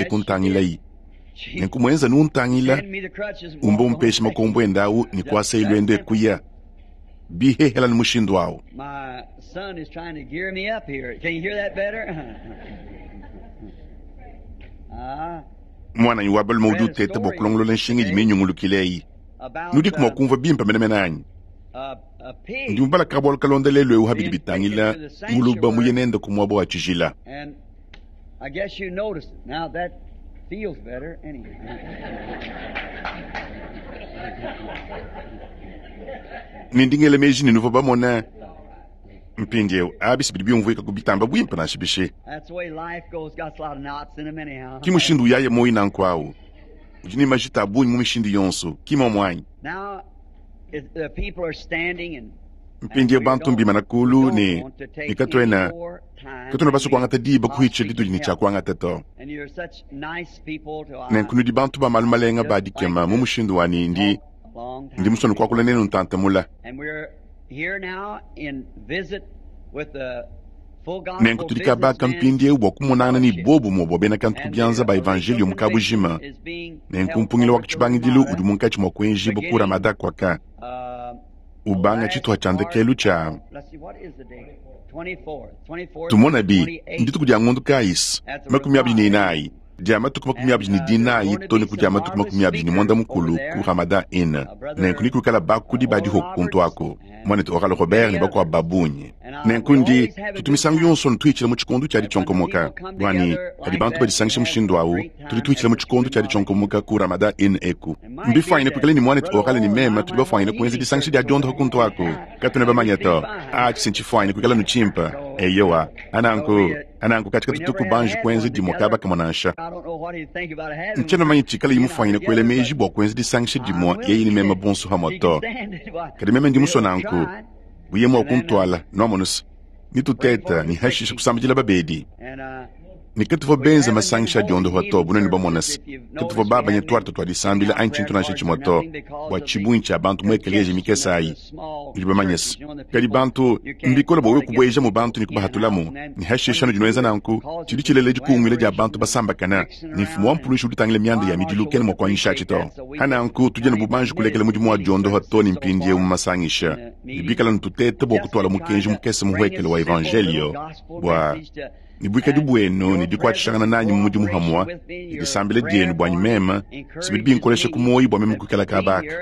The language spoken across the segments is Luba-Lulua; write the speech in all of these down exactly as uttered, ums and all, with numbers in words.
e kuntangilayi. Nenku muenza nuntangila umba umpesha makombo endawu ni kuasa ilwendo ekuya bihehela ni mushindu awu. My son is trying to gear me up here. Can you hear that better? Ah, Mwananyi wa balume udi uteta bua kulongolola nshinga idi minyungulukile eyi. about Nudiku mua uh, kumvua bimpe menemene anyi? a, a pig. Ndi mubala kabualu kalonda lelu ewu habidi bitangila nguluba muye nende ku muaba wa tshijila. And I guess you noticed it. Now that feels better anyway. Ne ndingele meji ne nuvua bamona mpindiewu abi bidi biumvuika ku bitamba bwimpe nansha bishi. That's the way life goes. Got a lot of knots in them anyhow. Ki mushindu uyaye moyi nanku awu. Udi ne majita a bungi mu mishindu yonso, ki momwanyi. Now it, the people are standing and Mpindiewu bantu mbimana kulu ne ne katuena katuena basue kuangata diba kuhitsha ditudi ne tshia kuangata to. And you're such nice people to Nenku nudi bantu ba malu malenga ba dikema mu mushindu wani ndi long time. ndi musone kuakula nenu ntantamula. And we're here now in visit with the full gospel Nenku tudi kabaka businessmen mpindiewu bua kumonangana ne bobu bua bena kantu and kubyanza ba the evangelio mu kabujima. is being Nenku held mpungilo wa over to tshibangidilu Ramada. udi munkatshi mua kuenjibwa ku Ramada kwaka Uh, ubanga tshituha tshia ndekelu tshia let's see, what is the date? twenty-fourth, twenty-fourth, tumona bi twenty-eighth. ndituku dia ngondu kayisi makumi abidi ne inayi dia matuku makumi abidi ne dinayi to ne ku dia matuku makumi abidi ne mwanda mukulu ku Ramada Inn. Nenku nikuikala bakudi badiho kuntu ako mwanetu Oral Robert ne bakuabu babunyi. Nenku ndi tutu misangu yonso ntuhitshila mu tshikondu tshia ditshionkomoka bwani kadi bantu badisangisha mushindu awu tudi tuhitshila mu tshikondu tshia ditshionkomoka ku Ramada Inn eku. Mbifwanyine kuikala ne mwanetu Oral ne mema tudi bafwanyine kuenza disangisha dia diondoha kuntu ako katuna bamanya to a tshisintshifuanyine kuikala nutshimpa eyowa ananku ananku katika tutuku banji kuenza dimwe kaba kamwe nansha. I don't know what he'd think about having Ntshiena one. manyi tshikala imufwanyine kuela meji bua kuenza disangisha dimwe yeyi ne mema bonso hamwe to. Kadi meme ndi musue nanku buye mua kuntwala nwamonusa nituteta ni hashisha kusambidila babedi. And uh, Ni katuvua benza masangisha a diondoha to bunene bamonasa katuvua babanya twarta twa disambila anyi tshintu nansha tshimwe to bua tshibungi tshia bantu mu ekeleziya mikesa ayi nudi bamanyasa. Kadi bantu mbikola bua wewe kubueja mu bantu ne kubahatulamu ni hashisha nudi nuenza nanku tshidi tshilela dikungwila dia bantu basambakana ni mfumu wa mpulushi udi utangila mianda ya midilu kena mua kuanyisha atshi to. Hananku tudi ne bubanji kulekela mudimu wa diondoha to ne mpindiewu mu masangisha ne bikala nututeta bua kutwala mukenji mukese muhuekele wa evangelio bua ni buikadi buenu ne dikuatshishangana nanyi mu mudimu hamwa ne disambila dienu buanyi mema sibidi binkolesha ku moyi bua meme kuikala kabaka.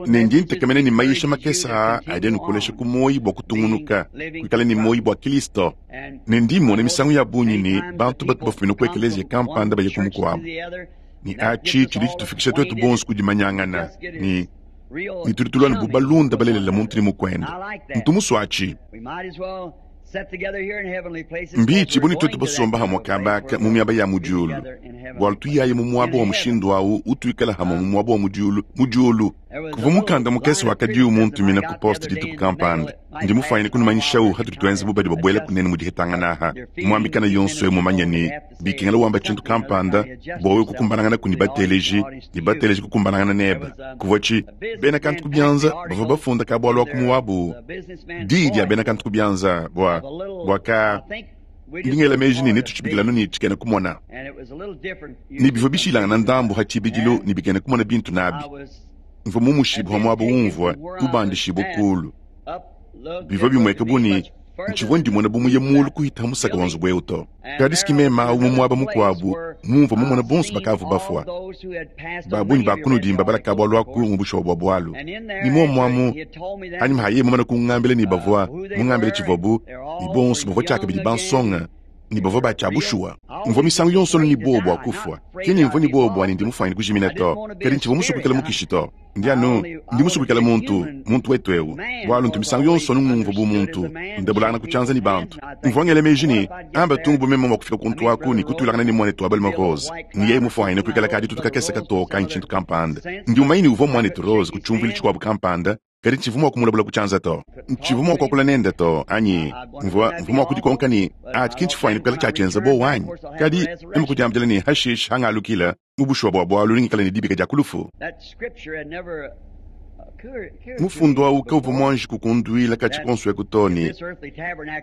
Ne ndi ntekemena ne mayisha makese aa adi anukolesha ku moyi bua kutungunuka kuikala ne moyi bua Kristo. Ne ndi mmona misangu ya bungi ne bantu batu bafumina ku ekeleziya kampanda baye ku mukuabu. Ne atshi tshidi tshitufikisha tuetu bonso ku dimanyangana ne ne tudi tulua ne bubalunda balelela muntu ne mukuenda. Ntu musue atshi. We might as well sit together here in heavenly places. Mbitshi buni tuetu basomba hamwe kabaka mu miaba ya mudiulu bualu tuyaye mu muaba wa mushindu awu utuikala hamwe mu muaba wa mudiulu mudiulu. Kuva mukanda mukese wakadiwu muntumina ku poste dituku kampanda ndi mufwanyine kunumanyishawu hatudi tuenza bubadi babuela kunene mu dihetangana aha muambikana yonso ewu mumanya ne bikengela wamba tshintu kampanda bua wewe kukumbanangana ku ni bateleji ni bateleji kukumbanangana neba. Kuvua tshi bena kantu kubyanza bavua bafunda kabualu aku muwabu diyi dia bena kantu kubyanza bua bua ka ndingela meji ne netutshibikilanu ne tshikena kumona ne bivua bishilangana ndambu ha tshibidilu ne bikena kumona bintu nabi. Mvua mumushibua muaba umvua ubandishibua kulu. Bivua bimueka bu ne ntshivua ndimona bu muye mulu kuhita musaka wa nzubu ewu to. Kadi sikimema awu mu muaba mukuabu mumvua mumona bonso bakavua bafua. Babungi bakunudimba balaka bualu aku mu bushuwa bua bualu. Ni muomuamu anyi mahaye mumana kungambila ne bavua mungambila tshivuabu ne bonso bavua tshiakabidi bansonga ne bavua batshia bushuwa. Mvua misangu yonso ni bobu bua kufua. Kene mvua ni bobu bua ne ndi mufwanyine kujimina to. Kadi ntshivua musue kuikala mukishi to. Ndi anu ndi musue kuikala muntu, muntu wetu ewu. Bualu ntu misangu yonso anu ngumvua bu muntu, ndabulangana ku tshianza ne bantu. Mvua ngela meji ne amba tungu bu meme mua kufika kuntu aku ne kutulangana ne mwanetu wa balume Rose. Ne yeye mufwanyine kuikala kadi tutu kakese katoka anyi tshintu kampanda. Ndi umanye ne uvua mwanetu Rose ku tshiumvuilu tshikuabu kampanda kadi ntshivua mua kumulabula ku tshianza to. Ntshivua mua kuakula nende to anyi mvua mvua mua kudikonka ne atshi ki ntshifwanyine kuikala tshiatshienza bowa anyi. Kadi meme kudiambila ne hashish hangalukila mu bushuwa bua bualu ningikala ne dibika dia kulufu. That scripture had never Mufundo awu kavua muanji kukunduila katshi konso eku to ne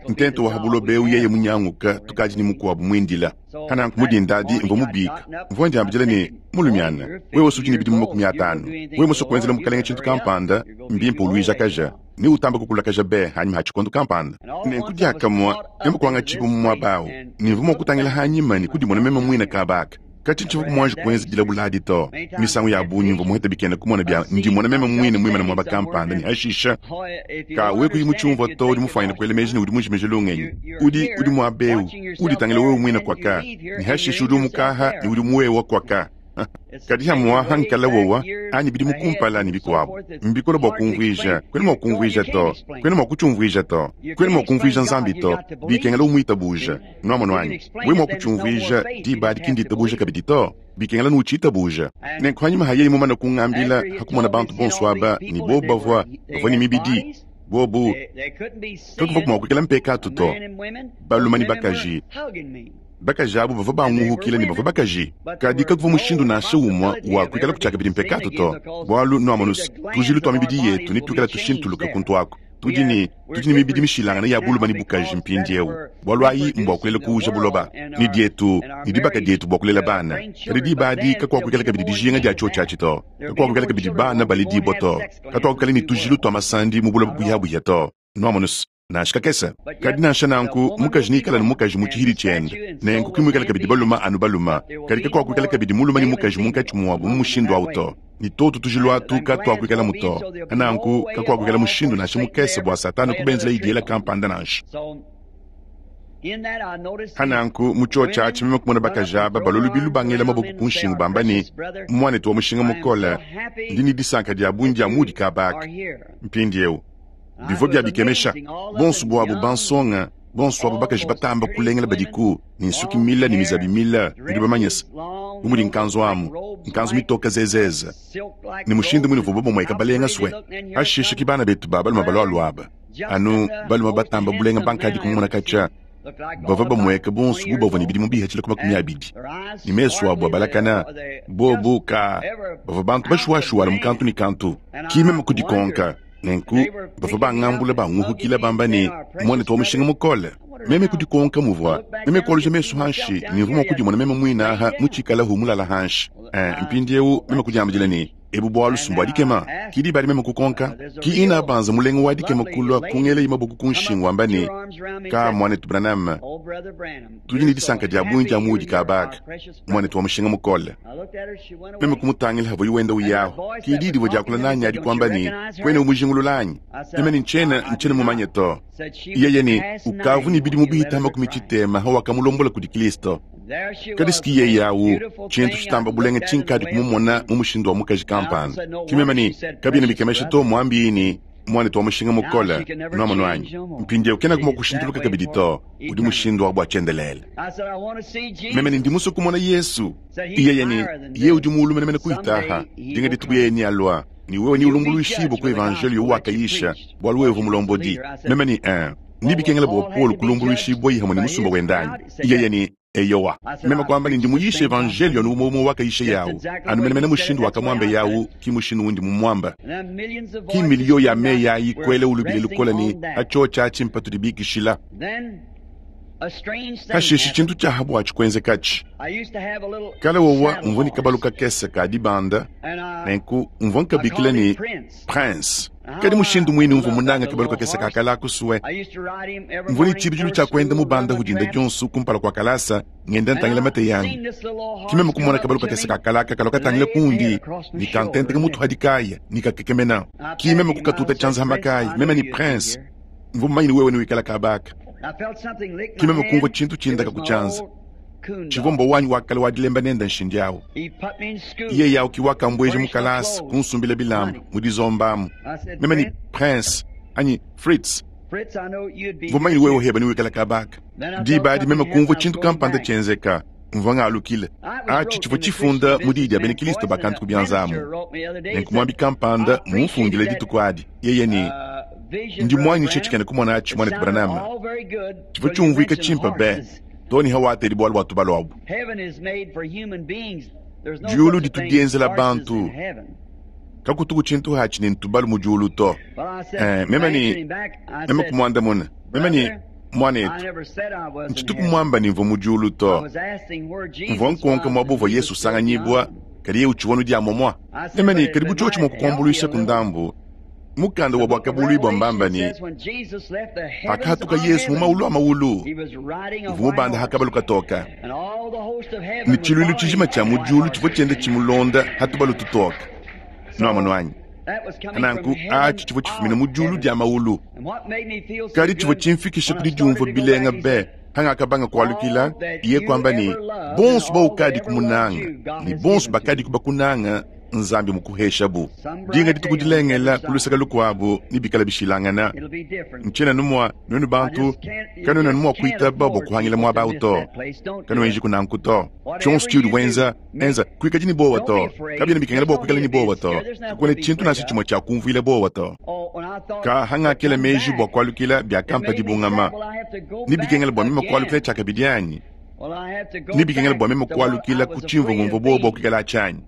ntente wa habuloba ewu yeye munyanguka tukadi ne mukuabu muindila. Hananku mudindadi mvua mubika mvua ndiambidila ne mulumiana wewe usudi ne bidimu makumi atanu wewe musue kuenzela mukalenge tshintu kampanda mbimpe uluijakaja ne utamba kukulakaja be hanyima ha tshikondo kampanda. Nenku diakamua meme kuangatshibu mu muaba awu ne mvua mua kutangila hanyima ne kudimona meme muine kabaka. Katshi ntshivua muanji kuenza dilabuladi to. Misangu ya bungi mvua muheta bikena kumona bia ndimona meme muine muimana muaba kampanda ne hashisha ka wewe kuyi mutshiumvua to udi mufuanyine kuela meji ne udi mujimeje lungenyi. Udi udi muaba ewu uditangila wewe muine kwaka ne hashisha udi umukaha ne udi muwewa kwaka. Kadi hamwa hankala wowa anyi bidi mukumpala ne bikuabu mbikola bua kumvuija kwena mua kumvuija to kwena mua kutshiumvuija to kwena mua kumvuija nzambi to bikengela umwitabuja nwamonu anyi we mua kutshiumvuija diba adi kinditabuja kabidi to bikengela nuutshitabuja. Nenku hanyima hayeyi mumana kungambila hakumona bantu bonso aba ne bobu bavua bavua ne mibidi bobu kakuvua mua kuikala mpekatu to balume ne bakaji bakaji abu bavua banguhukila ne bavua bakaji kadi kakuvua mushindu nansha umue wa kuikala kutshiakabidi mpekatu to bualu nuamonusa tujilu tua mibidi yetu ne tuikala tushintuluka kuntu aku. Tudi ne tudi ne mibidi mishilangana ya bulume ne bukaji mpindiewu bualu ayi mbua kulela kuuja buloba ne dietu ne dibaka dietu bua kulela bana. Kadi diba adi kakuakuikala kabidi dijinga dia tshio tshiatshi to kakuakuikala kabidi bana baledibua to katuakuikala ne tujilu tua masandi mu buloba buyabuya to nuamonusa nansha kakese. Kadi nansha nanku mukaji nikala ne mukaji mu tshihidi tshiende nenku kimuikala kabidi baluma anu baluma kadi kakuakuikala kabidi mulume ne mukaji munkatshi muabu mu mushindu awu to ni toto tujilu atu katuakuikala muto nanku kakuakuikala mushindu nansha mukese bua satana kubenzela idiela kampanda nansha. Hananku mu tshio tshiatshi meme kumona bakaji aba balolubilu bangela maboko ku nshingu bamba ne muanetu wa mushinga mukole ndi ne disanka dia bungi dia mudi kabaka mpindiewu bivua bia bikemesha bonso buabu bansonga bonso abo bakaji batamba kulengela badiku ne nsuki mila ne mizabi mila nudi bamanyisa bu mudi nkanzu amu nkanzu mitoka zezeze ne mushindu mune vuba bamweka balenga swe hashisha ki bana betu ba balume balwalu aba anu balume batamba bulenga bankadi kumona katshia bavua bamweka bonso bu bavua ne bidimu bihatshila ku makumi abidi ne mesu abu abalakana bobu ka bavua bantu bashuwashuwala mu kantu ne kantu ki meme kudikonka. Nenku bavua bangambula banguhukila bamba ne muanetu wa mushinga mukole meme kudikonka muvua meme kualuja mesu hanshi ne mvua mua kudimona meme muine aha mutshikala mulala hanshi. Mpindiewu meme kudiambidila ne ebu bualu sumbu adikema kidi badi meme kukonka ki ina banza mulengo wa dikema kulua kungela imaboku ku nshingu wamba ne ka muanetu Branham tudi ne disanka dia bungi dia mudi kabaka muanetu wa mushinga mukole. Meme kumutangila havua wenda uyaho kidi divua diakula nanyi adi kuamba ne kwene umujingulula anyi meme ne ntshiena ntshiena mumanye to yeye ne ukavu ne bidimu bihita makumi tshitema hawakamulombola kudi Kristo. Kadi siki yeye awu tshintu tshitamba bulenga tshinkadi kumumona mu mushindu wa mukaji kampanda kimeme ne kabiena bikemesha to muambi ne muanetu wa mushinga mukole nwamonu anyi mpindiewu kena kuma kushintuluka kabidi to udi mushindu wa bua tshiendelele. Meme ne ndi musue kumona Yesu yeye ne ye udi muulu menemene kuitaha dinga dituku yeye ni alua ni wewe ni ulumbuluishibwa ku evangelio wakayisha bualu wewe mulombodi. Meme ni un ni bikengela bua Paul kulumbuluishibwa ihamwe ne musumba wendanyi yeye ni eyowa meme kwamba ni ndi muyisha evangelio ni umwe umwe wakayisha yawu anu menemene mushindu wakamwamba yawu ki mushindu wundi mumwamba ki milio ya meyi ayi kwele ulubile lukola ni acho tshiatshi mpatudi bikishila hashishi tshintu tshiahabu atshi kala wowa mvua ni kabalu kakese ka dibanda nenku mvua nkabikila ni prince kadi mushindu mwine mvua munanga kabalu kakese kakala kusue mvua ni tshibidilu tshia kuenda mubanda hudinda dionso kumpala kua kalasa ngenda ntangila mate yangu kimeme kumona kabalu kakese kakalaka kalo katangila kundi ni kantenteka mutu hadikaya ni kakekemena kimeme kukatuta tshianza hamakaya meme ni prince mvua mumanyine wewe ni wikala kabaka kimeme kumvua tshintu tshindaka kutshianza tshivua wanyi wakala wadilemba nenda nshindi awu iye yawu kiwakambweje mukalasa kunsumbila bilamba mudizombamu meme ni prince anyi Fritz mvua mumanyine wewe uheba ni wikala kabaka diba adi meme kumvua tshintu kampanda tshienzeka mvua ngalukile atshi tshivua tshifunda mu diyi dia bena Kristo bakantu kubianzamu nenku muambi kampanda mumfundile dituku adi yeye ni ndi muanyishe tshikene kumona atshi muanetu Branham tshivua tshiumvuika tshimpe be toni hawateli bualu bua tubalu abu diulu ditu dienzela bantu Kakutuku tshintu hatshi ne ntubalu mu diulu to. Eh, meme ne meme kumwandamuna. Meme ne mwanetu, ntshituku mwamba ne mvua mu diulu to. Mvua nkonka muaba uvua Yesu usanganyibua, kadi yeye utshivua nu diamomua. Meme ne kadi bu tshiotshi mua kukuambuluisha ku ndambu. Mukanda wa Buakabuluibua mbamba ne pakahatuka Yesu mu maulu a maulu, uvua mubanda ha kabalu katoka, ne tshiluilu tshijima tshia mu diulu tshivua tshienda tshimulonda ha tubalu tutoka. Nuamonu anyi? Nanku atshi tshivua tshifumina mu diulu dia maulu, kadi tshivua tshimfikisha kudi diumvua bilenga be. Hangakabanga kualukila, iye kwamba ne bonso baukadi kumunanga ne bonso bakadi kubakunanga Nzambi mukuheshabu. Dinga dituku dilengela ku luseke lukuabu ne bikala bishilangana. Ntshiena numua nuenu bantu kanuena numua kuitaba bua kuhangila muaba awu to. Kanuenji kunanku to. Tshionso tshiudi wenza, enza kuikadi ne bowa to. Kabiena bikengela bua kuikala ne bowa to. Kakuena tshintu nansha tshimue tshia kumvuila bowa to. Ka hangakela meji bua kualukila biakampa dibungama. Ne bikengela bua meme kualukila tshiakabidi anyi? Ne bikengela bua meme kualukila ku tshimvua ngumvua bowa bua kuikala tshianyi.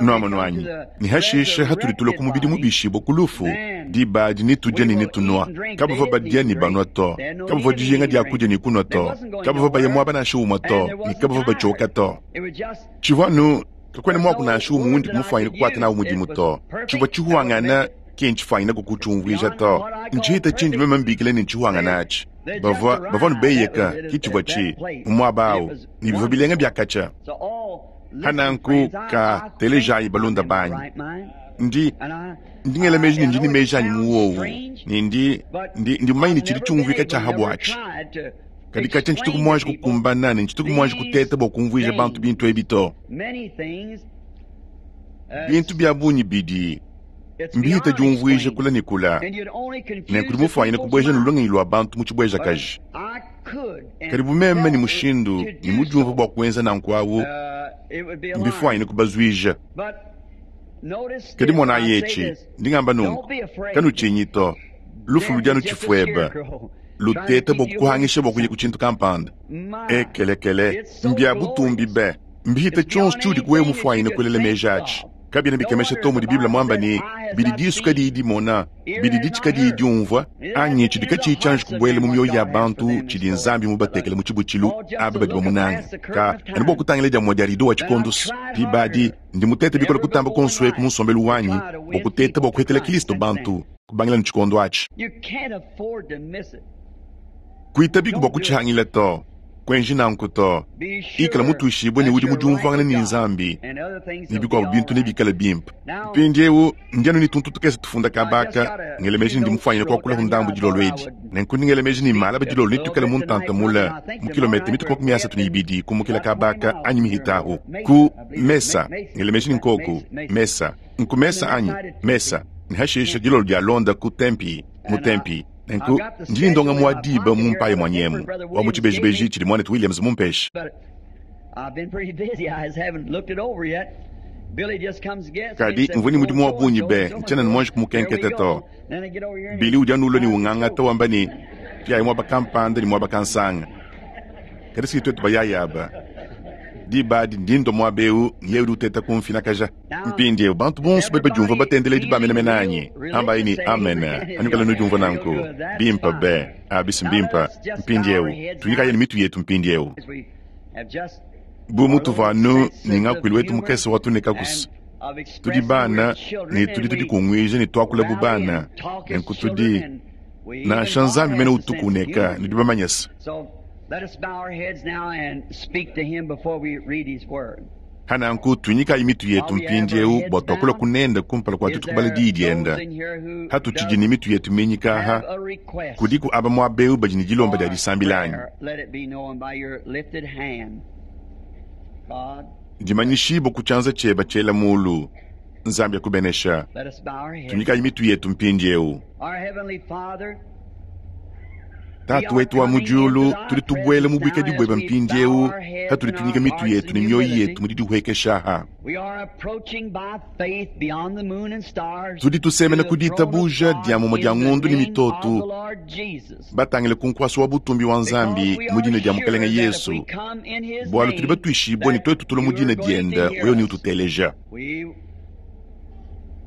Nuamonu anyi? Ne hashishe hatudi tulua ku mubidi mubishibua ku lufu, diba adi ne tudia ne ne tunua. Kabavua badia ne banua to. Kabavua dijinga dia kudia ne kunua to. Kabavua baya muaba nansha umue to, ne kabavua batshioka to. Tshivua nu kakuena muaku nansha umue undi kumufuanyina kukuata nawu mudimu to. Tshivua tshihuangana ke ntshifuanyina kukutshiumvuija to. Ntshihita tshindi meme mbikila ne ntshihuangana atshi. Bavua bavua nubeyeka ke tshivua tshi mu muaba awu, ne bivua bilenga biakatsha. Hananku ka telejayi balunda banyi. Ndi ndi ngela meji ne ndi ne meji anyi mu wowu, ne ndi ndi ndi mumanye ne tshidi tshiumvuika tshia habuatshi. Kadi katshia ntshituku muanji kukumbana ne ntshituku muanji kuteta bua kumvuija bantu bintu ebi to. Bintu bia bungi bidi mbihita diumvuija kula ne kula, ne kudi mufuanyina kubueja ne lungenyi lua bantu mu tshibuejakaji. Kadi bu meme ne mushindu ne mudiumvua bua kuenza nanku awu, mbifuanyine kubazuija. Kadi monayi etshi, ndi ngamba nunku, kanutshinyi to. Lufu ludi anu tshifueba, luteta bua kukuhangisha bua kuya ku tshintu kampanda. Ekelekele, mbia butumbi be, mbihita tshionso tshiudi kuwewe mufuanyine kuelela meji atshi. Kabiena bikemesha to mudi Biblia mwamba ne bidi disu kadiyi dimona, bidi ditshi kadiyi diumvua, anyi tshidi katshiyi tshianji kubuela mu mioyo ya bantu tshidi Nzambi mubatekele mu tshibutshilu aba badi bamunanga. Ka anu bua kutangila dia mua dia rido wa tshikondo diba adi, ndi mutete bikole kutamba konso eku mu nsombelu wanyi bua kuteta bua kuhetela Kristo bantu kubangila ne tshikondo atshi. Kuitabiku bua kutshihangila to. Kuenji nanku to. Ikala mutuishibue ne udi mudiumvuangane ne Nzambi, ne bikuabu bintu nebikale bimpe. Mpindieu ndi anu ne tuntu tukese tufunda kabaka, ngela meji ndi mufuanyine kuakula ndambu dilolo edi. Nenku ndi ngela meji ne malaba dilolo netuikale mu ntanta mule mu kilometa mituku makumi asatu ne ibidi kumukila kabaka anyi mihitahu ku mesa. Ngela meji ne nkoku mesa nku mesa anyi mesa ne hashishe dilolo dia londa ku tempi mu tempi. Nenku ndi ndonga mwa diba mu mpaye mwa nyemu wa mu tshibejibeji tshidi mwanetu Williams mumpeshe. Kadi mvua ne mudimu wa bungi be, ntshiena ne muanji kumukenketa to. Billy udi anulua ne ungangata wamba ne tuyayi muaba kampanda ne muaba kansanga. Kadi siki tuetu bayaya aba. Diba adi ndi ndua muaba eu, yeye udi uteta kumfinakaja. Mpindieu bantu bonso badi badiumvua batendeledi ba menemene anyi? Ambayi ne amen. Anukala nudiumvua nanku. Bimpe be, abisi mbimpe. Mpindieu tunyikaye ne mitu yetu mpindieu. Bu mutuvua anu ne ngakuilu wetu mukese wa tunekakusu. Tudi bana ne tudi tudikunguija ne tuakula bu bana. Nenku tudi nansha Nzambi mene utukuneka ne dibamanyesa. Let us bow our heads now and speak to him before we read his word. Hananku tunyikayi mitu yetu mpindieu bua tuakula kunenda kumpala kua tuetu kubala diyi dienda. Hatutshidi ne mitu yetu minyikaha, kudiku aba muaba eu badi ne dilomba dia disambila anyi? Dimanyishibua ku tshianza tshieba tshiela mulu. Nzambi akubenesha. Tunyikayi mitu yetu mpindieu. Tatu wetu wa mu diulu, tudi tubuela mu buikadi bueba mpindieu, hatudi tunyika mitu yetu ne mioyo yetu mu didihuekesha ha. Tudi tusemena ku ditabuja dia mumue dia ngondu ne mitoto, batangile ku nkuasa wa butumbi wa Nzambi mu dina dia Mukelenge Yesu, bualu tudi batuishibue ne tuetu tulua mu dina dienda, wewe ne ututeleja.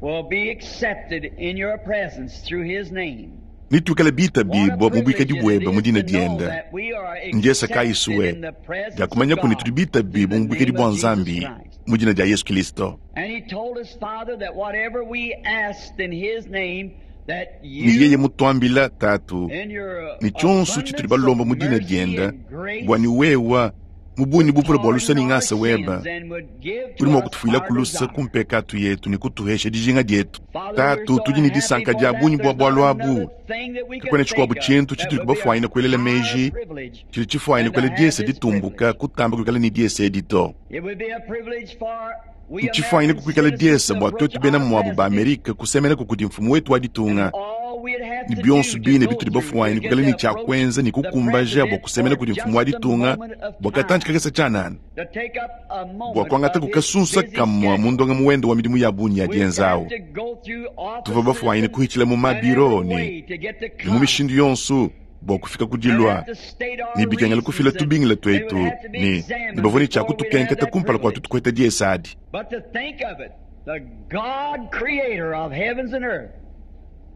will be accepted in your presence through his name. Nituikale bitabibwa What a mu bwikadi privilege it bweba mu is dina to know dienda. that we are Ndiesa accepted kayisuwe in the presence diakumanya of kuni God tudi bitabibwa mu in the bwikadi name bwa of Jesus Nzambi Christ. mu dina dia Yesu Kristo. And he told us, Father, that whatever we asked in his name, that Ni yeye you, mutwambila tatu in your ni chonso chituli abundance balomba of mu dina mercy dienda and grace, bwa ni wewa mubuni would bupula bwa lusa pardon ni our ngasa weba sins and would give uli to mwa us kutufuila our kulusa desire. kumpekatu yetu ni kutuhesha dijinga dietu. Father, we're Tatu so tudi ni happy disanka for dia that. bunyi bwa There's not bwalu abu another thing that we kakwena could chikuabu think of chintu that chituli would be a kubafuaina kuelela higher meji privilege chili chifuaina than to kuela have diesa this ditumbuka privilege. kutamba kuikala ni diesa edito. It would be a privilege for we Nchifuaina American kukuikala citizens diesa to bwa approach twetu bena our mwabu ba president Amerika kusemenako kuti mfumu wetu and waditunga all we'd have ni to bionso do to bine go bituli through to bafuaina get kukala to ni cha approach kwenza ni the kukumbaja bwa president kusemena for kuti mfumu just a waditunga moment of bwa katanchi time, kakesa chanana to take up a bwa moment kwangata of his kukasunsa busy kamwa schedule. mundonga muwendo wa midimu ya bunyi We'd have yadienzawo to go through tuva offices bafuaina and, kuhichila mu and every mabiro ni way to get to ni mu come mishindu yonso bwa kufika and kudilwa have to state ni our bikengela kufila reasons, and tubingila they would twetu have to be ni ni examined bavoni cha before we'd have kutukenketa that kumpala kwa privilege. tutukweta diesadi. But to think of it, the God creator of heavens and earth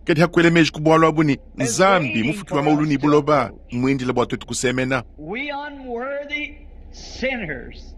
Kadi hakwele meji kubwalwa abu ni is Nzambi waiting mufuki wa for maulu us ni to buloba approach. mwindila bwa twetu kusemena. We unworthy sinners.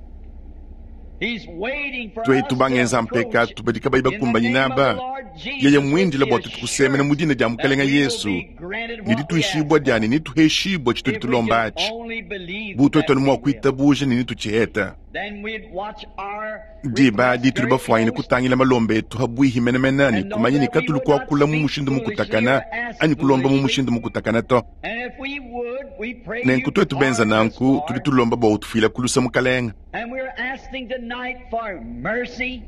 He's waiting for Twetu us to bangenza approach mpekatu badika bayi in the bakumbanyina name of the aba Lord yeye Jesus with mwindila the bwa twetu kusemena mu assurance dina dia that mukalenga we will Yesu be granted ni what we ask dituishibwa for. dyani nituheshibwa chituli If we can tulomba achi only believe bu twetu that ali mwa we will, kuitabuja ni nituchiheta then we'd watch our diba request dituli very bafuaine close kutangila malomba etu habwihi menemena ni and know kumanya ni that we katulu would not kuakula mu speak mushindu foolishly or mukutakana ask ani kulomba mu foolishly. mushindu mukutakana to. And if we would, we pray Nenku you'd twetu benza pardon us, nanku tuli Lord. tulomba bwa utufuila kulusa mukalenga. And we're asking tonight for mercy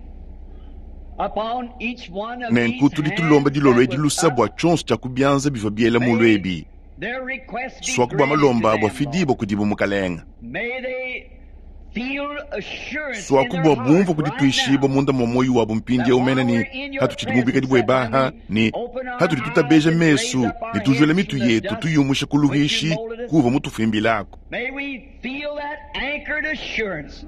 upon each one of Nenku these tuli tulomba hands dilolo that edi was lusa up. bwa chonso cha kubyanza bivwa biela mulu May ebi their request be swaku bwa granted to malomba bwa them, Lord. fidibwa kudibu mukalenga. May they feel assurance in Swaku their bwa heart bumva right kudituishibwa now munda mwa moyo wabo that mpindi umene while ni we're in your hatu chidi mubikadi presence, bwe that when baha we ni open our hatuli eyes tutabeja and raise mesu up ni our tujwela heads mitu from the yetu dust tuyumusha which you kuluhishi molded us, kuva mutufimbilako. may we feel that anchored assurance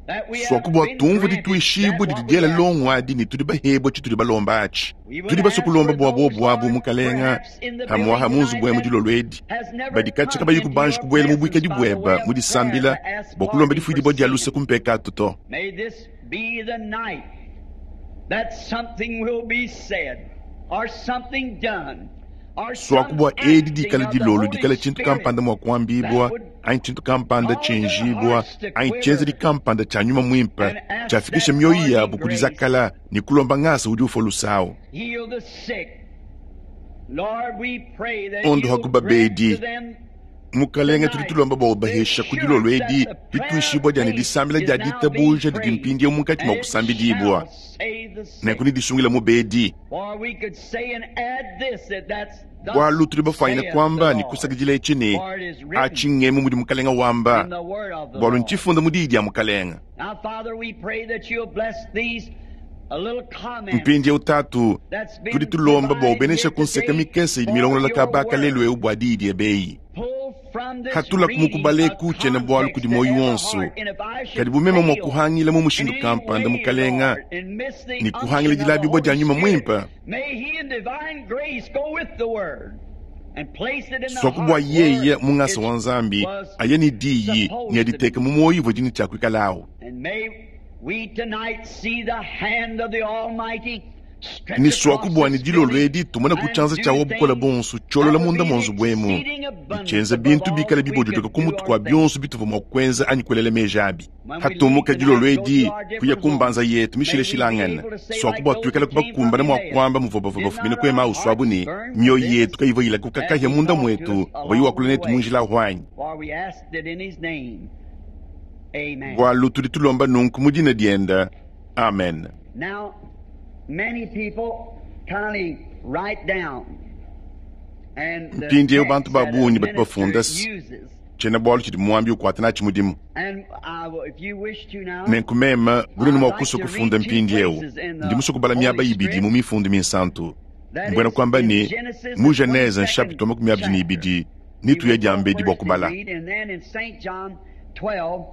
that we have Swaku bwa been tumva granted that dituishibwa what we dididyela ask. longwadi ni tuli bahebwa chituli balomba achi. We would Tuli ask basokulomba for bwa those, bobwabu Lord, mukalenga perhaps in the hamwaha building munzu tonight bwemu that dilolo edi has never badikatshi come kabayi into kubanji your kubwela mu presence bwikadi by the way bweba of prayer mudisambila to ask bwa kulomba pardon for difwidibwa dya lusa sin. kumpekatu to. May this be the night that something will be said or something done or some Swakubwa edi acting dikala of the dilolo Holy dikala chintu Spirit kampanda mwa that kuambibwa would anyi chintu kampanda cause their chenjibwa hearts to anyi chenze quiver dikampanda cha nyuma mwimpa and ask chafikisha that mioyo pardoning yabo grace. kudizakala ni kulomba ngasa udi ufa lusawo. Heal the sick. Lord, we pray that Ondo you'll hakuba grant to bedi them mukalenga tuli tonight tulomba bwa the ubahesha kudilolo assurance edi that the prayer of dituishibwa dyani faith disambila is dya now being ditabuja didi prayed, mpindi mukati mwa and it kusambidibwa shall save the sick. nenku nidisungila mu bedi For we could say and add this, that that's thus bwalu tuli bafaina saith the kwamba ni Lord. kusakidila ichi ni For it is written aching'emu mudi mukalenga wamba in the word of the bwalu Lord. nchifunda mudidi ya mukalenga. Now, Father, we pray that you'll bless these a little comments Mpindi utatu that's tuli been tulomba bwa provided ubenesha here kunseka today mikese idi for milongolola your kabaka word. lelu eu bwa didi ebeyi. Pull from this Hatula reading kumukubala a ekuche na bwalu context kudi to moyo every wonso heart, and if I kadi should bumema mwa fail kuhangila mu in mushindu any kampanda way, mukalenga Lord, and miss the ni kuhangila unction of the dilabibwa Holy dya nyuma Spirit, mwimpa. may He in divine grace go with the word and place it in the Swakubwa heart where yeye mungasa it wa Nzambi was aye ni diyi ni supposed to be. aditeka mu moyo ivwe dini chakuikalawo. And may we tonight see the hand of the Almighty stretch Ni across swakubwa ni this dilolo building edi tumona and kuchanza do chawo bukola things bonso that cholola would munda be monzo the bwemu exceeding abundance nichenza above bintu all bikala that we bibojotoka could do kumutu or kwa think. byonso bituva mwa kwenza anyi kuelela meja abi. When we leave Hatumuka dilolo tonight, go edi to our kuya different homes, kumbanza yetu may we be mishileshilangana able to say like swakubwa those tuikala who came from kubakumbana mwa Emmaus, kwamba muvobavoba did bafumine not our kwema uswabu hearts ni burn mioyo within us yetu kaivoyila as kukakahya he munda talked to mwetu us along vayiwakula the netu way? munjila hwanyi. For we asked it in his name. Amen. Bwalu tuli tulomba nunku mudina dienda. Amen. Now, many people kindly write down and the Mpindiewu bantu text ba that a bungi batu minister bafunda uses. chena bwalu chidi muambi ukwata nachi mudimu. And I will, if you wish to now, Nenkumema gulini I'd mwa like kusa to kufunda read two mpindiewu places in ndi the musukubala miaba Holy ibidi Script. mu mifundu minsantu. That Mbwena is kwamba in ni Genesis, the mu Genese twenty-second nchapito makumi abiri ni chapter. ibidi We nituya will go dyambedi bwa first and kubala. read, and then in Saint John twelve,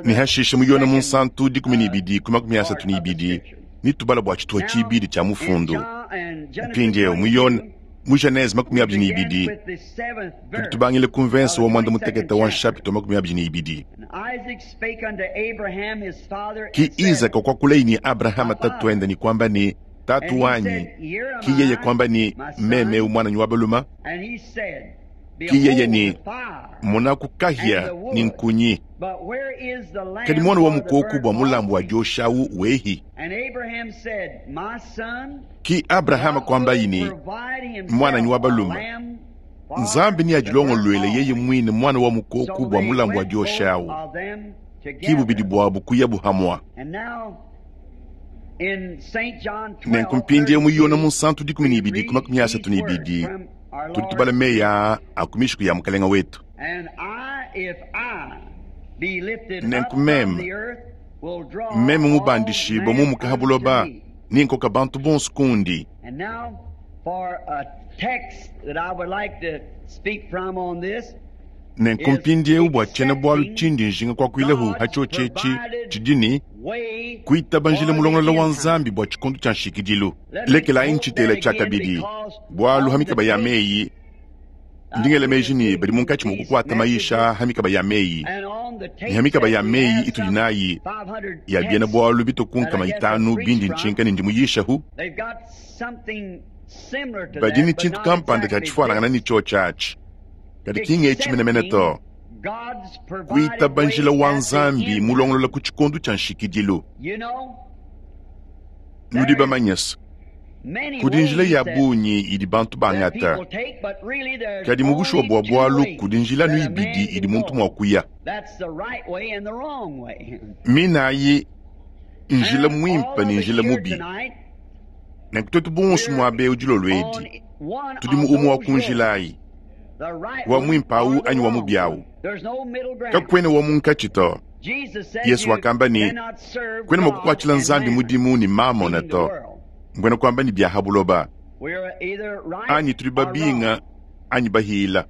Ne hashishe mu Yona munsantu dikumi ne ibidi ku makumi asatu ne ibidi nitubala bua tshituha tshibidi tshia mufundu. Mpindieu mu Yona mu Genese makumi abidi ne ibidi tudi tubangile ku mvense wa mwanda mutekete wa nshapito makumi abidi ne ibidi. Ki Isaka kwakulei ni Abrahama tatuende ni kwamba ni tatu wanyi, ki yeye kwamba ni meme umwananyi wa baluma, ki yeye ni monaku kahia ni nkunyi kadi mwana wa mukoku bwa mulambu wa joshawu wehi. Ki Abrahama kwamba yini mwananyi wa baluma, Nzambi ni ajilongolwele yeye mwine mwana wa mukoku bwa mulambu wa joshawu, ki bubidi bwabu kuya buhamwa. Nenku mpindieu mu Yona munsantu dikumi ne ibidi ku makumi asatu ne ibidi tudi tubala meya a ku mishiku ya mukalenga wetu. Nenku meme meme mubandishibwa mumuka ha buloba ninkoka bantu bonso kundi. Nenku mpindieu bua tshiena-bualu tshindi njinga kuakuilehu hatshio tshetshi tshidi ni kuitaba njila mulongolola wa Nzambi bua tshikondo tshia nshikidilu. Lekelayi ntshitela tshia kabidi bualu ha mikaba ya meyi ndingele meji ni badi munkatshi mua kukuata maisha ha mikaba ya meyi ni ha mikaba ya meyi itudi nayi ya biena bualu bitokunkama itanu bindi ntshinka ne ndi muyishahu badi ni tshintu kampanda tshia tshifuanangana ni tshio tshiatshi kadi kinga etshi to kuitaba njila wa Nzambi mulongolola ku tshikondo tshia nshikidilu. Nudi bamanyasa kudi njila ya bunyi idi bantu bangata, kadi mu bushuwa bua bualu kudi njila nu ibidi idi muntu mua kuya. Minayi njila muimpe ne njila mubi. Nenku twetu bonso muabe udilolo edi tudi mu umue wa ku njilayi, wa muimpe awu anyi wa mubi awu, kakwena wa munkatshi to. Yesu wakamba ne kwena mua kukuatshila Nzambi mudimu ne mamona to, mbwena kwamba ni bya ha buloba anyi tudi babinga anyi bahila.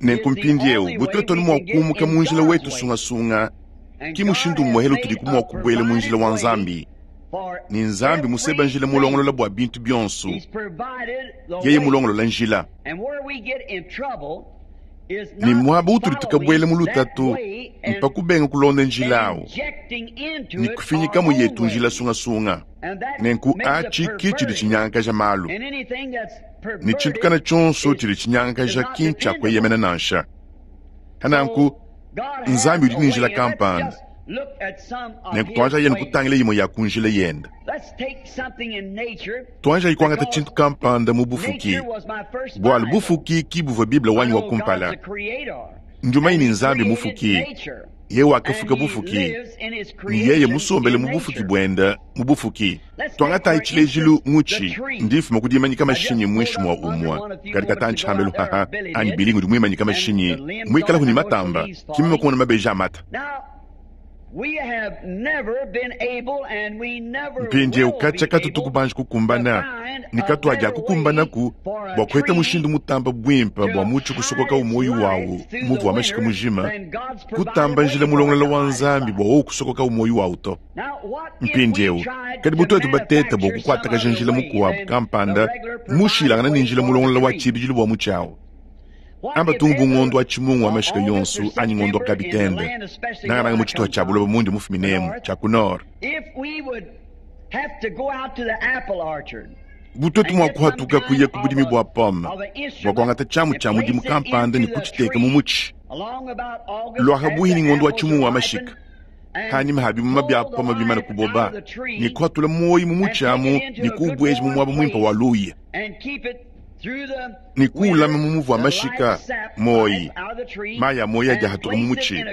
Nenku mpindieu butwetoni mua kumuka mu njila wetu sungasunga ki mushindu mmuhelu tudi kumua kubuela mu njila wa Nzambi. Ni Nzambi museba njila mulongolola bua bintu bionso, yeye mulongolola njila. Ni muaba utudi tukabuela mu lutatu mpa kubenga kulonda njila awu ni kufinyika mu yetu njila sungasunga. Nenku atshi ki tshidi tshinyangakaja malu ni tshintu kana tshionso tshidi tshinyangakaja ki ntshia kueyemena nansha. Hananku Nzambi udi ni njila kampanda, nenku tuanja yenu kutangila yimwe ya ku njila yenda. Tuanja ikuangata tshintu kampanda mu bufuki, bualu bufuki ki buvua Bible wanyi wa kumpala. Njumayi ni Nzambi mufuki, ye wakafuka bufuki ni yeye musombele mu bufuki bwenda mu bufuki. Twangatayi tshilejilu mutshi ndifuma kudimanyika mashinyi mwishi mwa umwa kadi katantshi hambelu haha anyi bilingu di mwimanyika mashinyi mwikalahu ni matamba kimima kuona mabeji amata. Mpindieu katshia katutu kubanji kukumbana ni katuadia kukumbanaku bua kuheta mushindu mutamba bwimpa bua mutshi kusokoka umoyo wawu muvu wa mashika mujima kutamba njila mulongolola wa Nzambi bua wowu kusokoka umoyo wawu to. Mpindieu kadi butwetu bateta bua kukuatakaja njila mukuabu kampanda mushilangana ni njila mulongolola wa tshibidilu bua mutshi awu. Amba tungu ngondo wa chimungu wa mashika yonsu anyi ngondo wa kabitende nangananga mu tshituha tshia buloba mundi mufuminemu tshia ku nord. Butwetu mua kuhatuka kuya ku budimi bua pome bua kuangata tshiamu tshia mudimu kampanda ne kutshiteka mu mutshi lwaha buhi ni ngondo wa chimungu wa mashika hanyima ha bimuma bya pome bimana kuboba ne kuhatula moyi mu mutshi amu ne kuubweja mu muaba muimpe wa luya ni kuulama mu muvu wa mashika moyi maya moyi adi ahatuka mu mutshi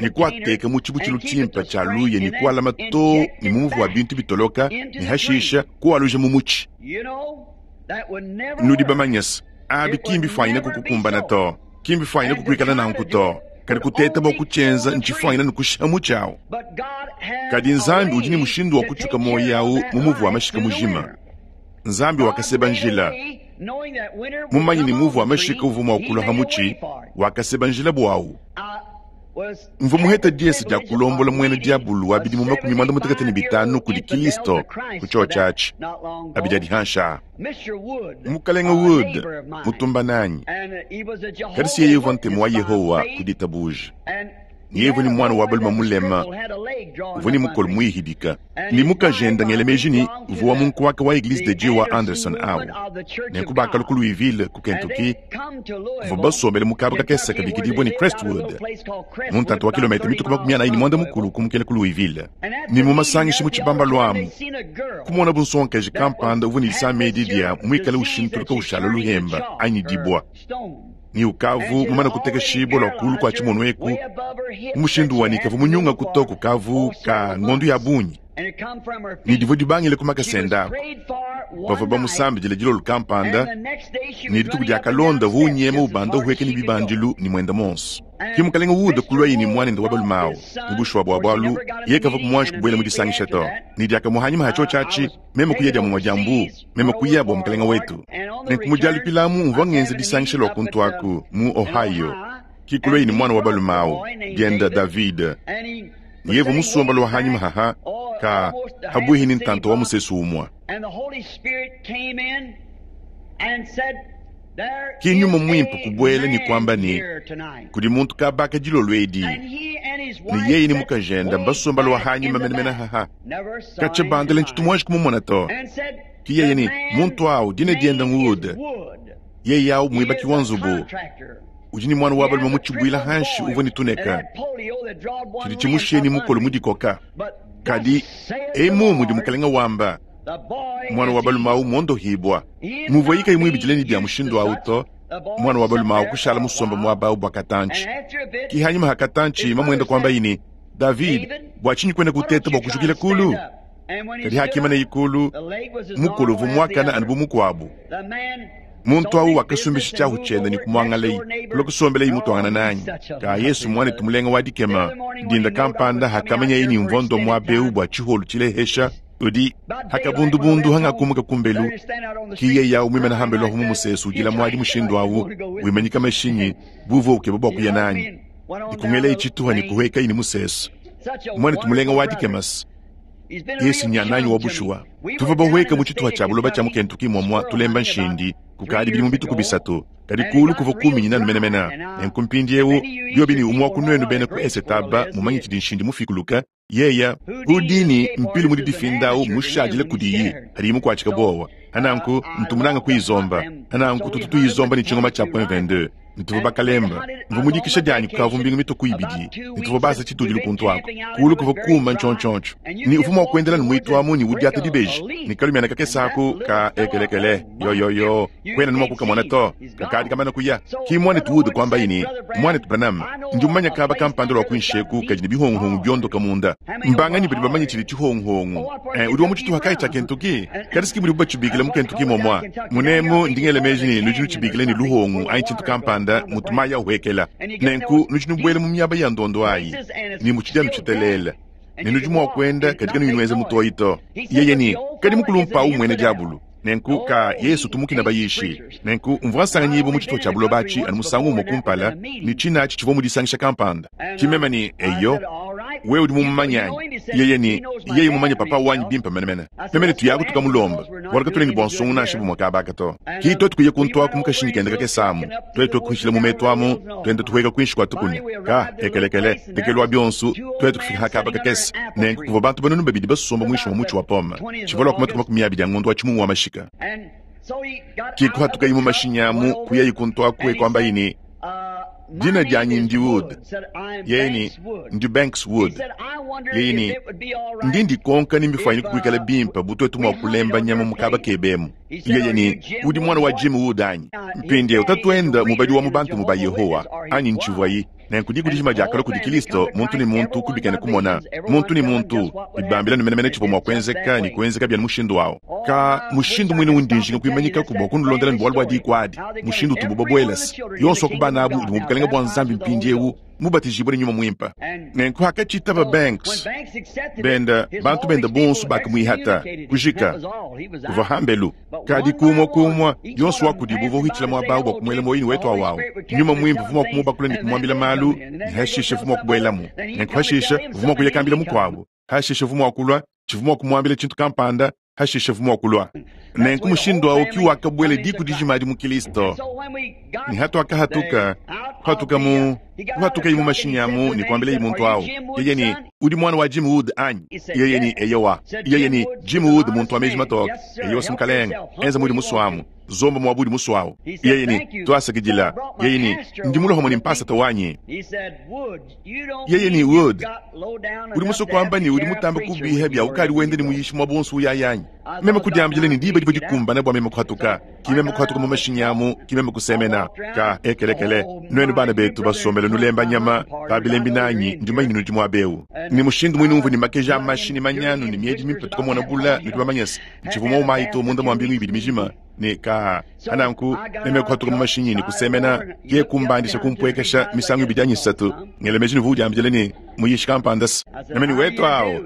ni kuateka mu tshibutshilu tshimpe tshia luya ni kualama to ni mu muvu wa bintu bitoloka ni hashisha kualuja mu mutshi. Nudi bamanyasa abi kimbi fwanyina kukukumbana to, kimbi fwanyina kukuikala nanku to, kadi kuteta bua kutshienza ntshifwanyina ni kushiha mutshi awu. Kadi Nzambi udi ni mushindu wa kutshuka moyi awu mu muvu wa mashika mujima. Nzambi wakaseba njila Mumanye ne muvu wa mashika uvua mua kulua ha mutshi, wakaseba njila bwawu. Mvua muheta diesa dia kulombola mwena diabulu wa bidimu makumi mwanda mutekete ne bitanu kudi Kilisto ku chio tshiatshi abidi adi hansha. Mukalenga Wood mutumba nanyi kadi si yeye uvua ntemu wa Yehowa ku ditabuja. Ni yeye ni mwana wa balume mulema uvua ni mukolo muihidika ni mukajenda ngele meji ni uvua wa munkuaka wa Eglise de Dieu wa Anderson awu nenku bakala ku Louisville ku Kentucky uvua basombele mukaba kakese kabikidibwa ni Crestwood mu ntanta wa kilomita mituku makumi anayi ni mwanda mukulu kumukela ku Louisville ni mu masangishi mu tshibamba lwamu kumona bunsonkaji kampanda uvua ni lisamedi dia mwikale ushintuluka ushala luhemba anyi dibwa ni ukavu mumana kuteka shibo lwa kulu kwa tshimono eku mushindu wa nikavu munyunga kutoku kavu ka ngondu ya bunyi ni divo dibangile kumakasenda bavua bamusambidile dilolo kampanda ni dituku dia kalonda vunyema ubanda uhueke ni bibandilu ni mwenda monso ki mukalenga wuda kulwa yini mwanende wa balumawu mubushwa bwa bwalu ye kava kumwanji kubwela mudisangisha to ni diakamuhanyima hacho chachi meme kuya dia mumwa diambu meme kuya bwa mukalenga wetu nenkumujalipilamu mvua ngenze disangisha lwa kuntu aku mu Ohio kikulwa yini mwana wa balumawu dienda David yevu musomba lwa hanyima haha ka habuhi ni ntanto wa musesu umwa kinyuma mwimpe kubwele ni kwamba ni kudi muntu kabaka dilolo edi ni yeye ni mukajenda mbasomba lwa hanyima menemene haha kache bandele nchitumwanji kumumona to ki yeye ni muntu awu dine dienda Wood yeye awu mwibaki wa nzubu udi ni mwana wa balume mutshibwila hanshi uvua ni tuneka tshidi tshimusheni mukolo mudikoka kadi emu mudi mukalenga wamba mwana wa balume awu mondohibwa muvua yika imwibidile ni bya mushindu awu to mwana wa balume awu kushala musomba mwaba awu bwa katantshi kihanyima ha katantshi mamwenda kwamba yini David bwa tshinyi kwenda kuteta bwa kujukila kulu kadi hakima ne ikulu mukolo vu mwakana anu bu mukuabu muntu awu wakasumbisha tshiahu tshienda ni kumwangalayi kulo kusombelayi mutwangana nanyi ka Yesu mwana tumulenga wa dikema dinda kampanda hakamanyayi ni mvondo mwabeu bwa tshiholu tshilehesha udi hakabundubundu hangakumuka kumbelu kiye yawu mwimena hambelu ahu mumusesu udila mwadi mushindu awu wimanyika mashinyi buvu ukeba bwa kuya nanyi dikungelayi tshituha ni kuhwekayi ni musesu mwana tumulenga wa dikemasi Yesu nyananyi wa bushuwa tuva bahweka mu tshituha tshia buloba tshia mu Kentucky mwamwa tulemba nshindi kukadi bili mu bituku bisatu kadi kulu kuva kumi nanu menemena nenku mpindiewu biobi ni umwa kunwenu bene ku esetaba mumanyi tshidi nshindi mufikuluka yeya hudini mpilu mudi difindawu mushadile kudiyi hadi mukuatshika bowa hananku ntumunanga kuizomba hananku tutu tuizomba ni tshingoma tshia point vingt-deux nituva bakalemba mvu mudikisha dianyi kukavu mbingu mituku ibidi nituva basa tshitudilu kuntu ako kulu kuva kuma ntshontshontho ni uvu mua kuendela ni muitu amu ni udiata dibeji ni kalumiana kakesaku ka ekelekele yoyoyo kwena ni mua kukamona to kakadi kamana kuya ki mwana tuwude kwamba yini mwana Branham ndi umanya kaba kampanda lwa kunsheku kadi ni bihongohongo byondoka munda mbangani badi bamanye tshidi tshihongohongo eh, udi wa mutshituha kai tshia Kentucky kadi siki mudi bubatshibikile mu Kentucky momwa munemu ndingele meji ni nudi nutshibikile ni luhongo anyi tshintu kampanda mutumaya uhekela nenku nudi nubwele mu miaba ya ndondo ayi ni mutshidi anu ne nudi mua kuenda katika nuyinweza mutoyi to yeye ni kadi mukulumpawu mwene diabulu nenku ka Yesu tumukina bayishi nenku mvua nsanganyibu mu tshituha tshia buloba atshi anu musangu umue kumpala ni tshina atshi tshivua mudisangisha kampanda tshimema ni eyo wewe udi mumumanyanyi yeye ni yeye mumanye papa wanyi bimpe menemene memene tuyaku tukamulomba bwala katule ni bwa nsongu nansha bumwe kabaka to ki twetu kuye kuntu mukashinyi kende kakesamu twetu kuhishila mu metu amu twende tuhueka kwinshi kwa tukunya ka ekelekele tekelwa byonsu twetu kufika hakaba kakese nenku kuva bantu banunu babidi basomba mwishi wa mutshi wa poma tshivalwa kumatuku makumi abidi a ngondu wa tshimungu wa mashika kikuhatuka imu mashinyi amu kuya ikuntu akue kwamba yini dina dianyi ndi Wood yeye ni ndi Banks Wood yeye ni ndi ndikonka ni mbifanyi kukwikala bimpa butwetu mua kulemba nyama mukaba kebemu yeye ni udi mwana wa Jim Wood anyi mpindiewu tatuenda mubadi wa mubantu muba Yehowa anyi ntshivwayi nenku dikudijima diakala kudi Kilisto muntu ni muntu kubikene kumona muntu ni muntu bibambila numenemene tshivua mua kuenzeka ni kuenzeka bia mushindu wawo ka mushindu mwine undinjinga kuimanyika kubwa kunulondela ni bwalu bwa diku adi mushindu tubu babwelasi yonso wakubana abu udi mubukalenga bwa nzambi mpindiewu Mubatijibue ne Nyuma Muimpe. Nenku hakatshitaba Banks benda bantu benda bonso bakamuihata kujika kuva hambelu kadi kumwa kumwa yonso wa kudibu uvua uhitshila muaba bua kumuela moyini wetu awawu Nyuma Muimpe uvua mua kumubakula ne kumuambila malu ne hashishe uvua mua kubuelamu. Nenku hashishe uvua mua kuya kambila mukuabu, hashishe uvua mua kulua tshivua mua kumuambila tshintu kampanda, hashishe uvua mua kulua. Nenku mushindu awu ki wakabuela diku dijima adi mu Kristo. Ne hatuakahatuka kuhatuka mu kuhatuka mu mashinyi amu ne kuambila muntu awu yeye ni udi mwana wa Jim Wood anyi? Yeye ni eyowa. Yeye ni Jim Wood muntu wa meji matoke. Eyowa simukalenga enza mudi muswamu zomba mwabudi muswawu. Yeye ni twasakidila. Yeye ni ndi mulohomo ni mpasata wanyi. Yeye ni Wood udi musokwamba ni udi mutamba kubiha bya ukali wende ni muyishi mwa bonso uyayanyi. Meme kudiambila ni diba diba dikumbana bua meme kuhatuka kimeme kuhatuka mu mashinyi amu kimeme kusemena ka ekelekele nwenu bana betu basomele nulemba nyama babilembi nanyi ndimanyi nudi muabeu ni mushindu mwini umvu ni makeja amashini manyanu ni miedi mimpe tukamona bula nudi bamanyese ntshivuma umayi to munda mwa mbingu ibidi mijima ni ka ananku meme kuhatuka mu mashinyi ni kusemena ye kumbandisha kumpwekesha misangu ibidi anyi isatu ngelemeji ni vudiambile ni muyishi kampandasi meme ni wetu awo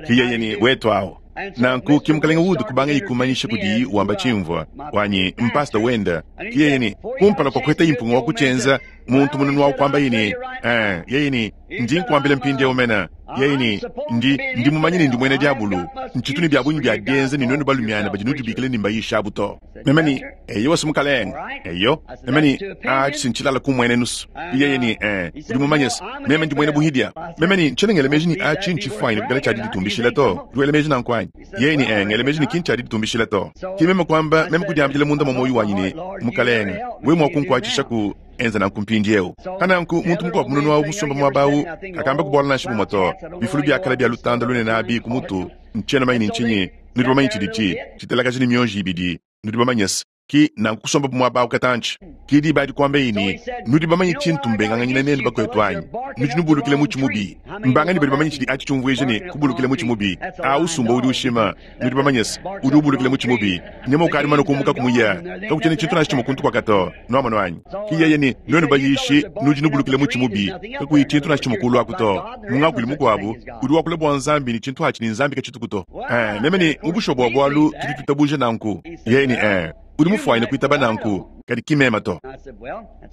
kiyeye ni wetu awo. Nanku kimukalenga Wood kubanga ikumanyisha kudi wamba chimvwa wanyi mpasta wenda kiyeye ni kumpala kwa kweta impunga wa kuchenza muntu mununu wa kwamba yini eh yeye ni ndi nkwambile mpindi omena yeye ni ndi ndi mumanyini ndi mwene diabulu nchituni bya bunyi bya genze ni nwenu balumyana bajinujubikile ni mbayisha buto memeni eyo wasimukalenga eyo memeni achisinchilala kumwene nusu yeye ni eh ndi mumanyesa meme ndi mwene buhidia memeni nchenengele meji ni achi nchifwaine kugala chadi ditumbishila to duele meji nankwani yeye ni eh ngele meji ni kinchadi ditumbishila to kimeme kwamba meme kudiambile munda momoyu wanyi ni mukalenga we mwakunkwachisha ku enza nankumpindi eu kananku muntu mukuabu mununu wawu musomba mwabawu kakamba kubola na nshibu moto bifulu byakala bya lutanda lunene abi kumutu nchena mayini nchinyi nudi bamanyi tshidi tshitelakaji ni mionji ibidi nudi bamanyese ki nanku kusomba mwabawu katanchi kidi badi kwamba ini nudi bamanyi tshintu mbenganganyina nenu bakwetu anyi nudi nubulukile mutshi mubi mbangani badi bamanyi tshidi achi tshiumvuije ne kubulukile mutshi mubi au sumba udi ushima nudi bamanyese udi ubulukile mutshi mubi nyama ukadi mano kumuka kumuya kakuchene tshintu nashi tshimukuntu kwakato nwamano anyi kiyeye ni nwenu bayishi nudi nubulukile mutshi mubi kakuyi tshintu nashi tshimukulu akuto mungakwili mukuabu udi wakula bua nzambi ni tshintu achi ni nzambi kachitukuto eh meme ni mubusho bua bwalu tudi tutabuje nanku yeye ni eh udi mufwaine kuitaba nanku kadi kimema to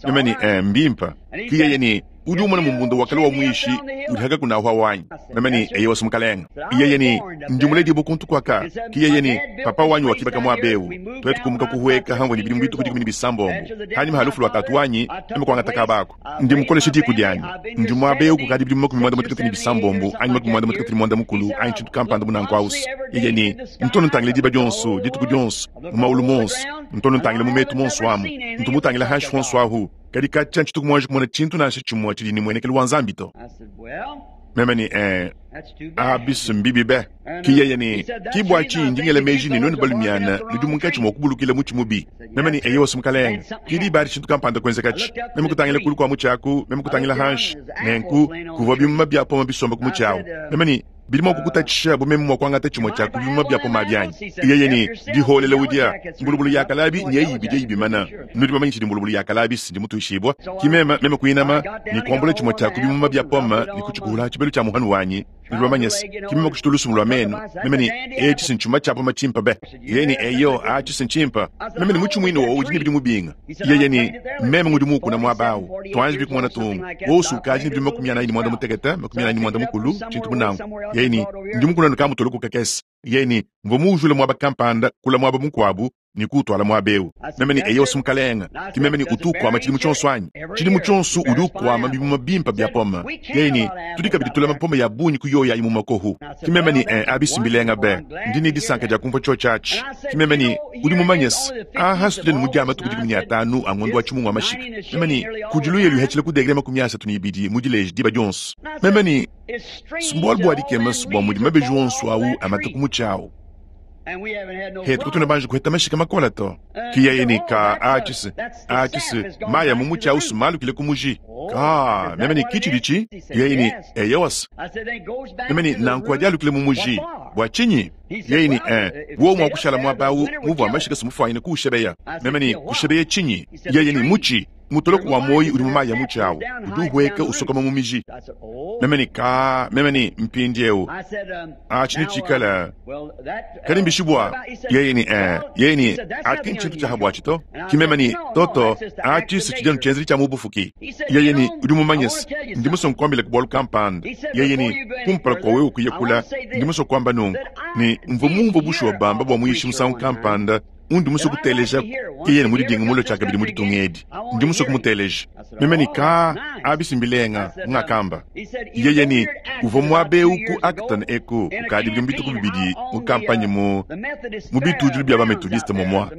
meme ni eh mbimpa kiyeye ni udi umona mumbundo wakala wa mwishi udi haka kunahwa wanyi meme ni eye wasumukalenga iyeye ni ndimuledi bukuntu kwaka kiyeye ni papa wanyi wakibaka mwabeu twetu kumuka kuhuweka hangwe ni bilimu bitu kudi kumini bisambombo hani mahalufu wakatu wanyi eme kwangata kabako ndimukoleshe diku dyanyi ndi mwabeu kukadi bilimu makumi mwanda mutekete ni bisambombo anyi makumi mwanda mutekete ni mwanda mukulu anyi tshintu kampanda munanku ausu yeye ni ntono ntangile diba dyonso dituku dyonso mumaulu monso ntono ntangile mumetu monso amu ntumutangile hanshi fonso ahu kadi katya ntshituku mwanji kumona tshintu nansha tshimue tshidi ni muenekelu wa nzambi to meme ni eh abisu mbibi be kiyeye ni kibwa tshindi ngele meji ni nwenu balumyana nudi munkatshi mua kubulukila mutshi mubi meme ni eye wasimukalenga kidi badi tshintu kampanda kuenzekatshi meme kutangila kulu kua mutshi aku meme kutangila hanshi nenku kuvua bimuma bia poma bisomba ku mutshi awu meme ni bidi mua kukutatshisha bumeme mua kuangata tshimue tshia ku bimuma bia poma byanyi yeye ni diholela udia mbulubulu ya kalabi nyeyi ibidi ibimana nudi bamanyi tshidi mbulubulu ya kalabi sindi mutuishibwa kimema meme kuinama ni kuambula tshimue tshia ku bimuma bia poma ni kutshikuhula tshibelu tshia muhanu wanyi nudi bamanyese kimema kushitulusumu lwa menu meme ni etshi sintshuma tshia poma tshimpa be yeye ni eyo atshi sintshimpa meme ni mutshi muine wowu udi ne bidi mubinga yeye ni meme ngudi mukuna muabawu twanji bikumona tungu wosu ukaji ne bidi makumi anayi ni mwanda mutekete makumi anayi ni mwanda mukulu tshintu munangu yeye ni ndi mukuna nukamutolo kukakese yeye ni mvo muujule mwaba kampanda kula mwaba mukuabu ni kutwala mwabeu meme ni eyo simukalenga kimeme ni utukwama tshilimu tshonso anyi tshilimu tshonso udi ukwama bimuma bimpa bya poma yeye ni tudi kabidi tulama poma ya bunyi kuyoya imu makohu kimeme ni eh, abisimbilenga be ndi ni disanka dia kumva tshio tshatshi kimeme ni udi mumanyese aha situde ni mudiama tuku dikumi ni atanu angondo wa tshimungu wa mashika meme ni kudiluye luhetshile kudegele makumi asatu ni ibidi mudileji diba dionso meme ni simbualu bua dikema bua mudi mabeji wonso awu amata ku mutshi awu hetu kutuna banji kuheta mashika makola to kiyeye ni ka achisi achisi maya mumutshi awu sumalukile kumuji ka meme ni kichilichi yeye ni eyewasa meme ni nanku adialukile mumuji bua tshinyi yeye ni eh wo mua kushala muaba awu muvua mashika simufwaine kuushebeya meme ni kushebeya tshinyi yeye ni mutshi Mutoloko wa moyi udi mu mayi a mutshi awu udi uhueka usokoma mu miji. Meme ne ka meme ne mpindiewu atshi netshikala kadi mbishi bua yeye ne eh yeye ne atshi ki ntshintu tshiaha buatshi to. Ki meme ne toto atshi si tshidi anu tshienzedi tshia mu bufuki. Yeye ne udi mumanye se ndi musue nkuambila ku bualu kampanda. Yeye ne kumpala kua wewe kuya kula ndi musue kuamba nunku ne mvua mumvue bushuwa bamba bua muyishi musangu kampanda undi musue kuteleja yeye ne mudidinga mulo tshiakabidi mu ditunga edi ndi musue kumuteleja. Meme ne ka abisi mbilenga ngakamba. Yeye ne uvua muaba eu ku Acton eku kukadi bidimu bituku bibidi mu kampanye mu mu bitudilu bia bamethodiste momwa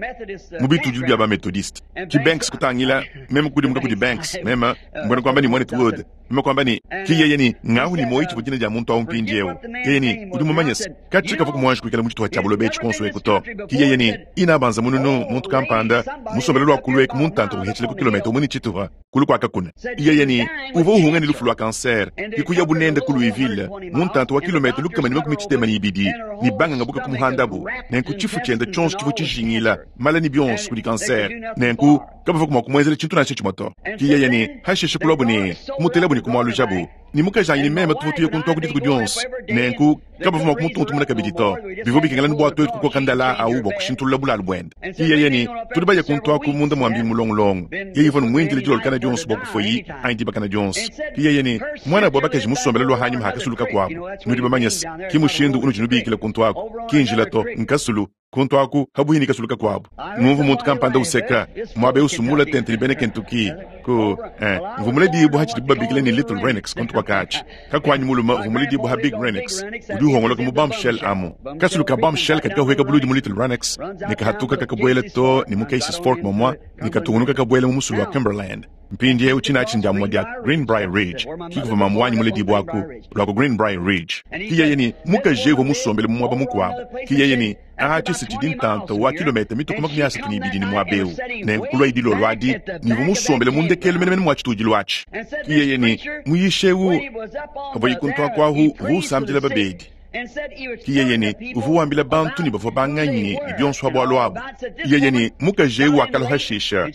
mu bitudilu bia bamethodiste. Ki Banks kutangila meme kudimuka kudi Banks meme mbona kwamba ni mwanetu Wood meme kwamba ni ki yeye ni ngahu ni moyi tshivua dina dia muntu awu mpindiewu. Yeye ni udi mumanye se katshi kavua kumuanji kuikala mu tshituha tshia buloba etshi konso eku to. Ki yeye ni ina banza mununu muntu kampanda musombele lwa kulu eku muntanta kuhetshile ku kilometa umwe ni tshituha kulu kwa kakuna. Yeye ni uvua uhunga ni lufu lwa kanser ikuya bunende ku Louisville muntanta wa kilometa lukama ni makumi tshitema ni ibidi ni banganga buka kumuhandabu nenku tshifu tshiende tshionso tshivua tshijingila mala ni bionso kudi kanser nenku kabavua kumua kumuenzela tshintu nansha tshimue to. Ki yeye ni hasheshe kulwabu ni kumutelabu ni kumualujabu ni mukajanyi ni meme tuvua tuya kuntua ku dituku dionso nenku kabavua mua kumutuntumuna kabidi to. Bivua bikengela ni bua tuetu kukoka ndala awu bua kushintulula bulalu buende. Ki yeye ni tudi baya kuntuaku munda mua mbingu mulongolongo yeye ivua numuindile dilolokana dionso bua kufoyi anyi dibakana dionso. Ki yeye ni mwana bua bakaji musombele lwa hanyuma hakasuluka kuabu nudi bamanye se ki mushindu unudi nubikila kuntuaku ki njila to nkasulu kuntuaku habuhi ni kasuluka kuabu. Numvu muntu kampanda useka muabe usumula tente ni bene Kentucky ku eh mvumule dibu hatshidi babikile ni Little Renix kuntu kwa kachi kakwanyi muluma mvumule dibu ha Big Renix udi uhongoloka mu bombshell amu kasuluka bombshell katika hueka buludi mu Little Renix ni kahatuka kakabwele to ni mu Cases Fork momwa ni katungunuka kabwele mu musulu wa Cumberland. Mpindiewu tshina tshindiamua dia Greenbrier Ridge kikuva mamuanyi mule dibu aku lwa ku Greenbrier Ridge. Ki yeye ni mukaji uvua musombele mu muaba mukuabu. Ki yeye ni atshi si tshidi ntanta wa kilometa mituku makumi asatu ni ibidi ni muaba eu nenku kulua idilolo adi nivua musombele mu ndekelu menemene mua tshitudilu atshi. Ki yeye ni muyishe eu avua yikuntua kuahu uvua usambidila babedi. Ki yeye ni uvua wambila bantu ni bavua banganyi ni bionso ha bualu abu. Yeye ni mukaji eu wakala hashisha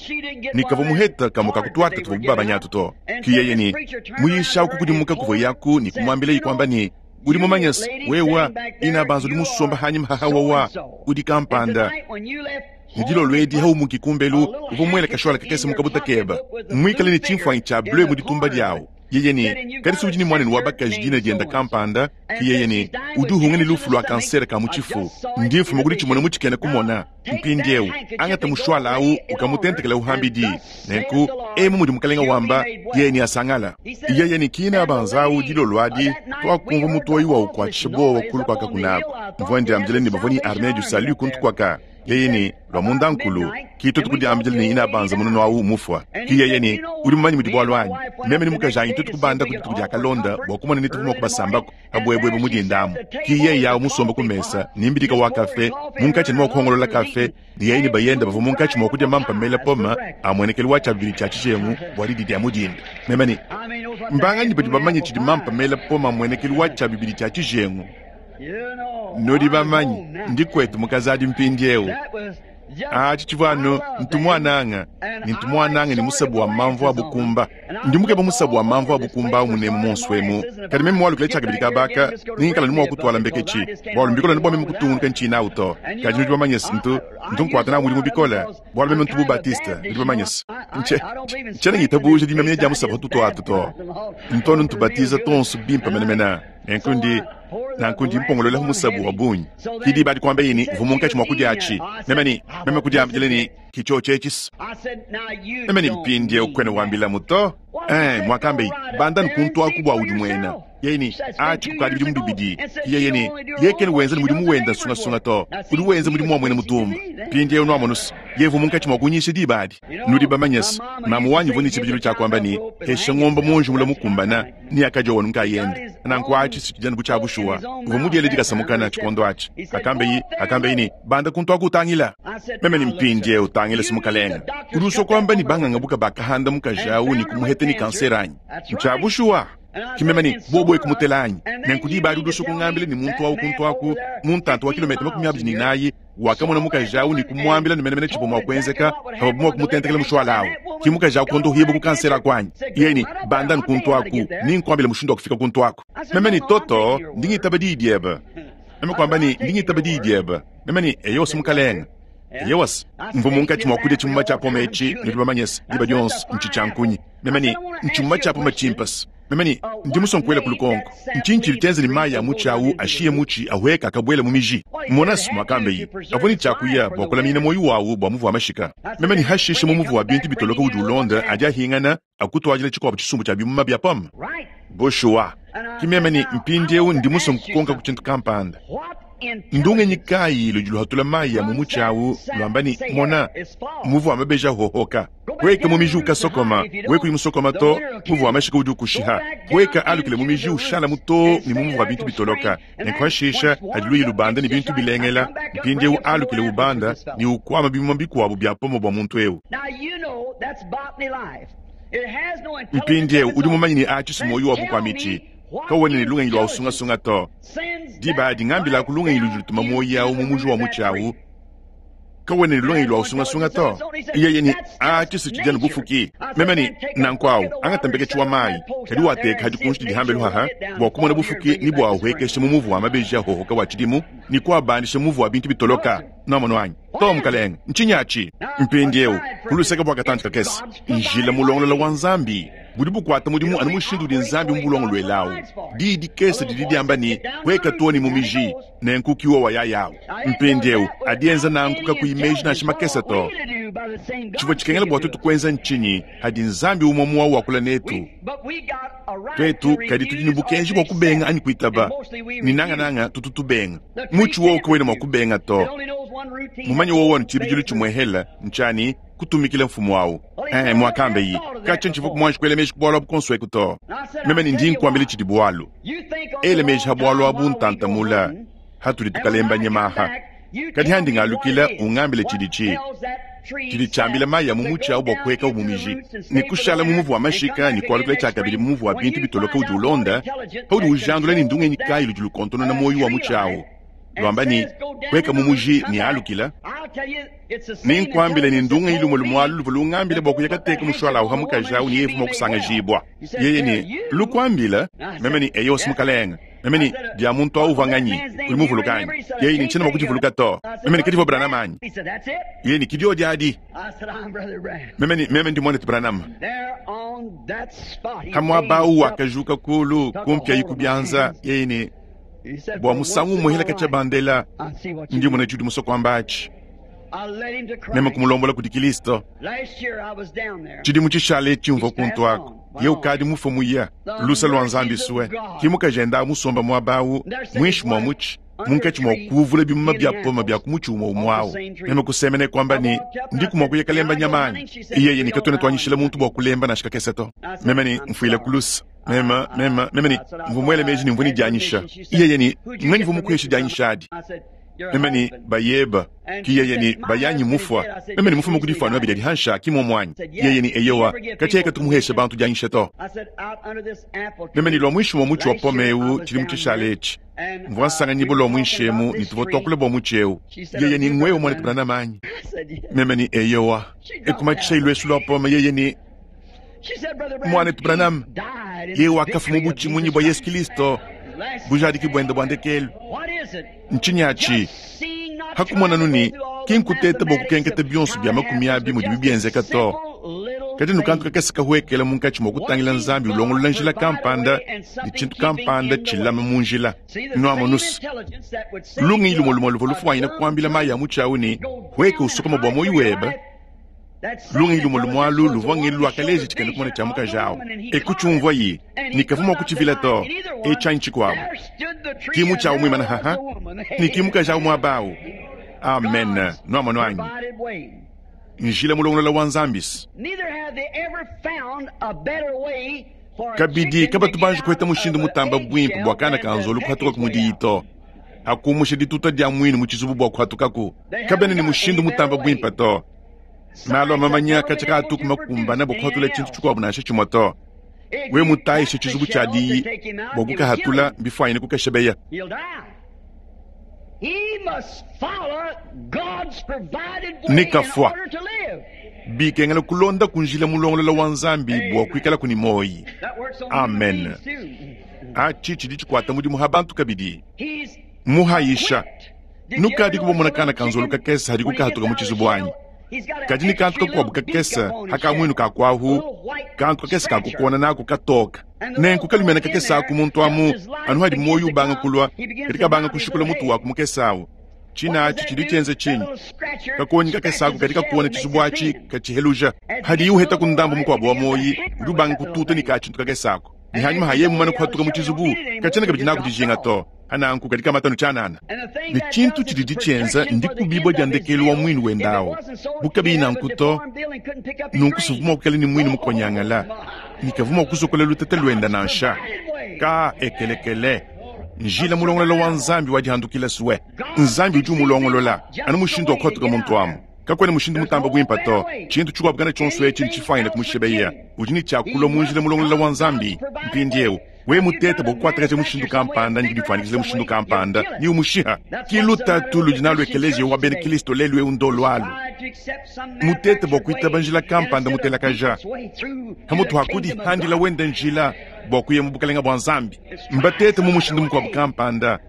ni kavua muheta kamue kakutuata tuvua bubabanyatu to. Ki yeye ni muyisha aku kudimuka kuvua yaku ni kumuambila yikwamba ni udi mumanye se wewa ina banza udi musomba hanyima hahawawa udi kampanda ni dilolo edi haumuki kumbelu uvua muele kashola kakese mukabuta keba muikale ni tshimfuanyi tshia bleu mu ditumba diawu. Yeye ni kadi si udi ni mwanenu wa bakaji dina dienda kampanda. Ki yeye ni udi uhunga ni lufu lwa kansere ka mu tshifu ndi mfuma kudi tshimona mu tshikena kumona mpindiewu angata mushwala awu ukamutentekela uhambidi nenku emu mudi mukalenga wamba yeye ni asangala. Yeye ni kina banza awu dilolo adi twakumva mutoyi wa ukwatshisha bowa kulu kwaka kunako mvua ndiambile ni bavua ni armée du salut kuntu kwaka. Yeye ni lwa munda nkulu ki tutu kudiambile ni ina banza mununu awu mufwa. Ki yeye ni udi mumanyi mudi bualu anyi meme ni mukajanyi tutu kubanda ku dituku dia kalonda bua kumona ni tuvua kubasambako habwebwebe mudindamu. Ki yeye yawu musomba ku mesa ni mbidika wa kafe munkatshi ni mua kuhongolola kafe ni yeye ni bayenda bavua munkatshi mua kudia mampa mela poma amuenekelu wa tshiabivili tshia tshijengu bua didi dia mudinda. Meme ni mbanganyi badi bamanye tshidi mampa mela poma amuenekelu wa tshiabivili tshia tshijengu. Nudi bamanyi ndi kwetu mukazadi mpindiewu atshi tshivua anu ntumwananga ni ntumwananga ni musabu wa mamvu abukumba ndi mukeba musabu wa mamvu abukumba awu munemu monso emu kadi meme mualukile tshiakabidi kabaka ningikala ni mua kutwala mbeketshi bualu mbikola ni bua meme kutungunuka ntshina awu to. Kadi nudi bamanye se ntu ntu nkuata na mudimu bikola bualu meme ntu bubatiste nudi bamanye se ntshe ntshiena ngitabuja dimamanya dia musabu tutuatu to ntonu ntubatiza tonso bimpe menemene nenku ndi nanku ndi mpongolola musabu wa bungi. Ki diba adi kuamba yini uvua munkatshi mua kudia atshi meme ni meme kudiambile ni kitshio tshetshisa meme ni mpindiewu kwene wambilamu to eh muakambe yi banda nkuntuaku bua udi muena yeye ni atshi kukadi bidimu bibidi. Ki yeye ni yekene wenza ni mudimu wenda nsungasunga to udi wenza mudimu wa muena mutumba. Mpindiewu nuamonusa yevu munkatshi mua kunyisha diba adi nudi bamanye se mamu wanyi uvua ni tshibidilu tshia kuamba ni hesha ngomba monji mula mukumbana ni akaja wanu nkayende nanku atshi si tshidi anu bu tshia bushuwa uvua mudiele dikasamukana tshikondo atshi akambe yi akambe yi ni banda kuntuaku utangila meme ni mpindiewu utangila simukalenga udi usua kuamba ni banganga buka bakahanda mukaji awu ni kumuheta ni kansere anyi ntshia bushuwa Ki meme ne, Bobo eku mutela anyi? Nenku diba adi udi usua kungambila ne muntu awu kuntu aku, mu ntanta wa kilometa makumi abidi ne inayi, wakamona mukaji awu ne kumuambila ne menemene tshivua mua kuenzeka pavuabu mua kumutentekela mushuala awu. Ki mukaji awu kuondohibua ku kansere aku anyi? Yeye ne, Banda anu kuntu aku, nenkuambile mushindu wa kufika kuntu aku. Meme ne, Toto, ndi ngitaba diyi diebe. Meme kuamba ne, Ndi ngitaba diyi diebe. Meme ne, Eyowa, mukalenge. Eyowa, mvua munkatshi mua kudia tshimuma tshia pome etshi, nudi bamanye se, diba dionso ntshi tshia nkunyi. Meme ne, Ntshimuma tshia pome tshimpe se. Meme ne, Ndi musue nkuela ku lukonko. Ntshinyi tshidi tshienza ne mayi a mutshi awu ashiye mutshi ahueka akabuela mu miji? Mona se, muakamba iye, avua ne tshia kuya bua kulaminyina muoyo wawu bua muvu wa mashika. Meme ne, Hashishe mu muvu wa bintu bitoloka udi ulonda adi ahingana akutuadila tshikuabu tshisumbu tshia bimuma bia pome. Bushuwa, ki meme ne, Mpindieu ndi musue nkukonka ku tshintu kampanda. Ndungenyi kayi ludi luhatula mayi a mu mutshi awu luamba ne, Mona, muvu wa mabeji ahohoka, hueka mu miji ukasokoma, we kuyi musokoma to, muvu wa mashika udi ukushiha, hueka alukile mu miji ushala too ne mu muvu wa bintu bitoloka, nenku hashisha hadi luyi lubanda ne bintu bilengela, mpindieu alukile ubanda ne ukuama bimuma bikuabu bia pome bua muntu eu. Mpindieu udi mumanye ne atshi si muoyo wa bukua mitshi, kawena ne lungenyi lua usungasunga to. Diba adi ngambilaku lungenyi ludi lutuma muoyo awu mu muji wa mutshi awu, kawena ne lungenyi lua usungasunga to. Yeye ne, atshi si tshidi anu bufuki. Meme ne, nanku awu angata mbeketshi wa mayi, kadi wateka hadi kunshi didi hambelu haha, bua kumona bufuki ne bua uhuekesha mu muvu wa mabeji ahohoka wa tshidimu, ne kuabandisha muvu wa bintu bitoloka. Nwamonu anyi? To, mukalenge, ntshinyi atshi? Mpindieu, ku luseke bua katantshi kakese, njila mulongolola wa Nzambi budi bukuata mudimu anu mushindu udi Nzambi mubulongoluela awu. Diyi dikese didi diamba ne, Hueka too ne mu miji, nenku ki wowa yaya awu. Mpindieu, adi enza nanku kakuyi meji nansha makese to. Tshivua tshikengela bua tuetu kuenza ntshinyi hadi Nzambi umue muawu wakula netu? Tuetu kadi tudi ne bukenji bua kubenga anyi kuitaba, ne nangananga tutu tubenga. Mutshi wowo kawena mua kubenga to. Mumanye wowo ne tshibidilu tshimuehela ntshiani kutumikila mfumu awu. Eh, muakambe yi, katshia ntshivua kumuanji kuela meji ku bualu abu konso eku to. Meme ne ndi nkuambila tshidi bualu. Ela meji ha bualu abu ntantamula hatudi tukalemba nyama aha. Kadi handi ngalukila ungambile tshidi tshi. Tshidi tshiambila mayi a mu mutshi awu bua kuhekawu mu miji, ne kushala mu muvu wa mashika ne kualukila tshiakabidi mu muvu wa bintu bitoloka udi ulonda, paudi ujandula ne ndungenyi kayi ludi lukontonona muoyo wa mutshi awu, luamba ne, Hueka mu muji ne alukila. Nenkuambile ne ndungenyi lumue lumue alu luvua lungambile bua kuya kateka mushuala awu ha mukaji awu ne yeye uvua mua kusangajibua. Yeye ne, Lukuambila? Meme ne, Eyo, mukalenge. Meme ne, Dia muntu awu uvua nganyi? Udi muvuluka anyi? Yeye ne, Ntshiena mua kudivuluka to. Meme ne, Kedivua Branham anyi? Yeye ne, Kidiodi adi. Meme ne, Meme ndi muanetu Branham. Ha muaba awu wakajuka kulu, kumpiayi ku bianza. Yeye ne, Bua musangu umue hela katshia bandela, ndi mona tshidi musue kuamba atshi. Meme kumulombola kudi Kilisto. Tshidimu tshishale etshi mvua kuntu aku, ye ukadi mufue muya, lusa lua Nzambi sue. Ki mukaji enda musomba muaba awu, muinshi mua mutshi, munkatshi mua kuvula bimuma bia pome bia ku mutshi umue umue awu. Meme kusemena kuamba ne, Ndiku mua kuya kalemba nyama anyi? Yeye ne, Katuena tuanyishila muntu bua kulemba nansha kakese to. Meme ne, Mfuila ku lusa. Meme, meme, meme ne, mvua muele meji ne mvua ne dianyisha. Yeye ne, Nganyi uvua mukuheshe dianyisha adi? Meme ne, Bayeba. Ki yeye ne, Bayanyi mufua. Meme ne, Mufuma ku difuanu abidi adi hansha, ki muomu anyi? Yeye ne, Eyowa, katshia katumuhesha bantu dianyisha to. Meme ne, Lua muinshi mua mutshi wa pome eu tshidimu tshishale etshi, mvua nsanganyibua lua muinshi emu ne tuvua tuakula bua mutshi eu. Yeye ne, Nguewe muanetu Branham anyi? Meme ne, Eyowa. Ekumatshishayi luesu lua pome. Yeye ne, Muanetu Branham, yeye wakafua mu butshimunyi bua Yesu Kilisto, bujadiki buende bua ndekelu. Ntshinyi atshi? Hakumonanu ne, ki nkuteta bua kukenketa bionso bia makumi abi mudibi bienzeka to, kadi nukantu kakese kahuekela munkatshi mua kutangila Nzambi ulongolola njila kampanda ne tshintu kampanda tshilama mu njila. Nuamonuse, lungenyi lumue lumue luvua lufuanyina kuambila mayi a mutshi awu ne, Hueka usokoma bua muoyo webe. Lungenyi lumue lumue alu luvua ngelu luakaleja tshikena kumona tshia mukaji awu. E kutshiumvuaye ne kavua mua kutshivila to. E tshianyi tshikuabu. Ki mutshi awu muimana haha, ne ki mukaji awu muaba awu. Amen. Nuamonu anyi? Njila mulongolola wa Nzambi. Kabidi kabatu banji kuheta mushindu mutamba buimpe bua kana ka nzolu kuhatuka ku mudiyi to. Hakumusha dituta dia muinu mu tshizubu bua kuhatukaku, kabena ne mushindu mutamba buimpe to. Malu a mamanya katshia kaatuku makumbana bua kuhatula tshintu tshikuabu nansha tshimue to. We mutayishe tshizubu tshia diyi bua kukahatula bifwanyine kukashebeya. Nikafwa bikengela kulonda kunjila mulongolola wa nzambi bua kuikala kuni moyi. Amen. Achi chidi chikwata mudimu ha bantu kabidi. Muhayisha nukadi kubomona kana kanzolu kakesa hadi kukahatuka mu tshizubu anyi. Kadi ni kantu kakuabu kakesa hakamwinu kakwahu kantu kakesa kakukona nako katoka. Nenku kalumena kakesa aku muntu amu anu hadi moyo ubanga kulwa kadi kabanga kushikula mutu wako mukesawu. China achi chidi chenze chinyi kakonyi kakesa aku kadi kakuona tshizubu achi kachiheluja hadi yuheta kundambu mukuabu wa moyi udi ubanga kututa ni kachintu kakesa ako. Ni hanyuma haye mumana kuhatuka mu tshizubu kachena kabidi naku dijinga to ananku kadi kamatanu chanana. Ni chintu chidi chenza ndi kubibwa dya ndekelu wa mwinu wendawo bukabi nanku to nunkusuvuma kukala ni mwinu mukonyangala nikavuma kusokola lutete lwenda nansha ka ekelekele njila mulongolola wa nzambi wadihandukila suwe nzambi udi umulongolola anu mushindu wa kuhatuka muntu amu kakwene mushindu mutamba bwimpa to chintu chikuabukana chonso echi nchifwanyine kumushebeya udi ni chakula munjila mulongolola wa nzambi mpindiewu we mutete bokukwatakaje mushindu kampanda ndidifwanikizile mushindu kampanda ni umushiha kilutatu ludi nalo ekeleziya wa bena kristo lelu eu ndolwalu mutete bokuitaba njila kampanda mutelakaja hamutu hakudi handila wenda njila bokuya mu bukalenga bwa nzambi mbatete mu mushindu mukuabu kampanda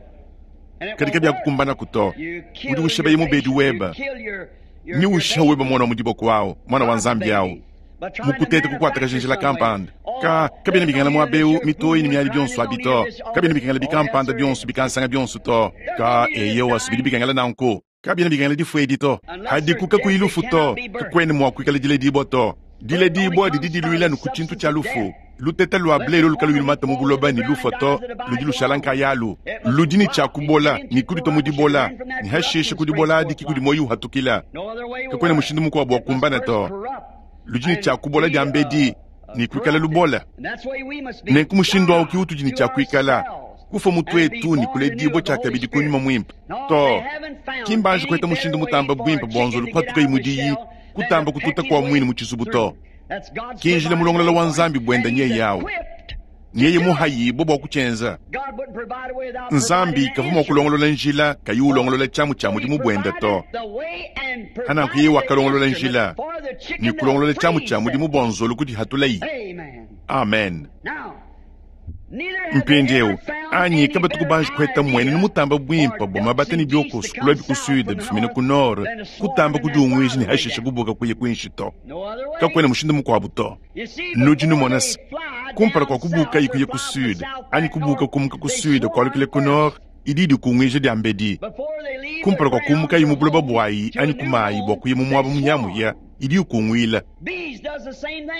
kadika byakukumbana kuto udi ushebeye mubedi weba ni ushiha weba mwana wa mudiboko wawo mwana wa nzambi yawo mukutete kukwatakaje njila kampanda ka kabena bikengela mwabeu mitoyi ni miali bionso abi to kabena bikengela bikampanda bionso bikansanga bionso to ka eyo asubidi bikengela nanku kabena bikengela difuedi to hadikuka kuilufu to kakwene mwa kuikala dile dibwa to dile dibwa didi diluila nuku tshintu tshia lufu luteta lwa ble lo lukalu ilumata mu buloba ni lufu to ludi lushala nkayalu ludi ni tshia kubola ni kudi to mudibola ni hashishe kudibola adi kikudi moyi uhatukila kakwene mushindu mukuabu wa kumbana to ludi ni tshia kubola dia mbedi ni kuikala lubola nenku mushindu awu kiutudi ni tshia kuikala kufa mutu etu ni kuledibwa tshia kabidi kunyuma mwimpa to kimbanje kuheta mushindu mutamba bwimpa bonzolu kuhatuka imudiyi kutamba kututa kwa mwini mu tshizubu to kinjila mulongolola wa nzambi bwenda nyeye yawu nyeye muhayibo bwa kuchenza nzambi kavuma kulongolola njila kayi ulongolola tshiamu tshia mudimu bwenda to hananku yeye wakalongolola njila ni kulongolola tshiamu tshia mudimu bwa nzolu kudi hatulayi. Amen. Mpindiewu anyi kabatu kubanji kuheta mwene ni mutamba bwimpa bwa mabata ni byokosu kulwa bikusude bifumine ku nord kutamba kudiungwiji ni hashishe kubuka kuye kwinshi to kakwene mushindu mukuabu to nudi numonasa kumpala kwa kubuka ikuye ku sud anyi kubuka kumuka ku sud kualukile ku nord idi dikungwija dia mbedi kumpala kwa kumuka imu buloba bwayi anyi kumayi bwa kuya mu mwaba munyamuya idi ikungwila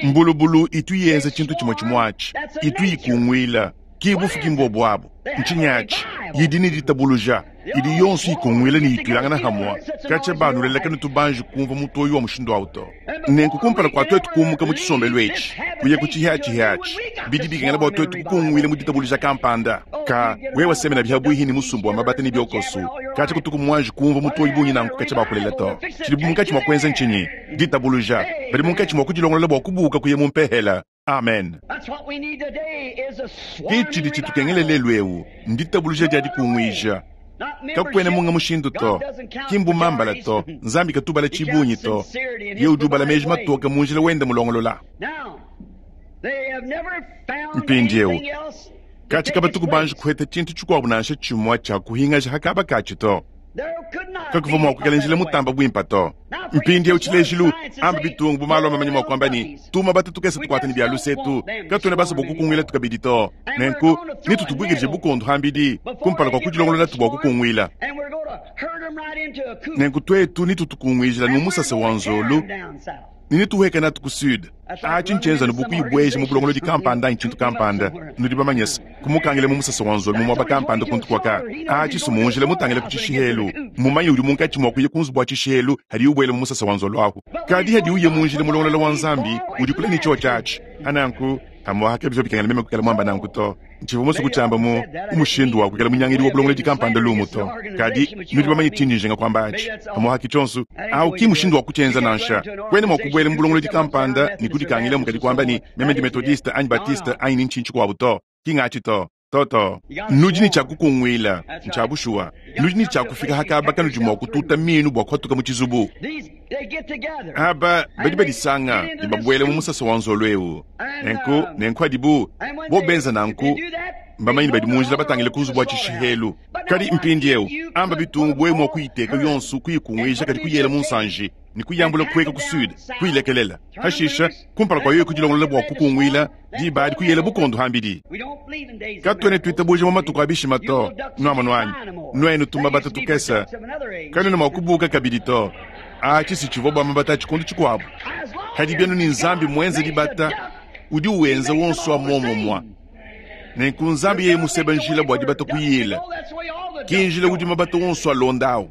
mbulubulu itu yenza tshintu tshimwe tshimwachi itu ikungwila kibufu kimbwa bwabo ntshinyachi yidi ni ditabuluja idi yonso ikungwila ni itulangana hamwa kacha banu leleka tubanji kumva mutoyi wa mushindu awu to nenku kumpala kwa twetu kumuka mu tshisombelo etshi kuya ku tshihatshi bidi bikengela bua twetu kukungwila mu ditabuluja kampanda ka wewe semena bihabwihi ni musumbu wa mabata ni byokosu kacha kutuku mwanji kumva mutoyi bunyi nanku kacha bakulela to tshidi munkatshi mwa kuenza ntshinyi ditabuluja badi munkatshi mwa kudilongolola bua kubuka kuya mu mpehela. Amen. Kichidi chitukengele lelu ewu nditabuluja dia dikungwija kakwene munga mushindu to kimbu mambala to nzambi katubala tshibunyi to ye udi ubala meji matoka munjila wenda mulongolola. Mpindiewu kachi kabatuku banji kuheta tshintu tshikuabu nansha tshimwa tshia kuhingaja hakaba katshi to kakuva mwa kuikala njila mutamba bwimpa to mpindiewu tshilejilu amba bitungu bumalo mamanya mwa kuamba ni tuma bata tukesa tukwata ni bya lusetu katwene basa bokukungwila tukabidi to nenku nitutubwikilije bukondu hambidi kumpala kwa kudilongolola tubwa kukungwila nenku twetu nitutukungwijila numusasa wa nzolu ninituheka natu ku sud achi nchenza nubukuyibweja mu bulongolodi kampanda nchintu kampanda nudi bamanyesa kumukangile mu musasa wa nzolu mumwaba kampanda kuntu kwaka achi sumunjile mutangile ku tshishihelu mumanye udi munkatshi mwa kuya kunzu bwa tshishihelu hadi ubwele mu musasa wa nzolu ahu kadi hadi uye munjile mulongolola wa nzambi udi kula ni cho chachi ananku Pamuapa kabivua bikengela meme kuikala muamba nanku to. Ntshivua musue kutshiamba mu mushindu wa kuikala munyangidi wa bulongolodi kampanda lumu to. Kadi nudi bamanye tshindi njinga kuamba atshi. Pamuapa ki tshionso awu ki mushindu wa kutshienza nansha. Kuena mua kubuela mu bulongolodi kampanda ne kudikangila mukadi kuamba ne, meme ndi Methodiste anyi Baptiste anyi ni ntshinyi tshikuabu to. Ki ngatshi to. Toto, nudi ne tshia kukunguila, ntshia bushuwa. Nudi ne tshia kufika hakaba kanudi mua kututa minu bua kuhatuka mu tshizubu. Aba badi badisanga ne babuela mu musasa wa nzolo eu. Nenku, nenku adibu bo benza nanku, mbamanye ne badi mu njila batangile ku nzubu wa tshishihelu. Kadi mpindieu, amba bitungu bwe mua kuyiteka yonso kuyikunguija kadi kuyela mu nsanji ne kuyambula kueka ku sud, kuyilekelela. Hashisha, kumpala kwa yoyo kudilongolola bua kukunguila, diba adi kuyela bukondo hambidi. Katuena tuitabuja mu matuku a bishima to, nuamonu anyi? Nuenu tumabata tukese, kanuena mua kubuka kabidi to. Atshi si tshivua bua mabata a tshikondo tshikuabu. Kadi bienu ni Nzambi muenze dibata, udi uenza wonso wa muomumua. Nenku Nzambi yeye museba njila bua dibata kuyila, ki njila udi mabata wonso alondawu.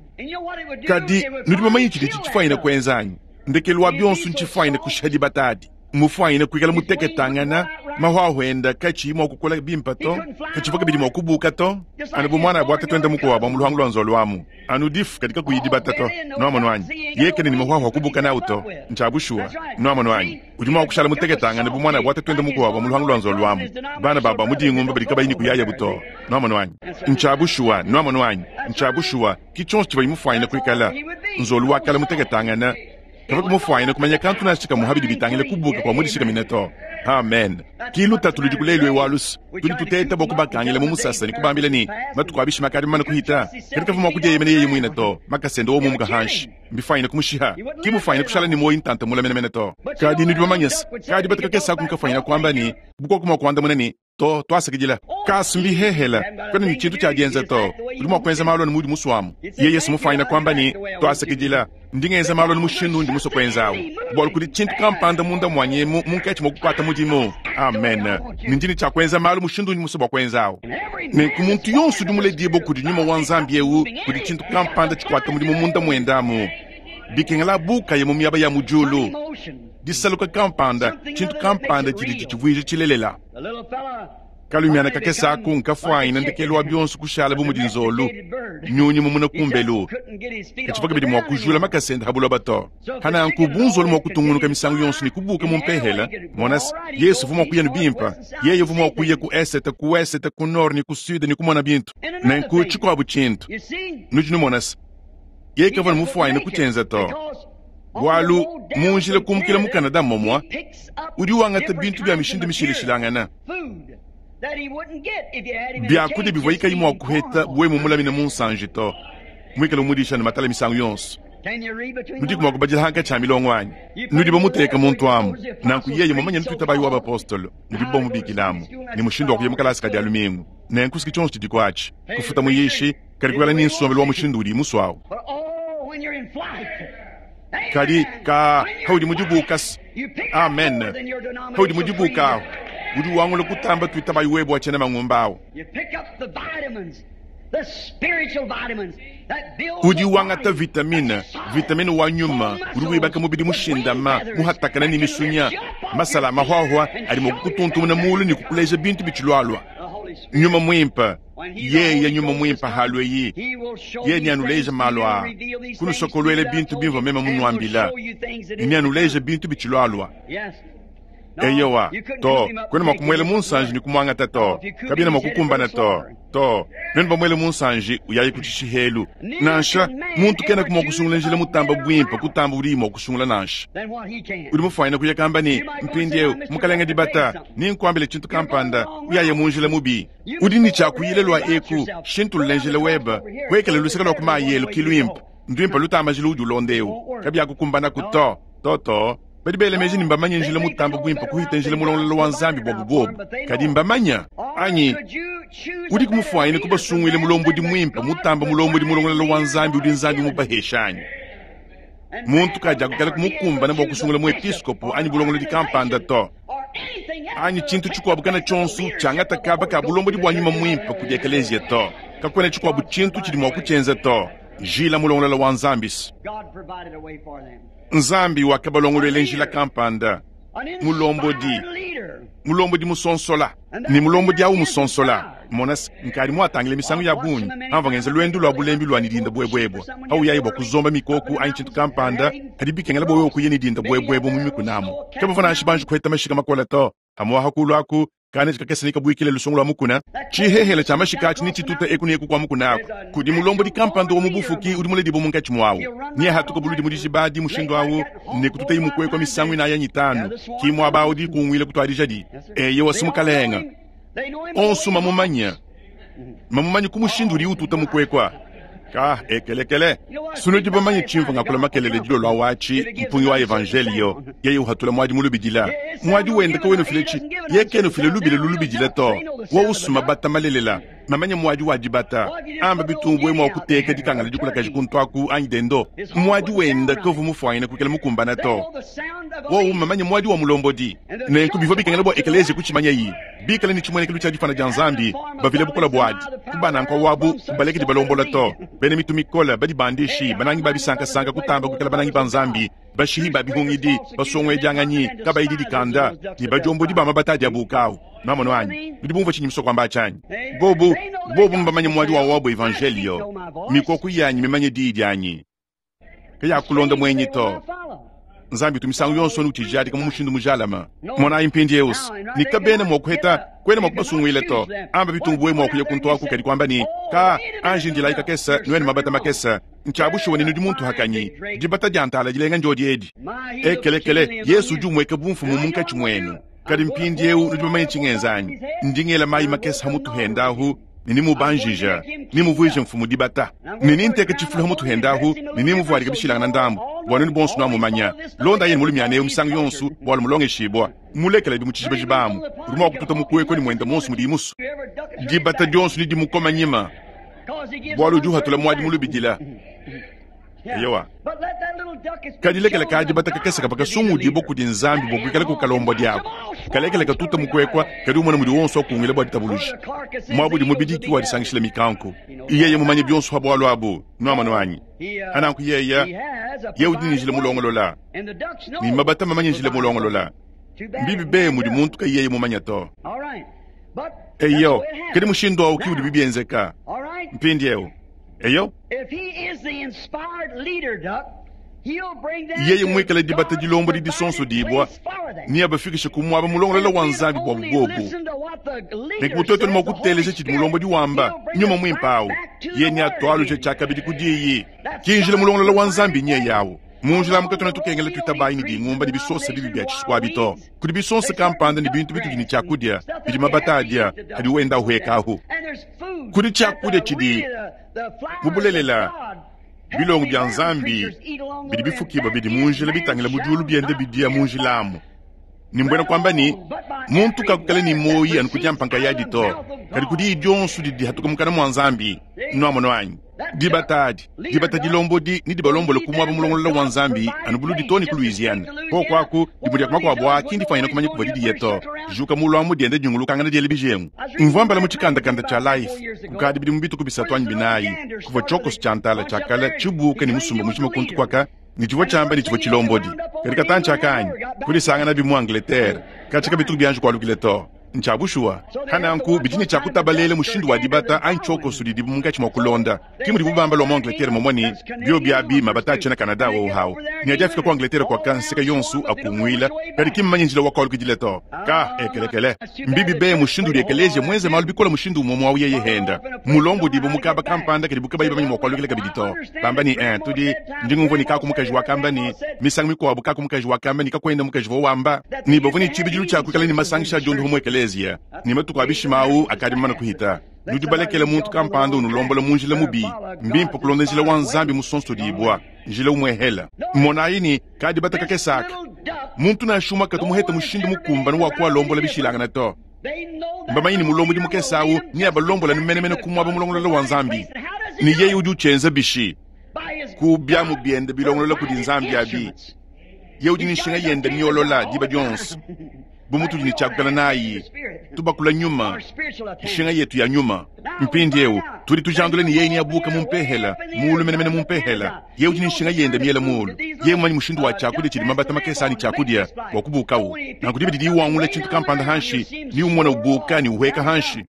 Kadi nudi bamanye tshidi tshifuanyine kuenza anyi? Ndekelu wa bionso ntshifuanyine kushiha dibata adi. Mufuanyine kuikala muteketangana, mahwahu enda katshiyi mua kukola bimpe to, katshivua kabidi mua kubuka to. Anu bu muana abu akatuenda mukuabu mu luhangu lua nzolo amu, anu difu kadi kakuyi dibata to. Nuamonu anyi? Yekene ne mahwahu akubuka nawu to. Ntshia bushuwa. Nuamonu anyi? Udi mua kushala muteketangana bu muana abu akatuenda mukuabu mu luhangu lua nzolo amu. Bana babu mu dingumba badi kabayi ne kuyayabu to. Nuamonu anyi? Ntshia bushuwa. Nuamonu anyi? Ntshia bushuwa. Ki tshionso tshivua mufuanyine kuikala nzolo wakala muteketangana. Kava kumufuanyine kumanya kantu nansha kamwe habidi bitangile kubuka kwa mudishikamine to. Amen. Ki lutatu ludi kulelu ewu alusu. Tudi tuteta bua kubakangila mu musasa ne kubambila ne, matuku a bishima akadi mamane kuhita. Kadi kavua mua kudieyemena yeye muine to. Makasa ende wowu mumuka hanshi. Mbifuanyine kumushiha. Ki mufuanyine kushala ne muoyo ntanta mule menemene to. Kadi nudi bamanye se, kadi bataka kese aku nkafuanyine kuamba ne, bukoku mua kuandamuna ne, to twasakidila. Kasu mbihehela, kwena ne tshintu tshia dienza to. Udi mua kuenza malu anu mudi musuamu. Yeye se mufuanyine kuamba ne, twasakidila. Ndi ngenza malu anu mushindu undi musue kuenzawu. Bualu kudi tshintu kampanda munda muanyi emu munkatshi mua kukuata mudimu. Amen. Ne ndi ne tshia kuenza malu mushindu undi musue bua kuenzawu. Nenku muntu yonso udi muledibue kudi nyuma wa Nzambi eu, kudi tshintu kampanda tshikuata mudimu munda muende amu. Bikengela bukaye mu miaba ya mu diulu. Disaluka kampanda, tshintu kampanda tshidi tshitshivuija tshilelela. Kalumiana kakese aku nkafuanyine ndekelu wa bionso kushala bu mudi nzolo, nyunyi mumuna kumbelu. Katshivua kabidi mua kujula makasa ende ha buloba to. Hananku bu nzolo mua kutungunuka misangu yonso ne kubuka mu mpehela, mona se, Yesu uvua mua kuya ne bimpe. Yeye uvua mua kuya ku esete, ku wesete, ku nord ne ku sud ne kumona bintu. Nenku tshikuabu tshintu, nudi numona se, yeye kavua ne mufuanyine kutshienza to. Bualu mu njila kumukila mu Canada momua, udi wangata bintu bia mishindu mishilashilangana. Biakudia bivua kayi mua kuheta bwe mumulamine mu nsanji to. Muikale umudisha ne matala misangu yonso. Nudiku mua kubadila hankatshi a milongo anyi? Nudi bamuteka muntu amu. Nanku yeye mumanye ntuitabayi wa bapostolo, mudibu bamubikilamu, ne mushindu wa kuya mu kalasa ka dia lumingu. Nenku siki tshionso tshidi kuatshi. Kufuta muyishi, kadi kuikala ne nsombelu wa mushindu udi musuawu. Kadi ka haudi mudibuka se. Amen. Haudi mudibuka ahu, udi wangula kutamba tuitabayi webe wa tshiena mangumba awu. Udi wangata vitamine, vitamine wa nyuma, udi wibaka mubidi mushindama, muhatakana ne misunya, masala mahwahwa adi mua kukutuntumuna mulu ne kukuleja bintu bitshilualua. Nyuma muimpe, yeye nyuma muimpe halue yi, yeye neanuleje malu aa, kunusokoluela bintu bimvua meme munuambila, ne neanuleje bintu bitshilualua. Eyowa, to, kwena mua kumuela mu nsanji ne kumuangata to, kabiena mua kukumbana to, to, nuenu bamuele mu nsanji uyaye ku tshishihelu. Nansha muntu kena mua kusungula njila mutamba buimpe kutamba udi mua kusungula nansha. Udi mufuanyine kuya kamba ne, mpindieu mukalenge dibata, ninkuambile tshintu kampanda, uyaye mu njila mubi. Udi ne tshia kuyila lua eku, shintulula njila webe, kuekela luseke lua ku mayi elu ki luimpe, nduimpe lutamba njila udi ulonda eu, kabiakukumbanaku to, to to. Badi bela meji ne mbamanye njila mutamba buimpe kuhita njila mulongololo wa Nzambi buabu bobu. Kadi mbamanya anyi? Udi kumufuanyine kubasunguile mulombodi muimpe mutamba mulombodi mulongololo wa Nzambi udi Nzambi mubahesha anyi? Muntu kadiakukala kumukumbana bua kusungula muepiskopo anyi bulongolodi kampanda to. Anyi tshintu tshikuabu kana tshionso tshiangata kaba ka bulombodi bua nyuma muimpe kudi ekelezia to. Kakuena tshikuabu tshintu tshidi mua kutshienza to. Njila mulongololo wa Nzambi. Nzambi wakabalongoluela njila kampanda. Mulombodi, mulombodi musonsola ne mulombodi awu musonsola. Mona nkadi muatangile misangu ya bungi amva ngenza lwendo lwa bulembi lwa nidinda bwebwebwa awu yayi bwa kuzomba mikoku anyi tshintu kampanda kadi bikengela bwa wewe kuya nidinda bwebwebwa mu mikunamu kabavua nansha banji kuheta mashika makola to amwaha kulu aku kana chikakesa nikabwikile lusungu lwa mukuna chihehela cha mashika achi nichituta eku neku kwa mukuna ako kudi mulombodi kampanda wa mubufuki udi muledibo munkatshi mwawu niye hatuka buludi mudishibadi mushindu awu nekututa imukwekwa misangu inaya nyitanu kimwaba awu dikungwile kutwadijadi eye wasimukalenga onso mamumanya mamumanya kumushindu uri ututa mukwekwa ka ekelekele sunu dibamanye tshimvu ngakula makelele dilo lwa wachi mpungi wa evangelio yeye uhatula mwadi mulubidila mwadi wenda ka wenu filechi yekenu file lubile lulubidila to wa usuma bata malelela mamanya mwadi wa dibata amba bitumbwe mwa kuteka dikangala dikula kaji kuntwaku anyi dendo mwadi wenda kovu mufwaina kukela mukumbana to wa umamanya mwadi wa mulombodi nenku bivua bikangela bwa ekelezi kuchimanya yi bikala ni chimwenekelo cha difana dia nzambi bavile bukola bwadi kubananka wabu kubalekedi balombola to bene mitu mikola badi bandishi banangi babisankasanka kutamba kukela banangi ba nzambi bashihi babihungidi basongwedianganyi kabayidi dikanda ni bajombodi bama batadi abukawu mamono anyi nudi bumva tshinyi musoko amba tshanyi bobu bobu mbamanye mwadi wa wabo evangelio mikoku yanyi mimanye diyi dianyi kayakulonda mwenyi to nzambi tumisangu yonso nutijadika mu mushindu mujalama monayi mpindiewu nikabena mwakuheta kwena mwakubasungwile to amba bitumbu we mwakuya kuntwaku kadi kwamba ni ka anji ndilayi kakesa nwene mabata makesa nchabushuwa ninu dimuntu hakanyi dibata diantala dilenga njodi edi ekelekele yesu udi umweka bumfumu munkatshi mwenu kadi mpindiewu nudi bamanye tshingenzanyi ndingela mayi makesa hamutu hendahu ninimubanjija nimuvwije mfumu dibata nininteka tshifulu hamutu hendahu ninimuvualika bishilangana ndambu bwa nunu bonso nwamumanya londa yeni mulumyaneyo misangu yonso bwalo mulongeshibwa mulekela di mutshijibajibamu udi mwa kututa mukweko ni mwenda monso mudi imusu dibata dionso ni dimukoma nyima bwalo udi uhatula mwadi mulubidila eyowa kadilekela kadibata kakesa pakasungudibwa kudi nzambi bwa kuikala kukalombo diako kalekela katuta mukwekwa kadi umona mudi wonso akungwila bwa ditabuluji mwabudi mubidiki wadisangishila mikanku iyeye mumanye bionso ha bwalo abu nwamano anyi ananku yeya ye udi njila mulongolola ni mabata mamanye njila mulongolola mbibi be mudi muntu ka yeye mumanya to eyo kadi mushindu awu ki udi bibienzeka mpindiewu eyo yeye mwikala dibata dilombo di disonso dibwa ni abafikishe kumwaba mulongolola wa nzambi bwa bubobu nenku mutoto ni mwakuteleja tshidi mulombo diwamba nyuma mwimpawu ye ni atwaluje tshakabidi kudiyi kinjila mulongolola wa nzambi nye yawu munjila mukatona tukengela twitabayi ni dingumba ni bisonsa bibi bya tshiswabi to kudi bisonsa kampanda ni bintu bitudi ni tshiakudia bidi mabata adia adi wenda uhekahu kudi tshiakudia tshidi mubulelela bilongo bya nzambi bidi bifukibwa bidi munjila bitangila mudiulu biende bidia munjilamu nimbwena kwamba ni muntu kakukala ni moyi anu kudya mpanka yadi to kadi kudi dionso didi hatuka mukana mwa nzambi nwamono anyi dibata adi dibata dilombodi ni dibalombola kumwaba mulongolola wa nzambi anu buludi to ni ku Louisiana kokwaku dimudia kumakuabu aki ndifanyina kumanya kuva didiye to juka mulwamu diende dinyungulukangana diele bijengu mvua mbala mu tshikandakanda tsha Life kukadi bidi mu bituku bisatu anyi binayi kuva tshiokoso tshia ntala tshiakala tshibuka ni musumba mujima kuntu kwaka ni tshivua tshiamba ni tshivua tshilombodi kadi katantshi akanyi kudisangana bi mu Angleterre katshika bituku bianji kualukile to nchabushuwa hananku bidini tshakutabalele mushindu wa dibata anyi tshiokoso didibu munkatshi mwa kulonda kimudi bubamba lwa mu Angleterre momoni bio bia bima batatshi na Canada wo hawu ni adi afika ku Angleterre kwa kanseka yonsu akungwila kadi kimumanye njila wakwalukidile to ka ekelekele mbibi be mushindu udi ekelesia mwenze malu bikola mushindu umwe mwawu yeye henda mulombo dibu mukaba kampanda kadi bukabayi bamanyi mwakwalukile kabidi to bamba ni eh tudi ndingumvua ni kaku mukaji wakamba ni misangu mikuabu kaku mukaji wakamba ni kakwenda mukaji vo wamba ni bavua ni tshibidilu tshiakuikala ni masangisha diondo mu ekelesia ni matuku abishimawu akadi mana kuhita nudi balekele muntu kampanda unulombola munjila mubi mbimpe kulonda njila wa nzambi musonso dibwa njila umwehela monayi ni kadi batakakesaka muntu nashuma katumuheta mushindu mukumbana wa kualombola bishilangana to mbamanyi ni mulombo di mukesawu ni abalombola ni menemene kumwaba mulongolola wa nzambi ni yeye udi uchenza bishi ku byamu biende bilongolola kudi nzambi abi ye udi ni nshinga yende miolola diba dionso bumutu ni tshakukala nayi tubakula nyuma nshinga yetu ya nyuma mpindiewu Tudi tujandula ne yeye neabuuke mu mpehela, muulu menemene mu mpehela. Yeye udi ne nshinga yende miela muulu. Yeye mumanye mushindu wa tshiakudia tshidi mabata makese anyi tshiakudia bua kubuukawu. Nanku diba didi wangula tshintu kampanda hanshi, ni umona ubuuka ni uhueka hanshi.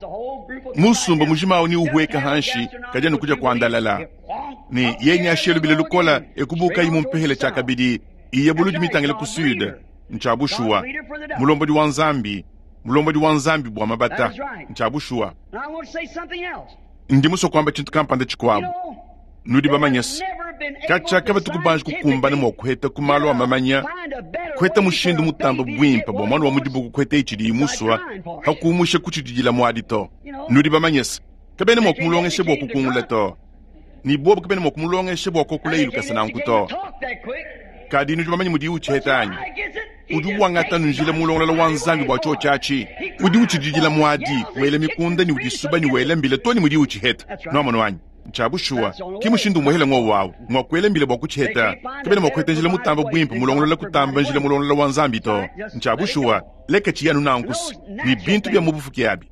Musumba mujima awu ni uhueka hanshi, kadi anu kudia kuandalala. Ne yeye neashiye lubila lukola ekubuukayi mu mpehela tshiakabidi, iye buludi mitangile ku sud. Ntsha bushuwa. Mulombodi wa Nzambi, mulombodi wa Nzambi bua mabata. Ntsha bushuwa. Ndi musue kuamba tshintu kampanda tshikuabu. Nudi bamanye se, katshia kabatu kubanji kukumbana mua kuheta ku malu a mamanya, kuheta mushindu mutamba buimpe bua muana wa mudibuku kuheta itshidi imusua, hakumusha kutshididila muadi to. Nudi bamanye se, kabena mua kumulongesha bua kukungula to. Ni bobu kabena mua kumulongesha bua kokula ilukasa nanku to. Kadi nudi bamanye mudi utshiheta anyi? Udi wangata njila mulongolola wa Nzambi bua tshiotshi atshi. Udi utshididila muadi, wela mikunda ni udisuba ni wela mbila to ni mudi utshiheta. Nuamono anyi? Ntsha bushuwa. Ki mushindu umuhela ng'owu awu. Ng'wa kuela mbila bua kutshiheta. Kabena mua kuheta njila mutamba buimpe mulongolola kutamba njila mulongolola wa Nzambi to. Ntsha bushuwa. Leka tshiyanu nankusu. Ni bintu bia mu bufuki abi.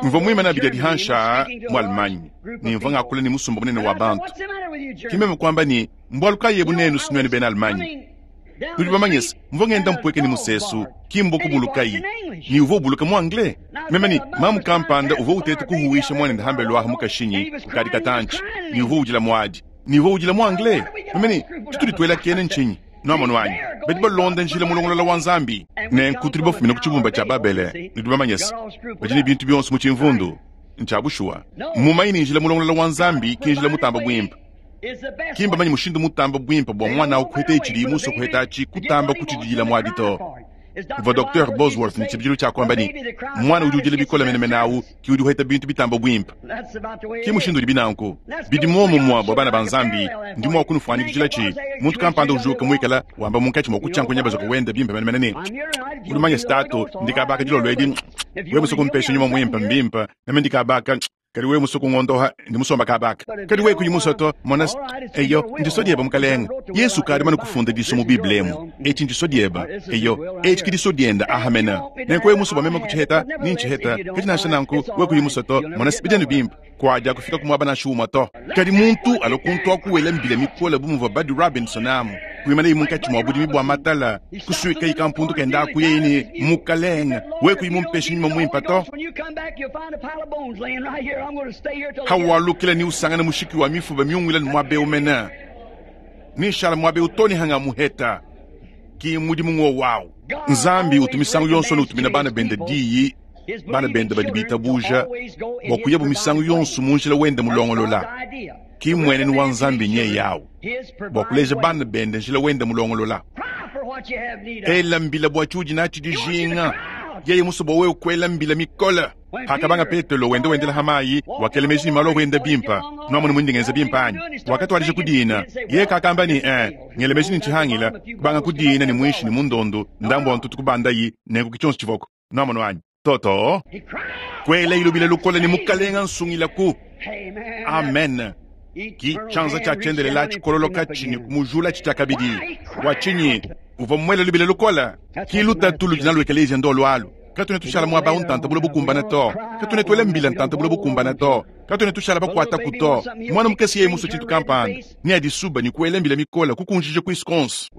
Mvua muimane abidi adi hansha mu Allemagne, ne mvua ngakula ne musumba munene wa bantu. Ki meme kuamba ne, mbualu kayi ebu nenu sinuenu bena Allemagne? Nudi bamanye se, mvua ngenda mpueke ne musesu, ki mbua kubulukayi, ni uvua ubuluka mu anglais. Meme ne, mamu kampanda uvua uteta kuhuwisha muanende hambelu aha mu kashinyi kukadi katantshi, ni uvua udila muadi, ni uvua udila mu anglais. Meme ne, tshitudi tuela kene ntshinyi? Nuamono anyi? Badi balonda njila mulongolola wa Nzambi. Nenku tudi bafumine ku tshibumba tshia Babele, nudi bamanye se, badi ne bintu bionso mu tshimvundu. Ntsha bushuwa. Mumanye ne njila mulongolola wa Nzambi ki njila mutamba buimpe. Ki mbamanye mushindu mutamba buimpe bua muana awu kuheta itshidi musue kuheta atshi kutamba kutshididila muadi to. Mvua Docteur Bosworth ne tshibidilu tshia kuamba ne, muana udi udila bikole menemene awu ki udi uheta bintu bitamba buimpe. Ki mushindu udi binanku. Bidi muomumue bua bana ba Nzambi. Ndi mua kunufuanyikijila tshi muntu kampanda ujuka muikala wamba munkatshi mua kutshiankunya bazoka wenda bimpe menemene ne, udi mumanye statu ndikabaka dilolo edi, wewe musue kumpesha nyuma muimpe mbimpe, meme ndikabaka. Kadi wewe musue kungondoha ndi musomba kabaka. Kadi wewe kuyi musue to, mona eyo ndiso dieba mukalenga. Yesu kadi mane kufunda diso mu Bible emu. Etshi ndiso dieba. Eyo etshi ki diso dienda ahamena. Nenku wewe musue bua meme kutshiheta, ni ntshiheta. Kadi nansha nanku wewe kuyi musue to, mona bidi bimpe. Kuadia kufika ku muaba nansha umue to. Kadi muntu alua kuntu akuwela mbila mikole bu muvua Buddy Robinson amu. Kuimana munkatshi mua budimi bua matala, kusuika ikampundu kenda aku yeye ne mukalenga. Wewe kuyi mumpesha nyuma muimpe to. Hawalukila ni usangana mushiki wa mifuba miungwila ni mwabe umena. Ni shala mwabe utoni hanga muheta. Ki mudimu ng'o wao. Nzambi utumisangu yonso nutumina bana bende diyi, bana bende badi bitabuja, bua kuyabu misangu yonso mu njila wende mulongolola. Ki mwenenu wa Nzambi nye yawu, bua kuleja bana bende njila wende mulongolola. Ela mbila bua tshiudi natshi dijinga. Yeye musue bua wewe kuela mbila mikole. Hakabanga Petelo wende wendela hamayi, wakela meji ni malo wenda bimpa. Nuamone mundi ngenza bimpa anyi? Wakatwalija kudina. Yeye kakamba ni eh, ngele meji ni nchihangila, kubanga kudina ni mwishi ni mundondo, ndambo wa ntutu kubandayi, nenku kichonso chivoko. Nuamone anyi? Toto. Kwela ilubila lukola ni mukalenga nsungilaku. Amen. Ki chanza cha chendelela chikololoka chini kumujula chichakabidi. Wachinyi uva mwela lubila lukola. Ki lutatu ludina lwekelezia ndo lwalu. Katune tushala mwaba untanta bulo bukumbana to. Katune twele mbila ntanta bulo bukumbana to. Katune tushala bakwata kuto. Mwana mukesi yeye muso chintu kampanda. Ni adisuba ni kuele mbila mikola kukunjije kuiskonsi.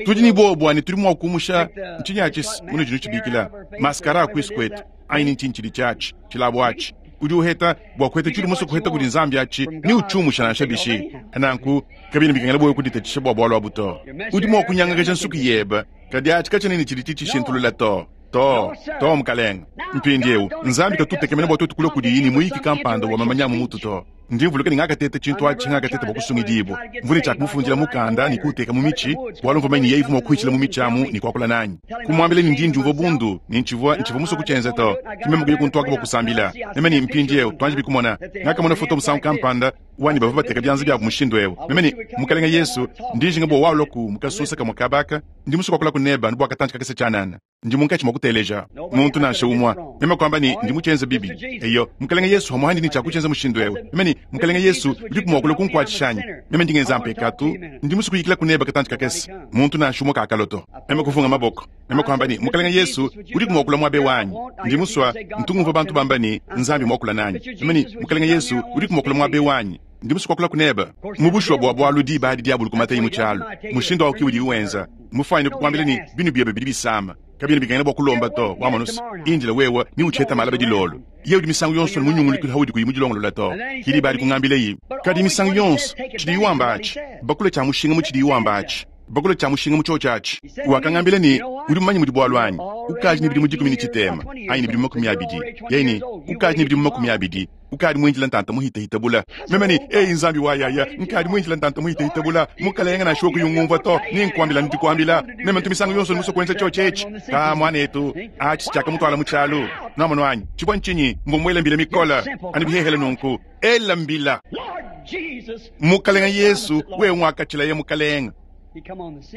Tudi ni bobo ani tuli mwa kumusha nchinya achis muno jinu chibikila. Maskara kuiskwetu. Aini nchinchili chachi. Chilabo achi. Udi uheta bua kuheta tshidi musue kuheta kudi Nzambi atshi ni utshumusha nansha bishi. Nanku kabina bikengela boyo kuditatshisha bua bualu abu to. Udi mua kunyangakaja nsuki yebe kadi atshi katshiena ne tshidi tshishintulula to. To, to mukalenga. Mpindiewu Nzambi katutekemena bua tuetu kulua kudiyi ni muyiki kampanda wa mamanya mu mutu to. Ndi mvuluka ni ngakateta tshintu atshi ngakateta bua kusungidibua. Mvune tshia kumufundila mukanda ni kuuteka mu mitshi, bualu mvua manye yeye ivua mua kuhitshila mu mitshi amu ni kuakula nanyi. Kumwambila ni ndi ndiumvua bundu, ni ntshivua ntshivua musue kutshienza to. Ki meme kuya kuntuaka bua kusambila. Meme ni mpindiewu tuanji bikumona. Ngakamona foto musangu kampanda Wanyi bavua bateka byanza byabu mushindu eu. Meme ne, Mukalenge Yesu, ndi njinga bua walua ku mukasusa kamue kabaka, ndi musue kuakula ku neba anu bua katantshi kakese tshianana. Ndi munkatshi mua kuteleja. Muntu nansha umue. Meme kuamba ne, ndi mutshienze bibi. Eyo, Mukalenge Yesu hamuhandi ne tshiakutshienza mushindu eu. Meme ne, Mukalenge Yesu, udiku mua kulua kunkuatshisha anyi? Meme ndi ngenza mpekatu, ndi musue kuyikila ku neba katantshi kakese. Muntu nansha umue kakalo to. Meme kuvunga maboko. Meme kuamba ne, Mukalenge Yesu, udiku mua kulua muaba wanyi? Ndi musue, ntu ngumvua bantu bamba ne, Nzambi muakula nanyi. Meme ne, Mukalenge Yesu, udiku mua kulua muaba wanyi? Ndi musue kuakula ku neba. Mu bushuwa bua bualu diba adi diabulu kumateyi mu tshialu. Mushindu awu ki udiye wenza. Mufwanyine kukuambila ne, binu biebe bidi bisama. Kabiena bikengela bua kulomba to, wamonusa. Indila wewe ni utsheta malaba dilolo. Ye udi misangu yonso ne munyungulukile haudi kuyi mudilongolola to. Ki diba adi kungambila yi. Kadi misangu yonso, tshidiye wamba atshi. Bakula tshia mushinga mu tshidiye wamba atshi. Bakula tshia mushinga mu tshiotshi atshi. Wakangambila ne, udi mumanye mudi bualu anyi? Ukaji ne bidimu dikumi ne tshitema, anyi ne bidimu makumi abidi. Yeye ne, ukaji ne bidimu makumi abidi. Ukadi muindila ntanta muhitahita bula. Meme ne, ei Nzambi wa yaya, nkadi muindila ntanta muhitahita bula. Mukalenga nansha kuyungumvua to, ni nkuambila ndikuambila. Meme ntu misangu yonso musue kuenza tshiotshi etshi. Ka mwanetu, atshi tshiakamutwala mu tshialu. Nwamonu anyi, tshivua ntshinyi, mbua mbila mikola. Anu bihehele nunku, ela mbila. Mukalenga Yesu, wewe mwakatshila mukalenga.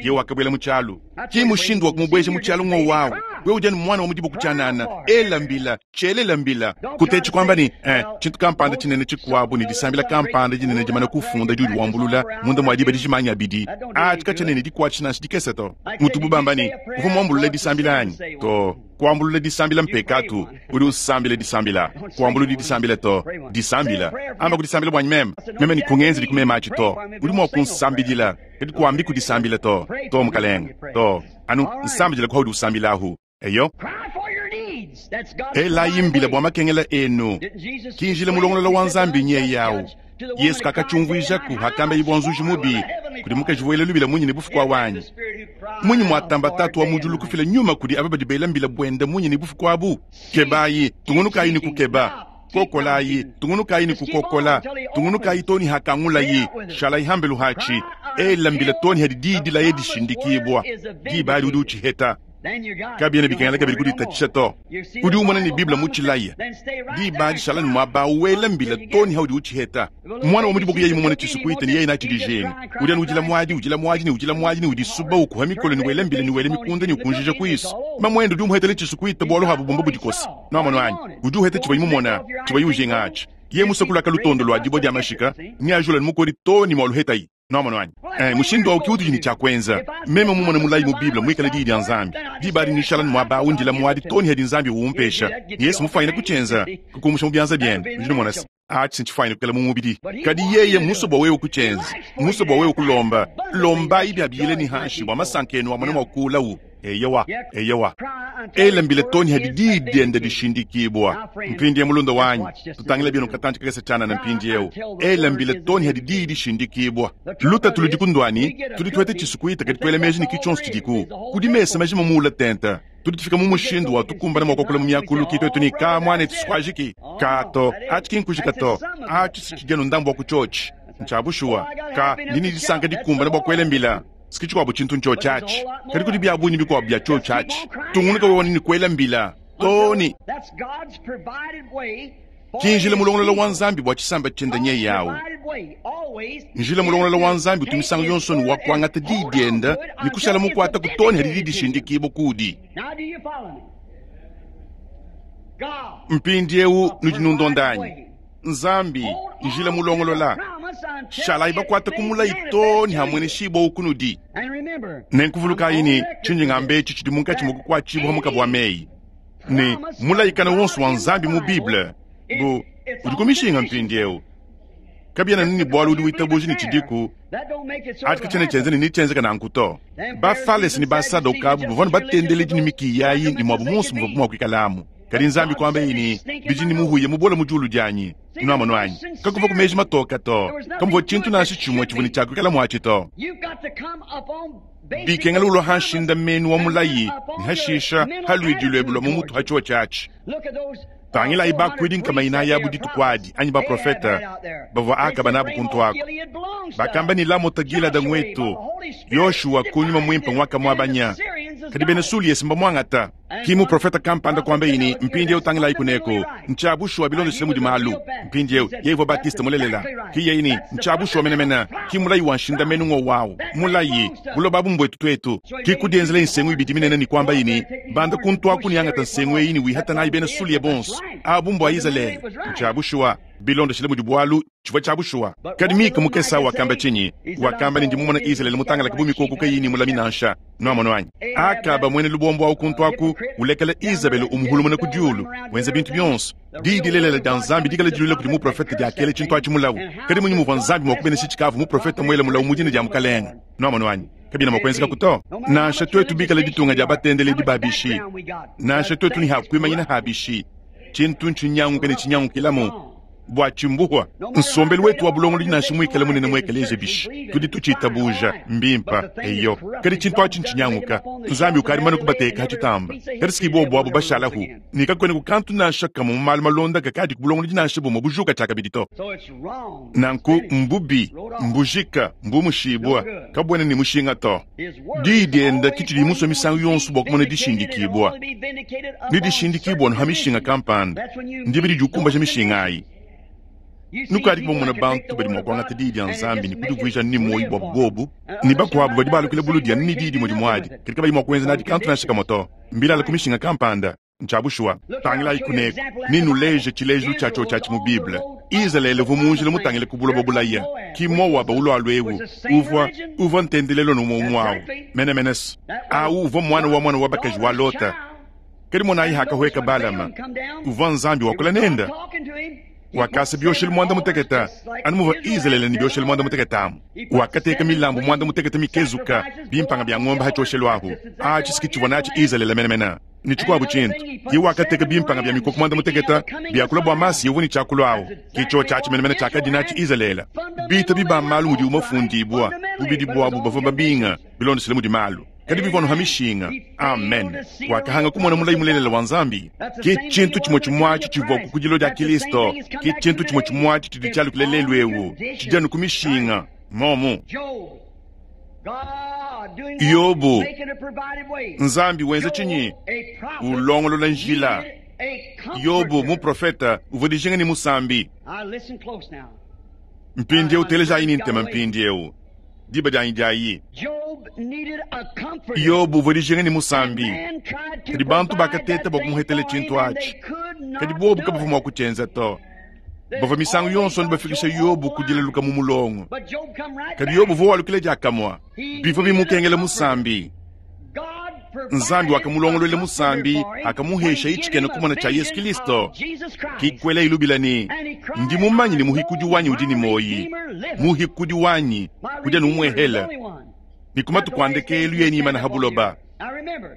Ye wakabwela mu tshialu. Ki mushindu wa kumubweja mu tshialu ngo wawu. Wewe udi anu mwana wa mudibo kutshianana. Ela mbila, tshelela mbila. Kutetshi kuamba ne, eh, tshintu kampanda tshinene tshikuabu ne disambila kampanda dinene dimana kufunda diudi wambulula munda mua diba dijimanya abidi. Atshi katshianene dikuatshi nansha dikese to. Mutubu bamba ne, uvua muambulula disambila anyi? To. Kuambulula disambila mpekatu. Udi usambila disambila. Kuambulula disambila to. Disambila. Amba kudisambila bwanyi meme. Meme ne kungenza dikumema atshi to. Udi mua kunsambidila. Kadi kuambi kudisambila to. To mukalenga. To. Anu nsambidila kwa udi usambilahu. Eyo. Elayi mbila bua makengela enu. Kinjila mulongolola wa Nzambi nye yawu. Yesu kakatshumvuijaku hakamba ibwa nzuji mubi kudi mukaji wela lubila munyi ne bufuku wanyi. Munyi mwatamba tatu wa mujulu kufila nyuma kudi aba badi bela mbila bwenda munyi ne bufuku abu. Kebayi, tungunukayi ni kukeba. Kokolayi, tungunukayi ni kukokola. Tungunukayi toni hakangulayi. Shalayi hambelu hachi. Ela mbila toni hadi didi la yedishindikibwa. Diba udi uchiheta. Kabiena bikengela kabidi kuditatshisha to. Udi umona ne Bible mutshilaya. Diba dishala ne muaba wela mbila toni haudi uchiheta. Mwana wa mudibo yeye mumone tshisukuite ne yeye natshidijinga. Udi anu udila mwadi, udila mwadi ne udila mwadi ne udisuba ukuha mikolo ne wela mbila ne wela mikunda ne ukunjija kuisu. Mamwendo udi umuhetele tshisukuite bualu habu bumba budikosa. Nwamonu anyi, udi uheta tshivua mumona, tshivua ujinga atshi. Ye musakula kalutondo lwa dibwa dia mashika, ni ajula ne mukodi toni mwa luhetayi. Nwamonu anyi. Eh, mushindu wa ukiutu jini cha kwenza. Meme mumone mulayi mu Bible mwikale didi dia Nzambi. Diba adi nishala mwaba undila mwadi toni hadi Nzambi uumpesha. Yesu mufanyine kuchenza, kukumusha mu byanza byende. Udi mumona se. Atshi nchifanyine kukela mu mubidi. Kadi yeye muso bwa wewe kuchenza, muso bwa wewe kulomba. Lomba ibi abiyile ni hanshi bwa masankenu amone mwa kulawu. Eyowa, eyowa. Ela mbila toni hadi didi diende dishindikibwa. Mpindi ya mulunda wanyi, tutangila bino katantshi kakese tshianana mpindi eu. Ela mbila toni hadi didi dishindikibwa. Luta tuludi kundwani, tudi tuete tshisukuita kadi tuele meji ni kitshonso tshidiku. Kudi mesa majima muula tenta. Tudi tufika mu mushindu wa tukumbana mwa kuakula mu miakulu ki twetu ni ka mwana etu Kato, atshi kinkujika to. Atshi sichijeno ndambu wa kuchotshi. Ntshabushuwa. Ka ndini disanka dikumbana bua kuela mbila. Sikichikwabu tshintu ntsho tshatshi. Kadi kudi bya bunyi bikwabu bya tsho tshatshi. Tungunuka wewe ni kuela mbila. Toni. Kinjila mulongolola wa Nzambi bua tshisamba tshiende nye yawu. Njila mulongolola wa Nzambi utumisango yonso ni wa kuangata didi dienda ni kushala mukwata kutoni hadi didi shindikibwa kudi. Mpindi eu nudi nundondanyi. Nzambi njila mulongolola. Shalayi bakwata kumulayi toni hamwe ne shibwa ukunudi. Nenkuvulukayi ni tshinji ngambe tshi tshidi munkatshi mua kukuatshibwa mukabu wa meyi. Ne mulayikana wonso wa Nzambi mu Bible. Bu udi kumishinga mpindi eu. Kabiena nini bualu udi witabuja ni tshidiku. Atshi katshiena tshienza ne nitshienzeka nanku to. Bafalesi ni basadokabu bavua ne batendeledi ni mikiyayi ni muabu monso muvua mua kuikalamu. Kadi Nzambi kuamba yini, bidi ni muhuye mubola mu diulu dianyi. Nwamonu anyi. Kakuva ku meji matoka to. Kamuvua tshintu nansha tshimue tshivua ne tshiakuikala muatshi to. Bikengela ulua hanshinda menu wa mulayi, ni hashisha haluidi lwebe lwa mu mutu hatshiwa tshiatshi. Tangilayi bakuidi nkama inayi abu dituku adi, anyi baprofeta, bavua Akaba nabu kuntu ako. Bakamba ni Lamota Gilada ngwetu, Yoshua kunyuma mwimpe ngwaka mwabanya. Kadi bena Sulia simba mwangata. Ki muprofeta kampanda kwamba ne mpindieu tangilayi kuneko ntshia bushuwa bilondeshile mudi malu. Mpindieu yeye uvua Batiste mulelela. Ki yeye ne ntshia bushuwa menemene. Ki mulayi wa nshindamenu ngo wawu. Mulayi buloba bumbuetu twetu. Ki kudienzela nsengu ibidi minene ne kwamba ne banda kuntu aku ne angata nsengu eyi ne wihata nayi bena Sulia bonso. Abu mbua Izalele. Ntshia bushuwa bilondeshile mudi bwalu tshivua tshia bushuwa. Kadi Mika mukesa wakamba tshinyi? Wakamba ne ndi mumona Izalele mutangalaka bu mikoko kayi ne mulami nansha. Nwamona wanyi. Akaba mwene lubombo awu kuntu aku ulekela Izabele umuhulumuna ku diulu wenza bintu byonso. Diyi dilelela dia Nzambi dikala dilula kudi muprofete diakela tshintu atshi mulawu. Kadi munyi muvua Nzambi mua kubenesha tshikavu muprofete mwela mulawu mu dina dia mukalenga. Nwamona wanyi. Kabina mua kuenzeka kuto. Nansha twetu bikala ditunga dia batendeledi babishi. Nansha twetu ni hakuimanyina habishi. Tshintu ntshinyanguke ne tshinyangukilamu. Bua tshimbuhwa nsombelu wetu wa bulongolodi nansha muikale munene muekeleje bishi tudi tutshiitabuja mbimpa eyo kadi tshintu atshi ntshinyanguka Nzambi ukadi mane kubateka hatshitamba kadi siki bobu abo bashalahu ne kakwene kukantu nansha kamwe mu malu malonda kakadi ku bulongolodi nansha bumwe bujuka tshiakabidi to. Nanku mbubi mbujika mbumushibwa kabwene ne mushinga to. Diyi dienda kitshidi musue misangu yonso bua kumona dishindikibwa ni dishindikibwa no ha mishinga kampanda ndibidi diukumbaja mishinga ayi. Nukadi bomona bantu badi mua kuangata diyi dia Nzambi ne kudivuija ni moyi bua bobu ne bakuabu badi balukila buludia ni diyi dimue dimuadi kadi kabayi mua kuenza nadi kantu nansha kamwe to. Mbilala ku mishinga kampanda ntshia bushuwa. Tangilayi kuneko ninuleje tshilejilu tshiatshio tshiatshi mu Bible. Izalele uvua munjila mutangile ku buloba bulaya ki Moaba ulwalu ewu uvua uvua ntendelelo numwe umwe awu menemenese awu uvua mwana wa mwana wa bakaji wa Lota. Kadi monayi hakahweka Balama uvua Nzambi wakula nenda. Wakasa bioshelu mwanda muteketa anu muvua Izalele ne bioshelu mwanda muteketa amu. Wakateka milambu mwanda muteketa mikezuka bimpanga bya ng'ombe hatshioshelu ahu. Atshi siki tshivua natshi Izalele menemene. Ni tshikuabu tshintu ye wakateka bimpanga bya mikoko mwanda muteketa byakula bua masi yevu ni tshiakulu awu. Kitsho tshiatshi menemene tshiakadi natshi Izalele. Bita biba malu mudi umafundibwa bubidi bwabu bavua babinga bilondeshile mudi malu. Kadi bivua ha mishinga. Amen. Wakahanga kumona mulayi mulelela wa Nzambi. Ki tshintu tshimwe tshimwatshi tshivua ku kudilo dia Kristo. Ki tshintu tshimwe tshimwatshi tshidi tshialukile lelu ewu. Tshidianu ku mishinga. Momu. Yobu. Nzambi wenza tshinyi? Ulongolola njila. Yobu muprofeta uvua dijinga ne musambi. Mpindieu telejayi ni ntema mpindieu. Diba dianyi diayi. Yobu uvua dijinga ne musambi. Kadi bantu bakateta bua kumuhetela tshintu atshi. Kadi bobu kabavua mua kutshienza to. Bavua misangu yonso bafikisha Yobu kudileluka mu mulongo. Kadi Yobu uvua walukila diakamua. Bivua bimukengela musambi. Nzambi wakamulongololela musambi akamuhesha itshikena kumona tshia Yesu Kristo. Kikwela ilubila ne ndi mumanyi ne muhikudi wanyi udi ne moyi. Muhikudi wanyi kudia numwehela. Ni kumatu ndekelu yeni imana habuloba.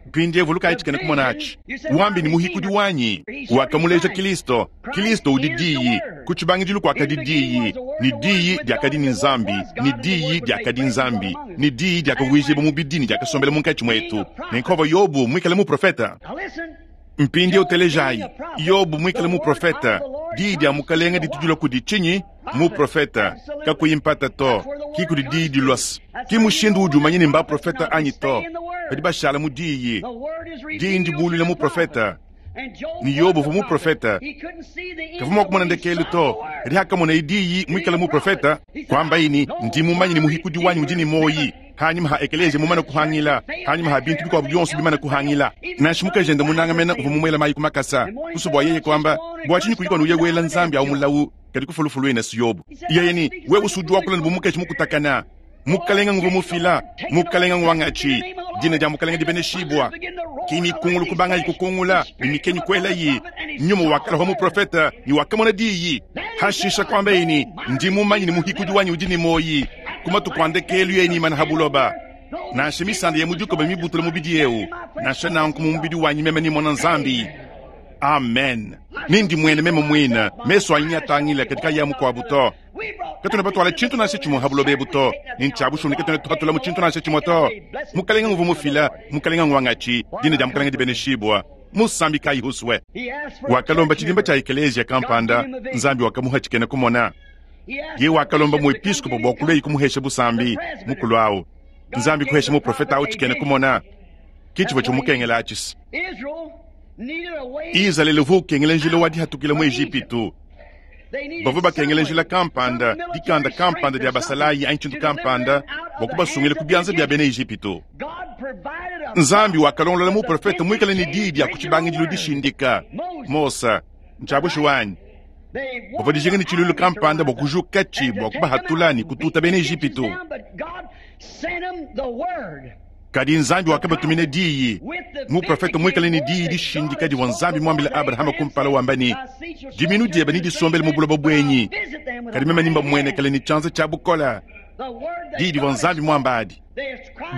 Mpindiewu vulukayi tshikena kumona atshi. Wambi ni muhikudi wanyi. Wakamuleja Kristo. Kristo udi diyi. Ku tshibangidilu kuakadi diyi. Ni diyi diakadi ni Nzambi. Ni diyi diakadi Nzambi. Ni diyi diakavuijibwa mu bidini diakasombela munkatshi mwetu. Nenkova Yobu mwikale muprofeta. Mpindiewu telejayi. Yobu mwikale muprofeta. Diyi dia mukalenga ditudula kudi tshinyi? Muprofeta. Kakuyi mpata to. Ki kudi diyi dilwasa. Ki mushindu udi umanye ne mbaprofeta anyi to. Badi bashala mu diyi. Diyi ndibulula muprofeta. Ni Yobu uvua muprofeta. Kavua mua kumona ndekelu to. Kadi hakamona diyi mwikale muprofeta. Kwamba ini ndi mumanyi ne muhikudi wanyi udi ne moyi. Hanyuma ha ekeleje mumana kuhangila. Hanyuma ha bintu bikuabu byonso bimana kuhangila. Nansha mukajenda munanga mena uvua mumwela mayi kumakasa. Kusubwa yeye kwamba bua tshinyi kuliko nuye wela Nzambi au mulawu kadi kufulufulu ena su Yobu. Yeye ni wewe usudi wakula ne bumukeshi mukutakana. Mukalenga nguvu mufila, mukalenga ngwangachi. Dina dia mukalenga dibeneshibwa. Kimi kungulu kubanga ikukungula, mimikenyi kwela yi. Nyuma wakala wa muprofeta, ni wakamona diyi. Hashisha kwamba ini, ndi mumanyi ni muhikudi wanyi udi ni moyi. Kumatu kwandekelu yeni imana habuloba. Nansha misanda ya mujuko ba mibutula mubidi eu. Nansha nanku mu mubidi wanyi meme ni mwana Nzambi. Amen. Nindi mwene meme mwina, meso anyi atangila katika ya mukwabu to. Katuna batwala tshintu nansha tshimwe habuloba ebu to. Ni ntshiabushuni katuna tuhatula mu tshintu nansha tshimwe to. Mukalenga nguvu mufila, mukalenga ngwangachi, dina dia mukalenga dibeneshibwa. Musambi kayi huswe. Wakalomba tshidimba tshia ekelesia kampanda, Nzambi wakamuha tshikena kumona. Ye wakalomba muepiskopo bua kulua kumuhesha busambi mukulu awu. Nzambi kuhesha muprofeta awu tshikena kumona. Ke tshivua tshimukengela atshi. Izalele uvua ukengela njila wa dihatukila mu Ejipitu. Bavua bakengela njila kampanda, dikanda kampanda dia basalayi anyi tshintu kampanda bua kubasungila ku bianza bia bena Ejipitu. Nzambi wakalongolola muprofete muikale ne diyi dia ku tshibangidilu dishindika. Mose, ntshiabushi wanyi. Bavua dijinga ne tshiluilu kampanda bua kujukatshi bua kubahatula ne kututa bena Ejipitu. Kadi Nzambi wakabatumina diyi. Muprofete muikale ne diyi dishindika divua Nzambi muambile Abrahama kumpala wamba ne, diminu diebe nedisombele mu buloba buenyi, kadi meme nimbamuenekele ne tshianza tshia bukole. Diyi divua Nzambi muamba adi.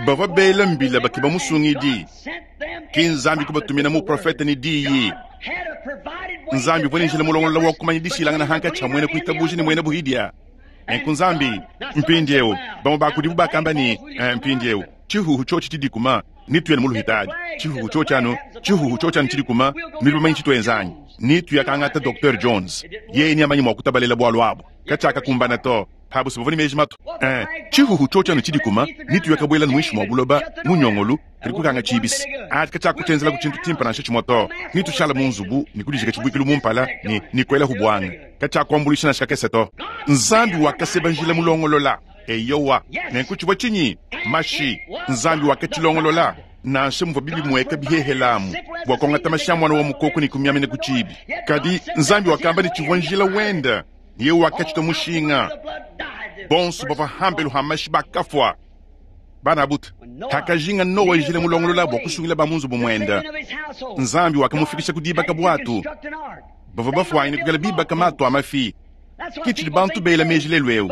Bavua bela mbila bakeba musungidi. Ki Nzambi kubatumina muprofete ne diyi. Nzambi uvua ne njila mulongolola wa kumanya dishilangana hankatshi ha muena kuitabuja ne muena buhidia. Nenku Nzambi mpindieu bamue ba kudibu bakamba ne, mpindieu tshihuhu tshiotshi tshidikuma nituyele mu luhitadi. Tshihuhu tshiotshi anu tshihuhu tshiotshi anu tshidikuma nudi bamanyi tshituenzanyi nituyakangata Docteur Jones yeye ni amanyi mua kutabalela bualu abu katshiakakumbana to. Pabu bavua ne meji matu. Eh, tshihuhu tshiotshi anu tshidikuma nituyakabuela muinshi mua buloba mu nyongolu kadi kukanga tshibisi ati katshiakutshenzela ku tshintu tshimpe nansha tshimue to. Nitushala mu nzubu ne kudijika tshibuikilu mu mpala ne nikuelahu buanga katshiakuambuluisha nansha kakese to. Nzambi wakaseba njila mulongolola. Eyowa, nenku tshivua tshinyi? Mashi. Nzambi wakatshilongolola nansha muvua bibi mueka bihehelamu bua kuangata mashi a mwana wa mukoko ne kumiamina ku tshibi. Kadi Nzambi wakamba ne tshivua njila wenda niye wakatshita mushinga. Bonso bavua hambelu ha mashi bakafua. Bana buta hakajinga Noa njila mulongolola bua kusungila ba mu nzubu muenda. Nzambi wakamufikisha ku dibaka bwatu. Bavua bafuanyine kukala bibaka matu a mafi. Ke tshidi bantu bela meji lelu eu.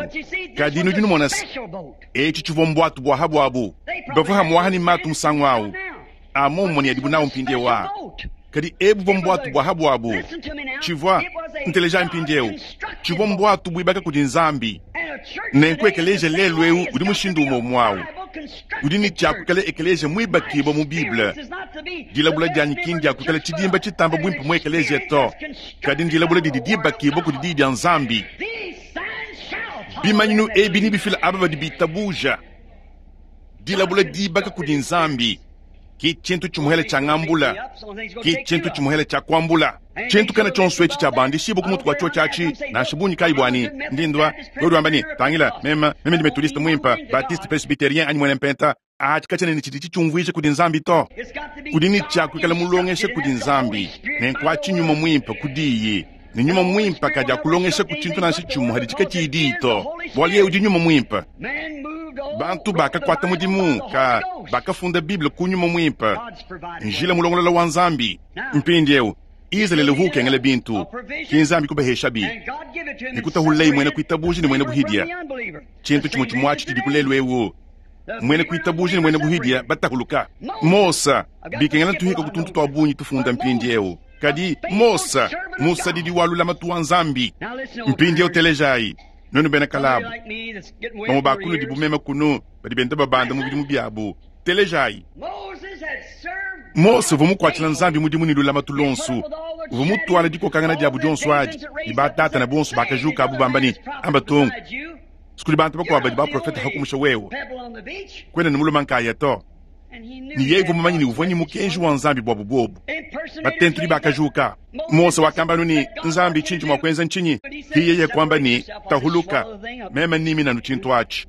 Kadi nudi numona se, etshi tshivua mbwatu bua habuabu. Bavua hamuaha ne matu musangu awu. Amommo ne adibu nawu mpindieu aa. Kadi ebu buvua mbwatu bua habuabu. Tshivua, nteleja mpindieu, tshivua mbwatu buibaka kudi Nzambi. Nenku ekeleja lelu eu udi mushindu umue umue awu. Udi ne tshiakukala ekeleja muibakibua mu Bible. Dilabula dianyi ki ndiakukala tshidimba tshitamba buimpe mu ekeleja to, kadi ndilabula didi dibakibua kudi diyi dia Nzambi. Bimanyinu ebi nebifila aba badi bitabuja. Dilabula dibaka kudi Nzambi ki tshintu tshimuhele tshia ngambula, ki tshintu tshimuhele tshia kuambula. Tshintu kana tshionso etshi tshia bandishibua ku mutu kua tshiotshi atshi, nansha bungi kayi buani. Ndi ndua wewe wamba ne, tangila, meme meme ndi methodiste muimpe, baptiste, presbytérien anyi muena mpenta. Atshi katshiena ne tshidi tshitshiumvuija kudi Nzambi to. Udi ne tshia kuikala mulongesha kudi Nzambi, nenku atshi nyuma muimpe ku diyi. Ne nyuma muimpe kadi akulongesha ku tshintu nansha tshimue hadi tshikatshiyi diyi to, bualu yeye udi nyuma muimpe. Bantu bakakuata mudimu ka bakafunda Bible ku nyuma muimpe, njila mulongolola wa Nzambi. Mpindieu Izalele uvua ukengela bintu, ki Nzambi kubaheshabi ne kutahululaye muena kuitabuja ne muena buhidia. Tshintu tshimue tshimue atshi tshidi ku lelu eu, muena kuitabuja ne muena buhidia batahuluka. Mose bikengela tuhika ku tuntu tua bungi tufunda mpindieu. Kadi Mose musadidi wa lulamatu wa Nzambi. Mpindieu telejayi nuenu bena kalabu, bamue ba kunudi bumeme kunu badi benda babanda mu bidimu biabu. Telejayi. Mose uvua mukuatshila Nzambi mudimu ne lulamatu luonso. Uvua mutuala dikokangana diabu dionso adi ne batata na bonso bakajuka abu bamba ne, amba tongo sikudi bantu bakuabu badi baprofete hakumusha wewe kwena ne muluma nkaya to. Ne yeye uvua mumanyi ne uvua ne mukenji wa Nzambi buabu bobu. Batentudi bakajuka. Mose wakamba ne, Nzambi tshindi mua kuenza ntshinyi? Ki yeye kuamba ne, tahuluka, meme nimina nu tshintu atshi.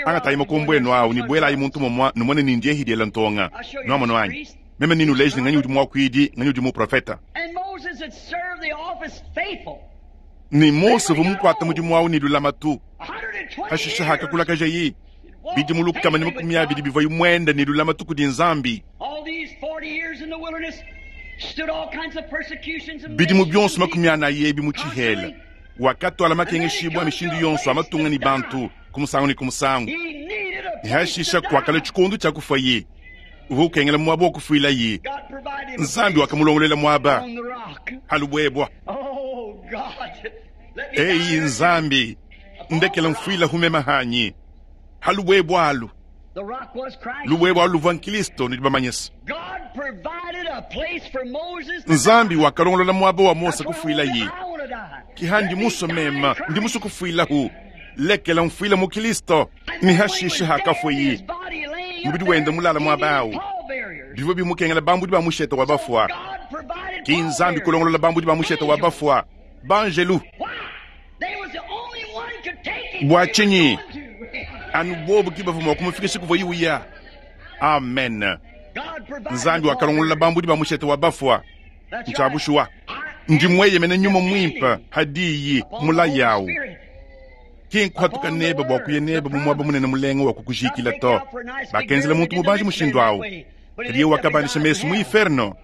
Angatayi makombo enu awu ne buelayi muntu mumue numone ne ndiye hidiela ntonga. Nuamono anyi? Meme ninuleje ne nganyi udi muakuidi, nganyi udi muprofeta. Ne Mose uvua mukuata mudimu awu ne lulamatu. Hashisha hakakulakajayi bidimu lukama ne makumi abidi bivua muenda ne lulamatu kudi Nzambi. Bidimu bionso makumi anayi ebi mu tshihela wakatwala makengeshibua mishindu yonso a matunga ne bantu ku musangu ne ku musangu. Ne hashisha kuakala tshikondo tshia kufuaye, uvua ukengela muaba wa kufuilaye. Nzambi wakamulongololela muaba halubuebua. Eyi Nzambi, ndekela mfuila humema hanyi halubuebua alu. Lubuebua alu luvua Nkristo nudi bamanyisa. Nzambi wakalongolola muaba wa Mose kufuilaye. Ki ndi muso mema, ndi muso kufuilahu. Lekela mfuila mu Kristo. Ne hashisha hakafuiyi mubidi wenda mulala muaba awu. Bivua bimukengela bambudi ba mushete wa bafua. Ki Nzambi kulongolola bambudi ba mushete wa bafua, banjelu. Bua tshinyi? Anu bobu ke bavua mua kumufikisha kuvuaye uya. Amen. Nzambi wakalongolola bambudi ba mushete wa bafua. Ntshia bushuwa. Ndi mueyemene nyuma muimpe hadiyi mulayi awu. Ki nkuhatuka nebe bua kuya nebe mu muaba munene mulenga wa kukujikila to. Bakenzela muntu mubanji mushindu awu. Kadi yeye wakabandisha mesu mu inferno.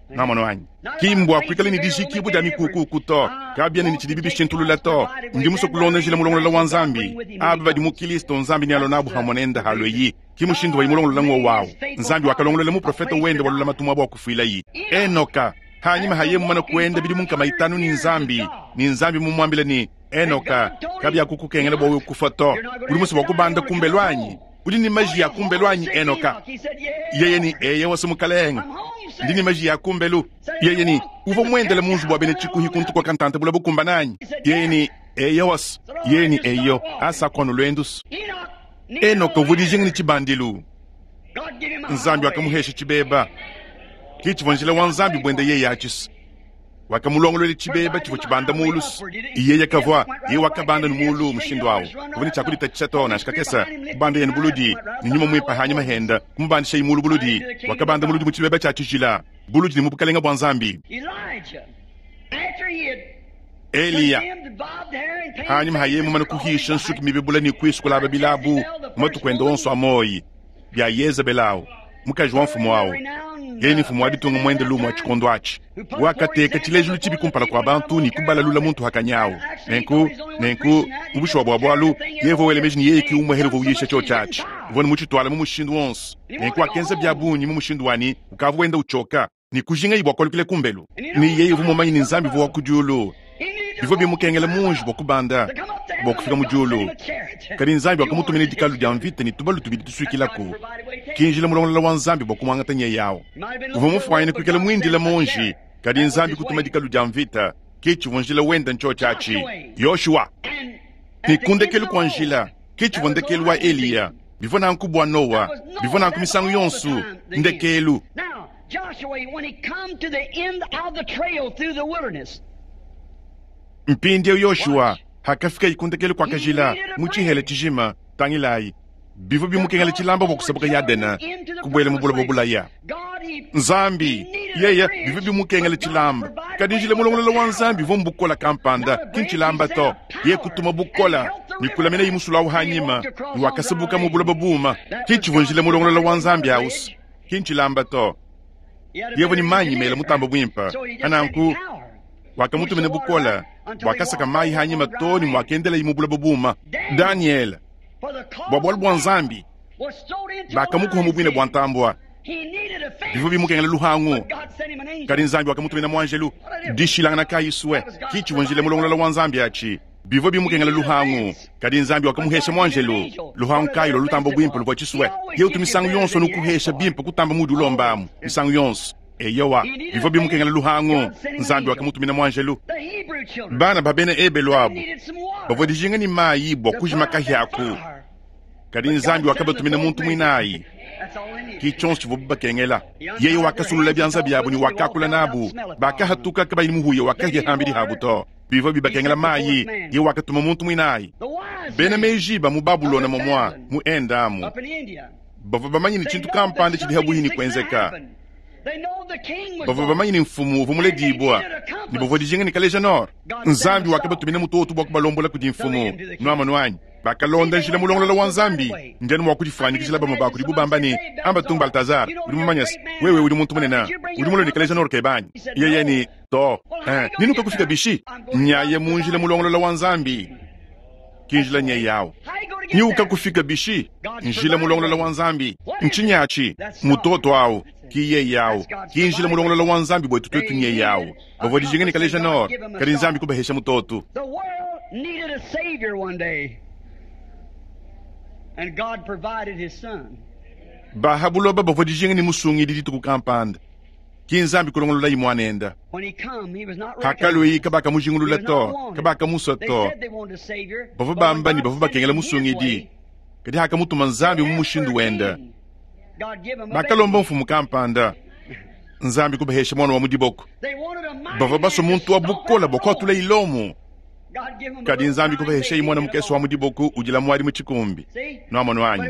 Namono anyi? Ki mbua kuikala ne dijikibua dia mikukuku to. Kabiena ne tshidibi bishintulula to. Ndi musue kulonda njila mulongolola wa Nzambi. Aba badi mu Kilisto Nzambi nealue nabu hamue nende halue Ki mushindu wayi mulongolola ng'wowu wawu. Nzambi wakalongolola muprofete wende wa lulamatu muaba wa kufuilayi. Enoka, hanyima haye mumane kuenda bidimu nkama itanu ne Nzambi, ne Nzambi mumuambile ne, Enoka, kabiakukukengela bua wewe kufua to. Udi musue bua kubanda kumbelu anyi? Udi ne maji ya kumbelu anyi, Enoka? Yeye ne, Eyowa, Mukalenge, ndi ne maji ya kumbelu. Yeye ne, uvua muendele mu nzubu wa bena tshikuhi kuntu kua kantanta bula bukumbana anyi? Yeye ne, Eyowa. Yeye ne, Eyo, asa kuanu luendusu. Enoka uvua dijinga ne tshibandilu. Nzambi wakamuhesha tshibeba. Ki tshivua njila wa Nzambi buende yeye atshisa. Wakamulongolola tshibeba tshivua tshibanda mulu. Yeye kavua, yeye wakabanda ne mulu mushindu awu. Kavua ne tshiakulitatshisha to nansha kakese. Kubanda yene buludi ne nyuma muimpe hanyima henda kumubandishaye mulu buludi. Wakabanda muludi mu tshibeba tshia tshijila, buludi ne mu bukalenga bua Nzambi. Eliya, hanyima haye mumane kuhisha nsuki mibibula ne kuisukulaba bilabu matuku ende onso a moyi bia Yezebel awu, mukaji wa mfumu awu. Yeye ne mfumu wa ditunga muende lumu wa tshikondo atshi. Wakateka tshilejilu tshibi kumpala kua bantu ne kubalalula muntu hakanyawu. Nenku, nenku, mu bushuwa bua bualu, yeye uvua wela meji ne yeye ki umue uvua uyisha tshiotshi atshi. Uvua ne mutshituala mu mushindu wonso. Nenku wakenza bia bungi mu mushindu wani ukavua wenda utshoka ne kujingaye bua kualukila kumbelu. Ne yeye uvua mumanye ne Nzambi uvua wa ku diulu. Bivua bimukengela munji bua kubanda bua kufika mu diulu. Kadi Nzambi wakamutumina dikalu dia mvita ne tubalu tubidi tusuikilaku. Ki njila mulongolola wa Nzambi bua kumuangata nyeye awu. Uvua mufuanyine kuikala muindile munji, kadi Nzambi kutuma dikalu dia mvita. Ki tshivua njila wenda ntshiotshi atshi. Yoshua. Ne ku ndekelu kua njila, ki tshivua ndekelu wa Eliya. Bivua nanku bua Noa, bivua nanku misangu yonso, ndekelu. Now, Joshua, when he come to the end of the trail through the wilderness, Mpindieu Yoshua hakafika ku ndekelu kua kajila mu tshihela tshijima, tangilayi, bivua bimukengela tshilamba bua kusabuka Yadena kubuela mu buloba bulaya. Nzambi yeye bivua bimukengela tshilamba, kadi njila mulongolola wa Nzambi uvua mbukola kampanda, ki ntshilamba to. Yeye kutuma bukola ne kulamina yimusulu awu hanyima ne wakasabuka mu buloba buuma. Ki tshivua njila mulongolola wa Nzambi awusu, ki ntshilamba to. Yeye ni manyi mela mutamba buimpe ananku wakamutumina bukola wakasaka mayi hanyima to ne mwakendela mu buloba buuma. Daniel bua bualu bua Nzambi bakamukuha mu buine bua ntambua. Bivua bimukengela luhangu, kadi Nzambi wakamutumina muanjelu. Dishilangana kayi sue ki tshivua njila mulongolola wa Nzambi atshi. Bivua bimukengela luhangu, kadi Nzambi wakamuhesha muanjelu. Luhangu kayi lua lutamba buimpe luvua tshisue. Yeye utu misangu yonso nukuhesha bimpe kutamba mudi ulombamu misangu yonso. Eyowa, bivua bimukengela luhangu, Nzambi wakamutumina muanjelu. Bana ba bena Ebelu abu bavua dijinga ne mayi bua kujima kahia-ku, kadi Nzambi wakabatumina muntu muinayi. Ki tshionso tshivuabu bakengela. Yeye wakasulula bianza biabu ne wakakula nabu. Bakahatuka kabayi muhuya wa kahia hambidi habu to. Bivua bibakengela mayi, yeye wakatuma muntu muinayi. Bena meji ba mu Babulona momua mu Endamu bavua bamanye ne tshintu kampanda tshidi habuhi ne kuenzeka. Bavua bamanye ne mfumu uvua muledibua ne bavua dijinga ne kaleja nord. Nzambi wakabatumina mutoto bua kubalombola kudi mfumu. Nuamanu anyi? Bakalonda njila mulongolola wa Nzambi. Ndianu mua kudifuanyikijila bamue ba kudibu bamba ne, amba tung Baltazar, udi mumanye se wewe udi muntu munene, udi mulue ne kaleja nord kebanyi. Yeye ne to, eh, ninuka kufika bishi? Nyaye mu njila mulongolola wa Nzambi. Ki njila nye yawu. Niuka kufika bishi? Njila mulongolola wa Nzambi. Ntshinyi mutoto awu ki yeye yawu. Ki njila mulongolola wa Nzambi bwetu twetu nye yawu. Bavua dijinga ne kaleja nord, kadi Nzambi kubahesha mutoto. The world needed a savior one day, and God provided his son. Baha buloba bavua dijinga ne musungidi dituku kampanda. Ki Nzambi kulongolola imwanenda. When he come, he was not Hakalue recognized. kabakamushingulula He was to, not wanted. kabakamusua They to. said they wanted a savior, Bavua but when bamba ne God bavua sent bakengela him his musungidi. way, Kadi hakamutuma Nzambi mu they asked mushindu for a wenda. king. Bakalomba mfumu kampanda. Nzambi kubahesha mwana wa mu diboko. Bavua basua muntu wa bukola bua kuatula ilomo. Kadi Nzambi kubahesha mwana mukese wa mu diboko udila mwadi mu tshikumbi. Nwamonu anyi.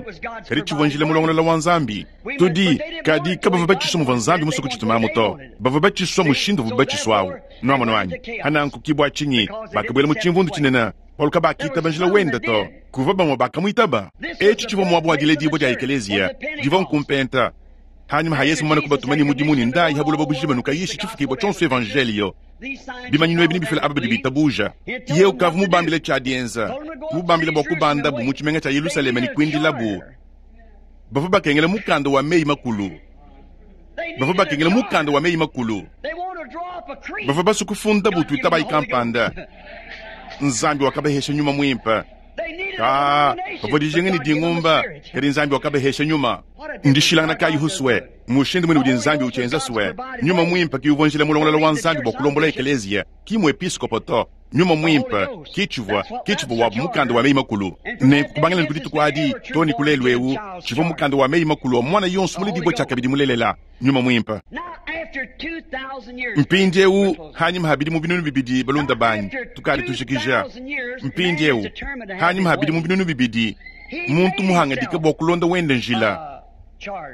Kadi tshivua njila mulongolola wa Nzambi. Tudi kadi kabavua batshiswa muvua Nzambi musue kutshitumamu to. Bavua batshiswa mushindu uvua batshiswawu. Nwamonu anyi. Hananku kibwa tshinyi bakabuela mu tshimvundu tshinene. Bualu kabakitaba njila wenda to. Kuvua bamue bakamuitaba. Etshi tshivua muabu wa diledibua dia ekeleziya. Divua nkumpenta. Hanyuma ha Yesu mumane kubatuma ni mudimu ni ndayi ha buloba bujima nukayisha tshifukibua tshionso evangelio. Bimanyinu ebi nibifila aba badi bitabuja. Ye ukavua mubambile tshia dienza. Mubambile bua kubandabu mu tshimenga tshia Yerusaleme ne kuindilabu. Bavua bakengela mukanda wa meyi makulu. Bavua bakengela mukanda wa meyi makulu. Bavua basue kufundabu tuitabayi kampanda. Nzambi wakabahesha nyuma mwimpe. Ka bavua dijinga ne dingumba, kadi Nzambi wakabahesha nyuma. Ndishilangana kayi huswe mushindu mwene udi Nzambi utshienza swe. Nyuma mwimpe ki uvua njila mulongolola wa Nzambi bua kulombola ekeleziya, ki muepiskopo to. Nyuma mwimpe ki tshivua ki tshivua wa mukanda wa meyi makulu. Ne kubangila ne kudituku adi to ne kulelu ewu tshivua mukanda wa meyi makulu wa mwana yonso muledibua tshiakabidi mulelela. Nyuma mwimpe. Mpindiewu hanyuma habidi mu binunu bibidi balunda banyi tukali tujikija. Mpindiewu hanyuma habidi mu binunu bibidi muntu muhangadika bua kulonda wenda njila.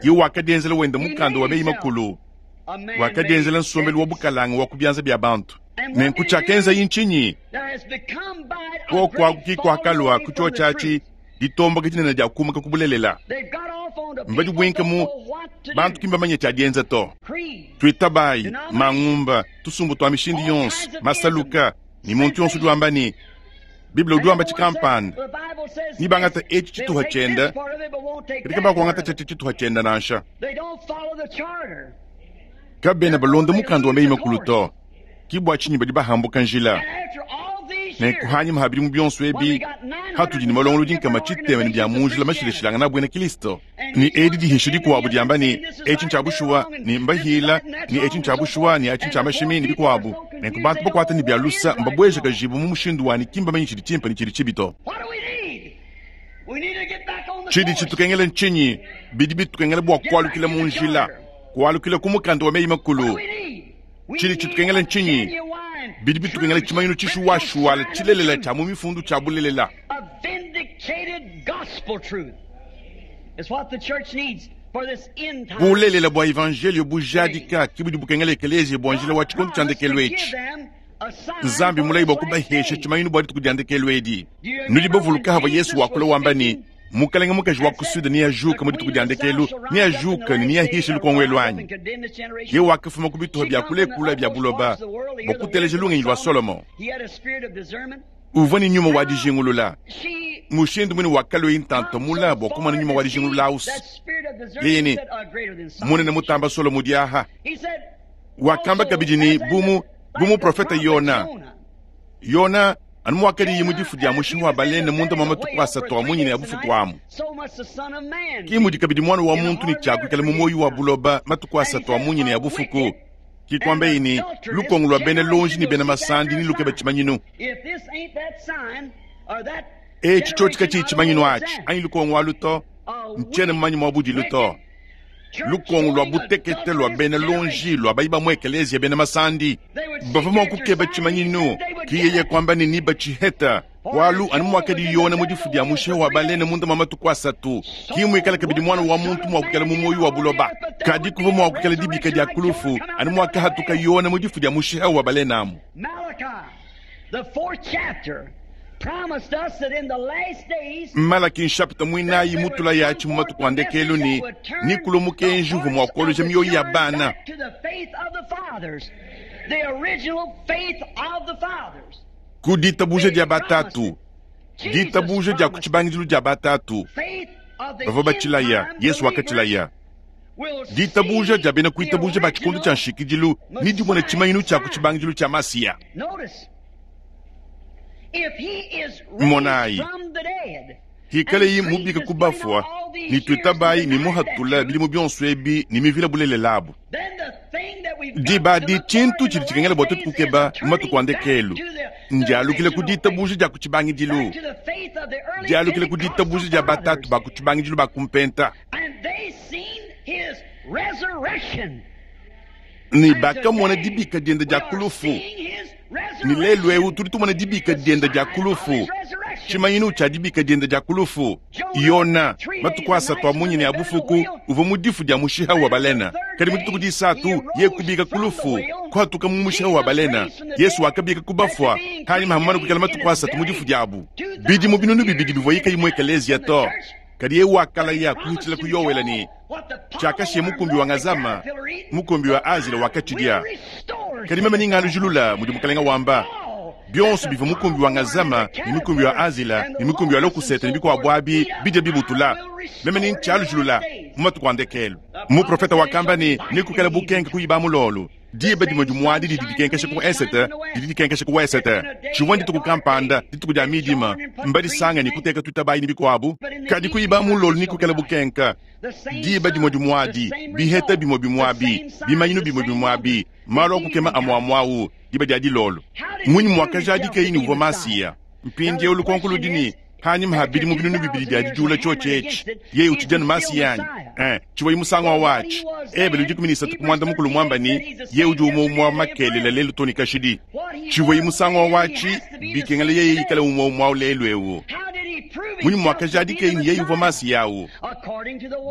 Ye wakadienzela wenda mukanda wa meyi makulu. Wakadienzela nsombelu wa bukalanga wa kubyanza bya bantu. Nenku tshiakenza yintshinyi? Kokwaku kikwakalwa ku tshotshatshi ditomboka dinene dia kumuka kubulelela. Mbadi bwinka mu bantu kimbamanye tshiadienza to. Tuitabayi, mangumba, tusumbu twa mishindi yonso, masaluka, ni muntu yonso udi wamba ni Biblia udi wamba tshikampanda. Ni bangata etshi tshituha tshienda, kadi kabakuangata tshiatshi tshituha tshienda nansha. Kabena balonda mukanda wa meyi makulu to. Kibwa tshinyi badi bahambuka njila. Nenku hanyuma habidi mu bionso ebi hatudi ne malongolodi nkama tshitema ne bia mu njila mashilashilangana bwena Kristo. Ni edi dihisha dikuabu diamba ni etshi ntshia bushuwa ni mbahila ni etshi ntshia bushuwa ni atshi ntshia mashimi ni bikuabu. Nenku bantu bakuata ne bia lusa mbabweja kajibu mu mushindu wani kimba manyi tshidi tshimpe ne tshidi tshibi to. Tshidi tshitukengela ntshinyi? Bidi bitukengela bua kualukila mu njila, kualukila ku mukanda wa meyi makulu. Tshidi tshitukengela ntshinyi? Bidi bitukengela tshimanyinu tshishuwashuwala tshilelela tshia mu mifundu tshia bulelela. Bulelela bua evangelio bujadika ki budi bukengela ekeleziya bua njila wa tshikondo tshia ndekelu etshi. Nzambi mulayi bua kubahesha tshimanyinu bua dituku dia ndekelu edi. Nudi bavuluka hava Yesu wakula wamba ni mukalenge mukaji wa ku sude neajuka mu dituku dia ndekelu, neajuka ne neahishe lukongo lwanyi. Ye wakafuma ku bituha bia kulekula bia buloba bua kuteleja lungenyi lwa Solomo. Uvua ne nyuma wa dijingulula. Mushindu mwene wakalwa intanto mula bua kumona nyuma wa dijingulula ausi. Yeye ni munene mutamba Solomo diaha. Wakamba kabidi ni bumu bumu profeta Yona. Yona anu mwakadi mu difu dia mushinga wa balene munda mwa matuku asatu a munyina ya bufuku amu. Ki mudi kabidi mwana wa muntu ni tshiakuikala mu moyo wa buloba matuku asatu a munyina ya bufuku. Kikwamba ini lukongo lwa bena lonji ni bena masandi ni lukeba tshimanyinu. Etshi tshotsika tshi tshimanyinu atshi anyi lukongo alu to ntshiena mumanyi mwa budilu to. Lukongo lwa butekete lwa bena lonji lwa bayi bamwe ekeleziya bena masandi. Bavua mua kukeba tshimanyinu ki yeye kwamba ni niba tshiheta. Walu anu mwakadi Yona mu difu dia mushe wa balene munda mwa matuku asatu. Ki mwikala kabidi mwana wa muntu mua kukela mu moyo wa buloba. Kadi kuvua mua kukela dibika dia kulufu anu mwakahatuka Yona mu difu dia mushe wa balene amu. Malaki nshapita mwinayi mutula yatshi mu matuku a ndekelu ni nikulu mukenji uvua mua kuoloja mioyo ya bana. Ku ditabuja dia batatu, ditabuja dia ku tshibangidilu dia batatu, bavua batshilaya, Yesu wakatshilaya. Ditabuja dia bena kuitabuja ba tshikondo tshia nshikidilu ni dimona tshimanyinu tshia ku tshibangidilu tshia Masiya. Monayi, hikaleyi mubika kubafua ni tuitabayi ni muhatula bilimu bionso ebi ni mivila bulelelabu. Diba di tshintu tshidi tshikengela bua tuetu kukeba mu matuku a ndekelu. Ndialukile ku ditabuja dia ku tshibangidilu. Ndialukile ku ditabuja dia batatu ba ku tshibangidilu ba kumpenta. Ne bakamona dibika diende dia ku lufu. Ne lelu eu tudi tumona dibika diende dia ku lufu, tshimanyinu tshia dibika diende dia ku lufu. Yona, matuku asatu a munyini a bufuku, uvua mu difu dia mushiha wa balena. Kadi mu dituku disatu ye kubika ku lufu, kuhatuka mu mushiha wa balena. Yesu wakabika ku bafua hanyima hamana kuikala matuku asatu mu difu diabu. Bidimu binunu bibidi bivua yikayi mu ekeleziya to. Kadi ye wakalaya kuhitshila ku Yowela ne tshiakashiye mukumbi wa ngazama, mukumbi wa azila wakatshidia. Kadi meme ningalujulula mudi mukalenga wamba, bionso bivua mukumbi wa ngazama ne mukumbi wa azila ne mukumbi wa lokusete ne bikuabu abi bidia bibutula. Meme nintshialujulula mu matuku a ndekelu. Muprofeta wakamba ne nekukala bukenke kuyiba mulolu. Diba dimue dimuadi didi dikenkesha ku esete, didi dikenkesha ku wesete. Tshivua dituku kampanda, dituku dia midima, mbadisanga ne kuteka tutabayi ne bikuabu. Kadi kuyiba mulolu ne kukala bukenka. Diba dimue dimuadi, biheta bimue bimuabi, bimanyinu bimue bimuabi, malu akukema amuamuawu, diba dia dilolo. Munyi muakajadika ini uvua Masiya. Mpindieu lukonko ludi ne hanyima ha bidimu binunu bibidi bia didiula tshiotshi etshi, yeye utshidi Masiya anyi? Eh, tshivua musangu wa watshi. Ebele udi kumi ne isatu ku muanda mukulu muamba ne yeye udi umue umue wa makelela lelu to ne kashidi. Tshivua musangu wa watshi bikengela yeye ikale umue umue wa lelu eu. Munyi muakajadika ini yeye uvua Masiya awu?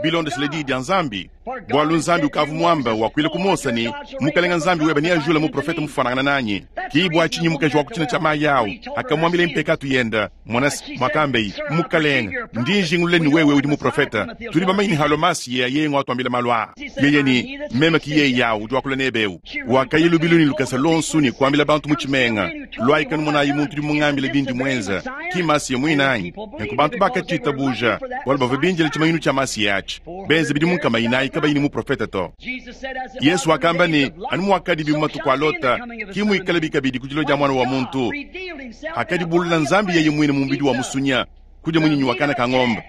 Bilondeshile diyi dia Nzambi. Bualu Nzambi ukavu muamba wakuila ku Mose ne mukalenga Nzambi weba neajula muprofeta mufanangana nanyi. Ki bua tshinyi mukaji wa kutshina tshia mayi awu akamwambila mpekatu yenda mwanasi mwakambei mukalenga ndi njingulule ni wewe udi muprofeta. Tudi bamanye ni halo Masiya yeye ngwatuambila malu aa. Yeye ni meme ki yeye yawu udi wakula nebeu. Wakayilubilu ni lukasa lonsu ni kuambila bantu mu tshimenga. Lwaikanu monayi muntu udi mungambile bindi mwenza. Ki Masiya mwinanyi. Nenku bantu bakatshitabuja bualu bavua binjila tshimanyinu tshia Masiya atshi. Benze bidi munkama inayi kabayi ni muprofeta to. Yesu wakamba ne anu muakadi matuku a Lota ki muikale bikabidi ku dilo dia mwana wa muntu. Akadibulula Nzambi yeye mwine mu mubidi wa musunya kudia munyinyi wa kana ka ng'ombe,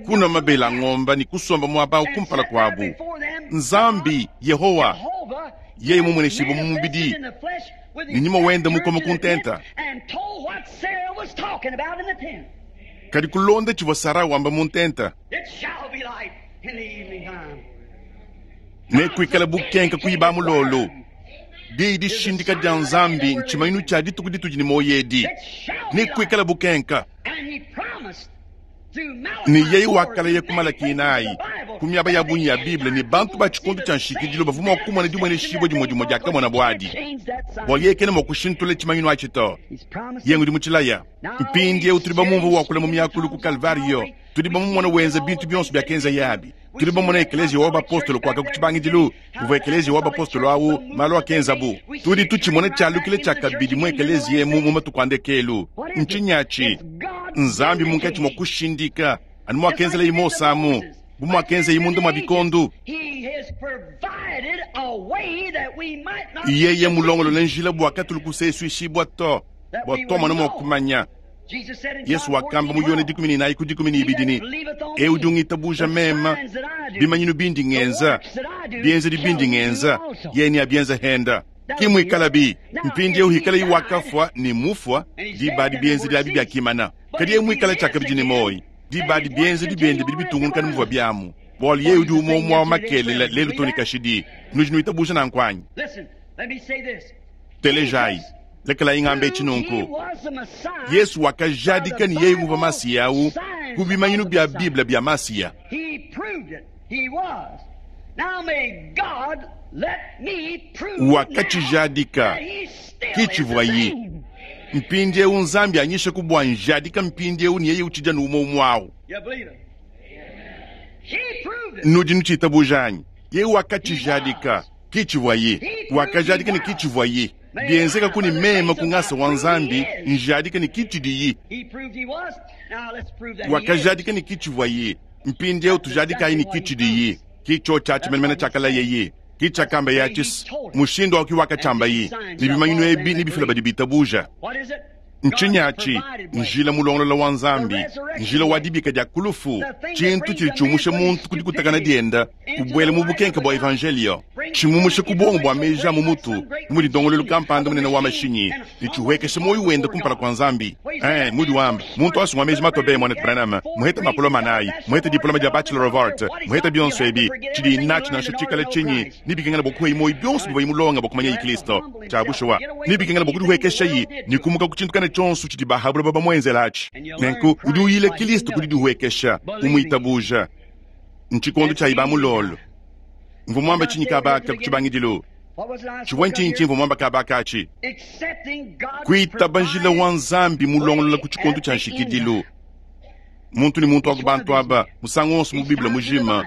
kunwa mabele a ng'ombe ni kusomba muaba kumpala kuabu. Nzambi Yehowa yeye mumweneshibwe mu mubidi ni nyuma wenda mukoma kuntenta. Kadi kulonda tshivua Sara wamba mu ntenta. Nekuikala bukenka kuyiba mulolo. Diyi dishindika dia Nzambi ntshimanyinu tshia dituku ditudi ne moyo edi. Nekuikala bukenka. Ne yeye wakalaya ku Malaki inayi, ku miaba ya bungi ya Bible ne bantu ba tshikondo tshia nshikidilo bavua mua kumona dimweneshibua dimue dimue diakamona buadi. Bualu yeye kena mua kushintula tshimanyinu atshi to. Yeye ngudi mutshilaya. Mpindieu tudi bamumvua wakula mu miakulu ku Kalvario. Tudi bamumona wenza bintu bionso biakenza yabi. Tudi bamona ekeleziya wa bapostolo kwaka ku tshibangidilu, kuvua ekeleziya wa bapostolo awu malu akenzabu. Tudi tutshimona tshialukile tshia kabidi mu ekeleziya emu mu matuku a ndekelu. Ntshinyi Nzambi munkatshi mua kushindika anu muakenzela Mose amu, bu muakenza munda mua bikondo. Yeye mulongolole njila bua katulu kusesuishibua to, bua tomona mua kumanya. Yesu wakamba mu Yone dikumi ne inayi ku dikumi ne ibidi ne eu udi ungitabuja mema, bimanyinu bindi ngenza, bienzedi bindi ngenza, yeye neabienze henda. Ki muikalabi mpindieu hikala iwakafua ne mufua diba bienzedi abi biakimana. Kadi yeye muikala tshiakabidi ne moyi diba bienzedi biende bidi bitungunuka ne muvua biamu. Bualu yeye udi umue umue wa makelela lelu to ne kashidi. Nudi nuitabuja nanku anyi? Telejai. Lekela ingambe tshinunku. Yesu wakajadika ni yeye uvua Masiya awu ku bimanyinu bia Bible bia Masiya. Wakatshijadika kitshivua ye. Mpindieu Nzambi anyisha ku bua njadika mpindieu ni yeye utshidi anu umue umue awu. Nudi nutshitabuja anyi? Yeye wakatshijadika kitshivua ye. Wakajadika ni kitshivua ye. Bienzeka kuni mema kungasa wa Nzambi njadika ni kitshidi. Wakajadika ni kitshivua ye. Mpindieu tujadika ni kitshidi. Kicho tshiatshi menemene tshiakala yeye. Kichakamba yachis mushindo waki wakachamba yi. Ni bimanyinu ebi ni bifila badi bitabuja. Ntshinyi atshi? Njila mulongolola wa Nzambi, njila wa dibika dia ku lufu, tshintu tshidi tshiumusha muntu ku dikutakana dienda, kubuela mu bukenke bua evanjelio, tshimumusha ku buongo bua meji a mu mutu, mudi ndongoluelu kampanda munene wa mashinyi, ne tshihuekesha muoyo wenda kumpala kua Nzambi. Eh, mudi wamba, muntu asungwa meji matobe mwanetu Branham, muheta mapoloma anayi, muheta diploma dia Bachelor of Art, muheta bionso ebi, tshidi natshi nansha tshikala tshinyi, nibikengela bua kuheyi muoyo bionso bivua mulonga bua kumanya Kristo. Tshia bushuwa, nibikengela bua kudihuekeshayi, ne kumuka ku tshintu kana tshionso tshidi bahabula baba muenzela atshi. Nenku udi uyile Kristo kudi dihuekesha, umuitabuja. Ntshikondo tshia iba mulolo. Mvua muamba tshinyi kabaka ku tshibangidilu? Tshivua ntshinyi tshimvua muamba kabaka atshi? Kuitaba njila wa Nzambi mulongolola ku tshikondo tshia nshikidilu. Muntu ne muntu wa ku bantu aba, musangu wonso mu Bible mujima,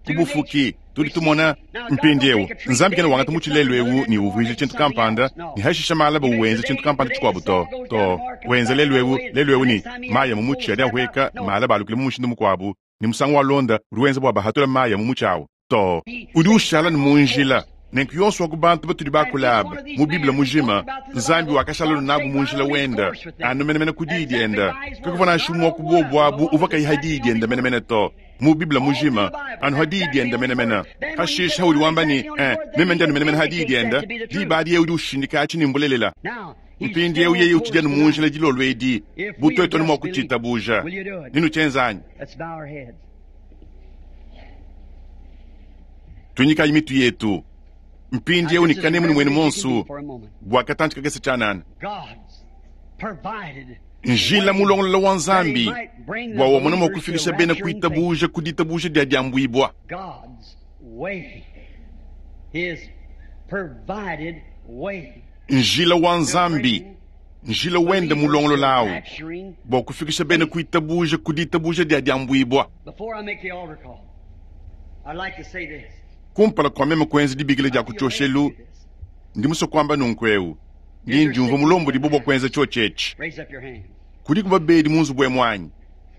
ku bufuki, tudi tumona mpindieu Nzambi kena wangata mutshi lelu ewu ne uvuija tshintu kampanda, ne hashisha malaba uwenza tshintu kampanda tshikuabu to. To, wenza lelu ewu, lelu ewu ne maya mu mutshi adi ahueka, malaba alukile mu mushindu mukuabu, ne musangu wa londa udi wenza bua bahatula maya mu mutshi awu. To, udi ushala ne mu njila. Nenku yonso wa ku bantu batudi bakula aba mu Bible mujima, Nzambi wakashala nabu mu njila wenda, anu menemene ku diyi dienda. Kakuvua nansha umue wa ku bobu abu uvua kayi ha diyi dienda menemene to. Mu Bible mujima, anu ha diyi dienda menemene. Hashisha udi wamba ne, eh, meme ndi anu menemene ha diyi dienda, diba adi yeye udi ushindika atshi ne mbulelela. Mpindieu yeye utshidi anu mu njila dilolo edi, bu tuetu anu mua kutshitabuja. Ninu tshienza anyi? Tunyikayi mitu yetu. Mpindieu ne kanemu ne mwenu monsu, bua katantshi kakese tshianana. Njila mulongolola wa Nzambi, bua wamona mua kufikisha bena kuitabuja ku ditabuja dia diambuibua. Njila wa Nzambi, njila wenda mulongolola awu, bua kufikisha bena kuitabuja ku ditabuja dia diambuibua. Kumpala kua meme kuenza dibikila dia kutshioshelu, ndi musue kuamba nunku eu, ndi ndiumvua mulombodi bua kuenza tshiotshi. Kudi kuba bedi mu nzubu emu anyi?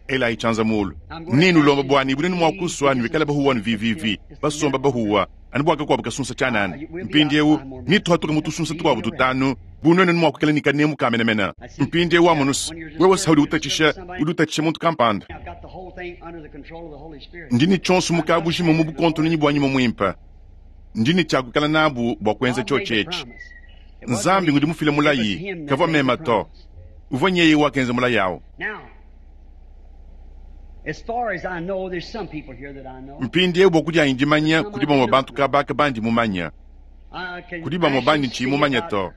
Elayi tshianza mulu. Ninulomba bua ni bunene mua kusua nuikale bahuwa nu V V V, basomba bahuwa, anu bua kakuabu kasunsa tshianana. Mpindieu nituhatuka mu tusunsa tukuabu tutanu, bu nuenu mua kuikala ne kanemu ka menemene. Mpindieu amonusu, wewe sa udi utatshisha, udi utatshisha muntu kampanda. Ndi ne tshionso mu kabujima mu bukontononyi bua nyuma muimpe. Ndi ne tshia kuikala nabu bua kuenza tshiotshi etshi. Nzambi ngudi mufile mulayi, kavua mema to. Uvua nyeye wakenza mulayi awu. Mpindieu bua kudianyi dimanya kudi bamue bantu kabaka bandi mumanya. Kudi bamue bandi ntshiyi mumanya to.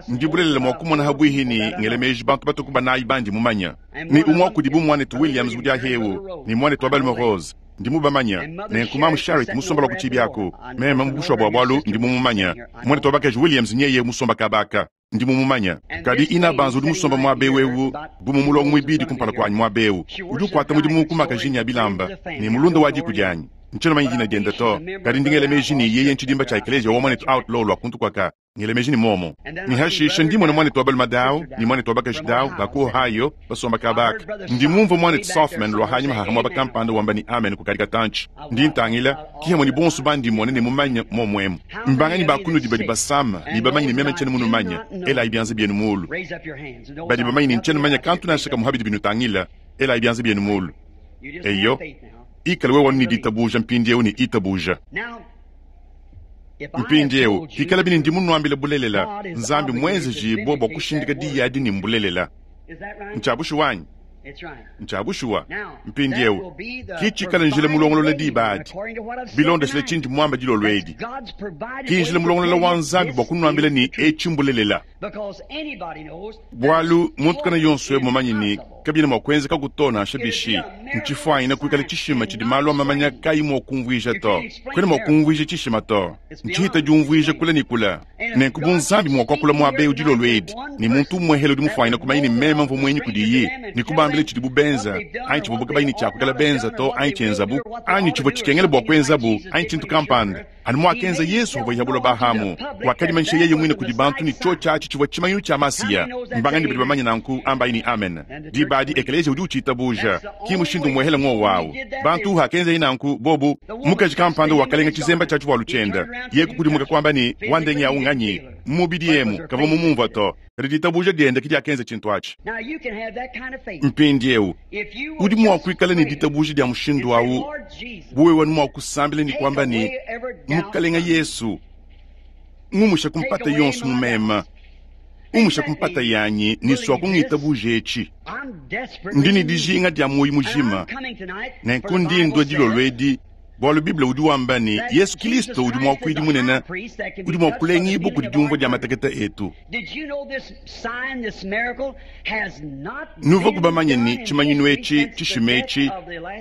Ndi bulelela mua kumona habwihi ni ngele meji bantu batuku banayi bandi mumanya. Ni umwe wa kudibu mwanetu Williams udi ahewu, ni mwanetu wa balume Rose. Ndi mubamanya. Nenku mamu Sharrit musomba lwa ku tshibi aku. Meme mu bushuwa bua bualu ndi mumumanya. Mwanetu wa bakaji Williams nyeye musomba kabaka. Ndi mumumanya. Kadi ina banza udi musomba muaba ewu, bu mu mulongo muibidi kumpala kuanyi muaba ewu. Udi ukuata mudimu ku makajini ya bilamba, ne mulunda wa diku dianyi. Ntshiena manya dina diende to. Kadi ndi ngela meji ne yeye ntshidimba tshia ekleziya wa mwanetu Outlaw lwa kuntu kuaka. Ngela meji ne momo. Ni hashisha ndi mwana mwanetu wa balume dawu, ni mwanetu wa bakaji dawu, ba ku Ohio, basomba kabaka. Ndi mumvua mwanetu Sothmann lwa hanyuma haha muaba kampanda wamba ni amen kukadi katantshi. Ndi ntangila, kihamwe ni bonso bandi mone ne mumanya momwemu. Mbanganyi ba kunudi badi basama, ni bamanyi ne meme ntshiena munumanya, elayi bianza bienu mulu. Badi bamanyi ne ntshiena manya kantu nansha kamwe habidi binutangila, elayi bianza bienu mulu. Eyo, ikala wewe wanu ni ditabuja mpindieu ni itabuja. Mpindieu, hikala bini ndi munuambile bulelela, Nzambi mwenzejibue bua kushindika diyi adi ni mbulelela. Ntshia bushuwa anyi? Ntshia bushuwa. Mpindieu, ki tshikala njila mulongolola diba adi. Bilondeshile tshindi muamba dilolo edi. Ki njila mulongolola wa Nzambi bua kunuambila ni etshi mbulelela. Bualu muntu kana yonso ewu mumanyi ni kabiena mua kuenzeka kuto nansha bishi. Ntshifwanyina kuikala tshishima tshidi malu a mamanya kayi mua kumvuija to. Kwena mua kumvuija tshishima to. Ntshihita diumvuija kula ne kula. Nenku bu Nzambi mua kuakula muaba ewu dilolo edi, ne muntu umwehele udi mufwanyina kumanya ne meme mvua muenyi kudiyi, ne kubambila tshidi bu benza, anyi tshivua kabayi ne tshia kuikala benza to, anyi tshienzabu, anyi tshivua tshikengela bua kuenzabu, anyi tshintu kampanda. Anu muakenza Yesu uvua yabuloba hamu, wakadimanyisha yeye mwine kudi bantu ne tshiotshi atshi tshivua tshimanyinu tshia Masiya. Mbangani badi bamanya nanku, ambayi ni amen. Diba adi ekleziya udi utshitabuja, ki mushindu mwehele ng'owu awu. Bantu hakenza yeye nanku bobu, mukaji kampanda wakalenga tshizemba tshia tshivualu tshienda. Ye kukudimuka kwamba ni, wandengi awu nganyi? Mubidi emu, kavua mumumvua to. Kadi ditabuja diende ke diakenza tshintu atshi. Mpindieu udi mua kuikala ne ditabuja dia mushindu au bu wewe mua kusambila ne kuamba ne, Mukalenga Yesu, ngumusha kumpata yonso mu mema, umusha kumpata yanyi ne sua kungitabuja etshi. Ndi ne dijinga dia muoyo mujima, nenku ndi ndua dilolo edi bualu Bible udi wamba ne Yesu Kristo udi muakuidi munene udi mua kulengibua kudi diumvua dia matekete etu. Nuvua kubamanye ne tshimanyinu etshi tshishima etshi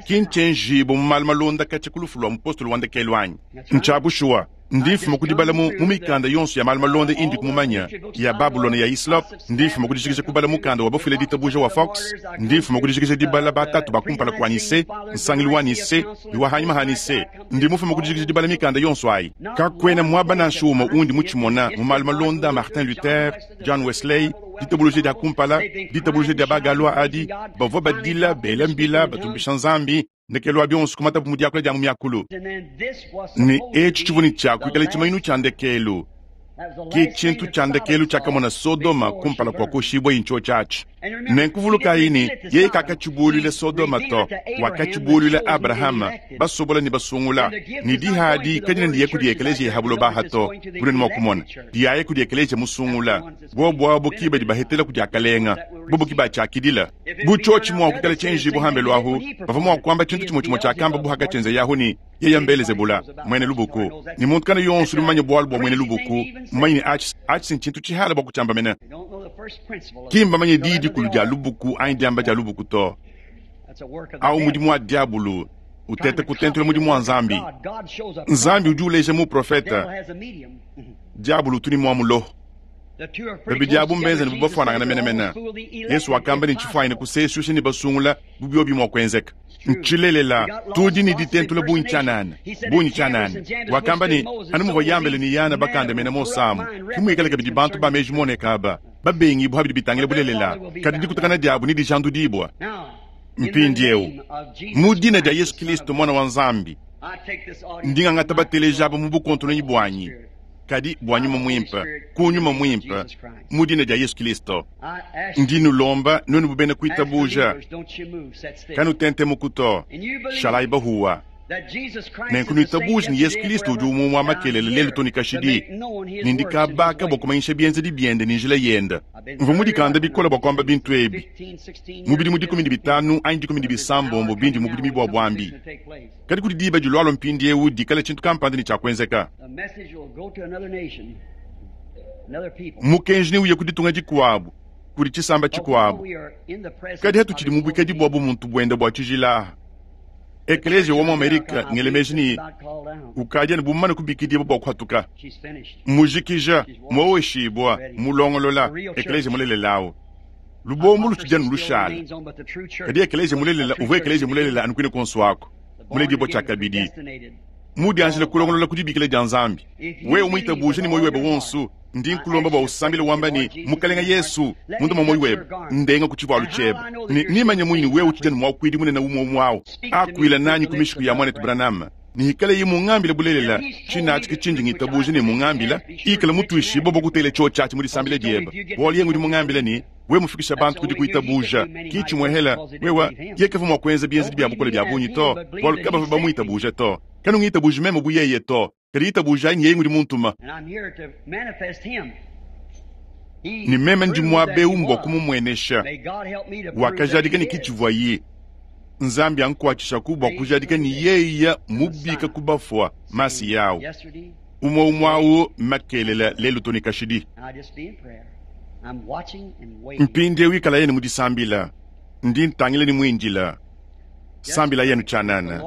ki ntshienjibua mu malu malonda katshia ku lufu lua mupostolo wa ndekelu anyi? Ntshia bushuwa. Ndi mfuma ku dibala mu mikanda yonso ya malu malonda indi kumumanya ya Babulona ya Islop. Ndi mfuma ku dijikija kubala mukanda wa bafuile ditabuja wa Fox. Ndi mfuma ku dijikija dibala batatu ba kumpala kua Nise, nsangilu wa Nise, wa hanyima ha Nise. Ndi mufuma ku dijikija dibala mikanda yonso ayi. Kakuena muaba nansha umue undi mutshimona mu malu malonda Martin Luther, John Wesley, ditabuluja dia kumpala, ditabuluja dia bagalwa adi, bavua badila bela mbila batumbisha Nzambi. Ndekelu wa bionso kumatabu mu diakula dia mu miakulu. Ne etshi tshivua ne tshia kuikala tshimanyinu tshia ndekelu, ke tshintu tshia ndekelu tshiakamona Sodoma kumpala kua kuoshibua intshio tshiatshi. Nenkuvulukayi ne yeye kakatshibuluila Sodoma to, wakatshibuluila Abrahama, basobola ne basungula. Ne dihadi kadina ndiye kudi ekeleziya ya habuloba to, bunene mua kumona diaye kudi ekeleziya musungula. Bobo abo ki badi bahetela kudi akalenga, bobo ki batshiakidila. Bu tshiotshi mua kuikala tshienjibu hambelu ahu, bavua mua kuamba tshintu tshimue tshimue tshiakamba bu hakatshienza yahu ne yeye mbelezebula mwene lubuku. Ne muntu kana yonso udi mumanye bualu bua mwene lubuku, mumanye ne atshi atshi ntshintu tshihala bua kutshiamba mene. Ki mbamanye diyi dikulu dia lubuku anyi diamba dia lubuku to. Au mudimu wa diabulu utete kutentula mudimu wa Nzambi. Nzambi udi uleja mu profeta, diabulu utu ne mua muloho. Babidi abu mbenze ne bubafuanangana menemene. Yesu wakamba ne tshifuanyine kusesusha ne basungula bu biobi mua kuenzeka. Ntshilelela tudi ne ditentula bungi tshianana, bungi tshianana. Wakamba ne anu muvua Yambele ne Yana bakandamena Mose amu, ke muikale kabidi bantu ba meji moneka aba babengi bua bidi bitangila bulelela, kadi dikutakana diabu ne dijandudibua. Mpindieu mu dina dia Yesu Kristo mwana wa Nzambi, ndi ngangata bateleja aba mu bukontononyi buanyi, kadi bua nyuma muimpe, ku nyuma muimpe, mu dina dia Yesu Kristo. Ndi nulomba nuenu bubena kuitabuja, kanutente mukuto, shalai bahuwa. Nenku nuitabuja ne Yesu Kristo udi umue wa makelele lelu to ne kashidi, ne ndikabaka bua kumanyisha bienzedi biende ne njila yende. Mvua mudikanda bikole bua kuamba bintu ebi mu bidimu dikumi ne bitanu anyi dikumi ne bisambombo bindi mu budimi bua buambi. Kadi kudi diba dilualua mpindieu dikala tshintu kampanda ne tshiakuenzeka. Mukenji neuye ku ditunga dikuabu, kudi tshisamba tshikuabu. Kadi hatutshidi mu buikadi bua bumuntu buende bua tshijila. Ekeleziya wa mu Amerika ngelemeji ne ukadi anu bumane kubikidibua bua kuhatuka. Mujikija, muoweshibua, mulongolola, ekeleziya mulelela awu. Lubombo lutshidi anu lushala. Kadi ekeleziya mulelela uvua ekeleziya mulelela anu kuine kuonso ako, muledibua tshiakabidi. Mudianjila kulongolola ku dibikila dia Nzambi. Wewe muitabuja ne muoyo webe wonso, ndi nkulomba bua usambile wamba ne, Mukalenga Yesu, munda mua muoyo webe, ndenga ku tshivualu tshiebe. Ne nimanye munyi ne wewe utshidi anu muakuidi munene umue umue awu. Akuila nanyi ku mishiku ya mwanetu Branham. Ne ikale ye mungambile bulelela, tshinatshi ke tshindi ngitabuja ne mungambila, ikale mutuishibue bua kutela tshio tshiatshi mu disambila diebe. Bualu ye ngudi mungambile ne, wewe mufikisha bantu kudi kuitabuja, ki tshimuehela, wewe ye kavua mua kuenza bienzedi bia bukole bia bungi to, bualu kabavua bamuitabuja to. Kanu ngitabuja meme bu yeye to, kadi itabuja anyi yeye ngudi muntuma. Ne meme ndi muaba eu mbua kumumuenesha. Wakajadika ne kitshivua ye. Nzambi ankuatshishaku bua kujadika ne yeye mubika ku bafua masi yawu. Umue umue awu makelela lelu to ne kashidi. Mpindieu ikala yenu mu disambila, ndi ntangila ne muindila. Sambila yenu tshianana.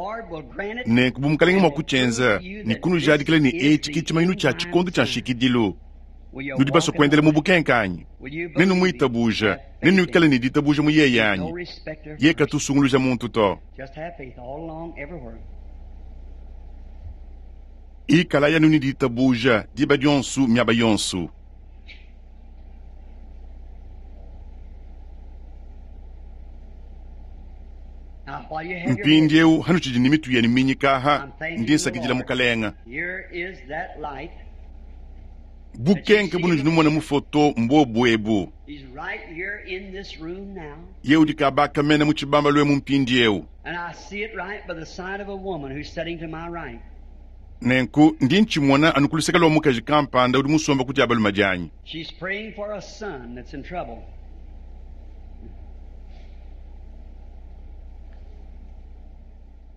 Nenku bu mukalenga mua kutshienza ne kunujadikila ne etshi ke tshimanyinu tshia tshikondo tshia nshikidilu. Nudi basue kuendela mu bukenka anyi? Nenumuitabuja, nenuikale ne ditabuja mu yeye anyi? Ye katusunguluja muntu to. Ikala yanu ne ditabuja diba dionso miaba yonso. Mpindieu hanutshidi ne mitu yenu minyika aha, ndi nsakidila mukalenga. Bukenke bunudi numona mu foto mbobu ebu. He's right here in this room now. Ye udi kabaka mena mu tshibamba lwemu mpindiewu. And I see it right by the side of a woman who's sitting to my right. Nenku ndi ntshimona anu ku luseke lwa mukaji kampanda udi musomba ku dia balume dianyi. She's praying for a son that's in trouble.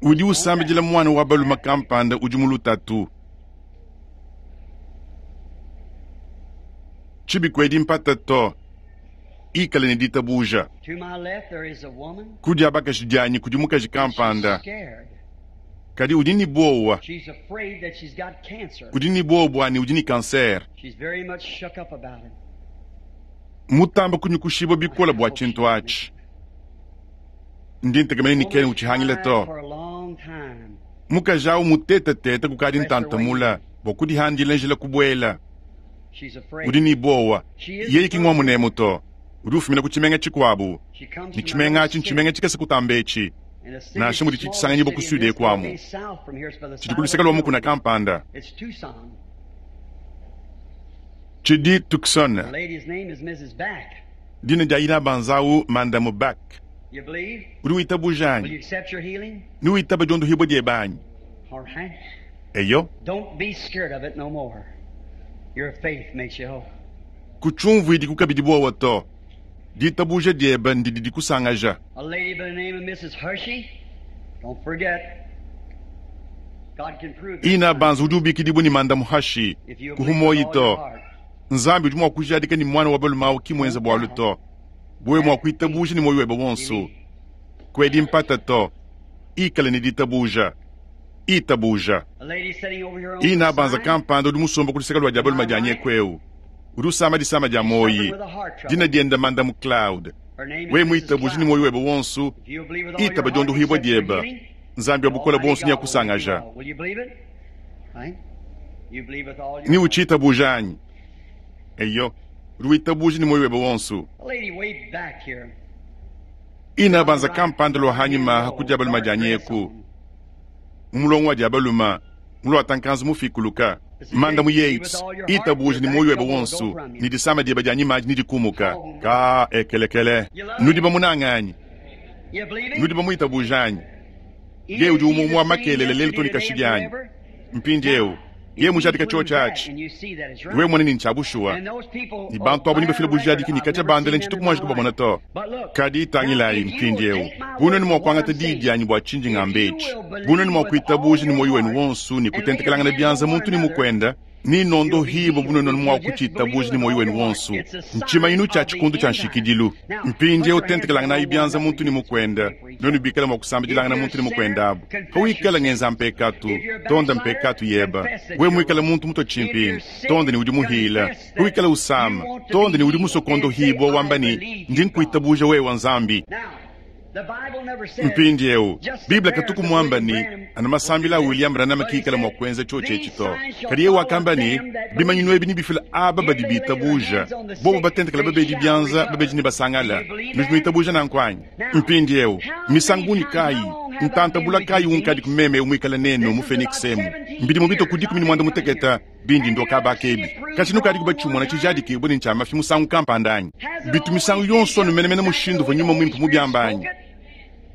Udi usambidila mwana wa balume kampanda udi mu lutatu. Tshibikwedi mpata to. Ikale ne ditabuja. To my left there is a woman. Ku dia bakaji dianyi kudi mukaji She's kampanda. scared. Kadi udi ne bowa. She's afraid that she's got cancer. Udi ne bowa bua ne udi ne cancer. She's very much shook up about it. Mutamba kunyukushibwa bikola bua tshintu atshi. Ndi ntekemene ne kene utshihangile to. For a long time. Mukaji awu mutetetete kukadi ntantamula bua kudihandila njila kubuela. She's afraid. Udi ne bowa. Yeye ki ng'wa munemu to. Udi ufumina ku tshimenga tshikuabu. She comes Ne from tshimenga another atshi ntshimenga city. tshikese kutamba etshi. And the city Nansha is mudi a small tshisanganyi bua city, and kusude this kuamu. way south from here is by the Tshidi side ku of luseke a lwa mukuna mountain. kampanda. It's Tucson. Tshidi Tucson. The lady's name is Missus Back. Dina dia ina banzawu mandamu Back. You believe? Udi witabuja Will anyi? you accept your healing? Ni witaba diondohibwa diebe anyi? All right. Eyo. Don't be scared of it no more. Your faith makes you whole. Kutshiumvuidi kukabidi bowa to. Ditabuja diebe ndidi dikusangaja. A lady by the name of Missus Hershey. Don't forget. God can prove it. Ina banza udi ubikidibwa ni mandamu Hashi. If you believe with Kuhumoyi all to. your heart. Nzambi udi mua kujadika ni mwana wa balume awu ki mwenza bwalu to. Bwe mua kuitabuja ni moyo webe wonso. Kwedi mpata to. Ikale ni ditabuja. Itabuja. A lady sitting over here on Ina the banza side, kampanda udi musomba ku luseke lwa dia balume dia nyekwewu. Udi usama disama dia moyi. suffering with a heart trouble. Dina dienda mandamu Cloud. Her name is We Missus muitabuja ni Cloud. moyo webe wonso. If you believe with all your Itaba heart, diondohibwa accept your dieba. healing, Nzambi wa bukola Almighty bonso God will make you nyakusangaja. whole. Will you believe it? Right? You believe with all your Ni heart. uchitabuja anyi? Eyo. Udi witabuja ni moyo webe wonso. A lady way back here. Ina banza kampanda lwa hanyuma hakudia balume dia nyeku. Mulongo wa dia balume. Mulo atankanzu mufikuluka. Manda mu Yates. Itabuja ni moyo webe wonso. Ni disama dieba dia nyimaji ni dikumuka. Ka ekelekele. Nudi bamunanga anyi? You believe him? Nudi bamuitabuja anyi? He Ye udi is umwe the wa same makelele lelo yesterday, to ni today, and kashidi anyi. forever. Mpindiewu. Ye If he mujadika proves cho that, chachi. and you see that it's right. We mwana ni nchabushuwa. And those people Ni bantu abo will ni bafila bear bujadiki record, ni I've kacha never bandele seen them ntshituku in my mwanji kubabona life. to. But look, Kadi now itangilayi if you will mpindiewu. take my Buno word ni for mwa what kuangata I'm diyi saying, dianyi bua tshinji if you ngambechi. will Buno ni believe mwa with all kuitabuja ni your moyo wenu heart wonso ni and lay your kutentekelangana hands byanza on one muntu ni another, mukwenda. Ni nondo you'll be hibo healed. buno If ni mwa you just believe kuchitabuja ni with moyo all wenu your heart, wonso. it's a Nchima sign inu cha of the chikundu cha end time. nshikidilu. Now, put Mpindiewu your hands tentekelangana on one byanza another. muntu ni mukwenda. Pray for each Nonu other. bikala mwa If kusambidilangana you're a muntu ni sinner, mukwenda abo. confess your Hawikala sins. ngenza mpekatu. If you're a Tonda backslider, mpekatu yeba. confess that We you're mwikala wrong. muntu muto If you're chimpinga. sick, Tonda ni udi muhila. confess that Huikala you usama. want to Tonda be ni udi healed musokondo and say, hibwa I wamba ni believe ndi you, God. nkuitabuja we wa nzambi. Now, the Bible never said Mpindiewu just the Biblia prayers katuku of mwamba William ni Branham ana will do masambila this. William Branham But he kikala mwa said, kuenza cho these chechi to. signs shall Kadi ye follow wakamba ni them that bimanyinu believe. ebi ni bifila aba If badi they lay their bitabuja. hands on the Bobo sick, batentekela they babedi shall byanza recover. babeji ni Do basangala. you believe Nudi that? muitabuja nankwanyi. Now, Mpindiewu how many misanguni times, kayi how long have I been ntantabula with kayi you, unkadi Phoenix? kumeme umwikala nenu This mu is Phoenix about emu. seventeen Mbidi mubito years kudi kumi I've ni mwanda been coming muteketa here. bindi Have ndo you ever kabaka seen ebi. it proved Kachi nukadi wrong one kubachumona time? chijadiki buni nchamafi musangu kampanda anyi. Has it Bitu misangu always been yonso just numenemene exactly the mushindu way the vanyuma Holy mwimpu Spirit mubyambanyi. spoke it?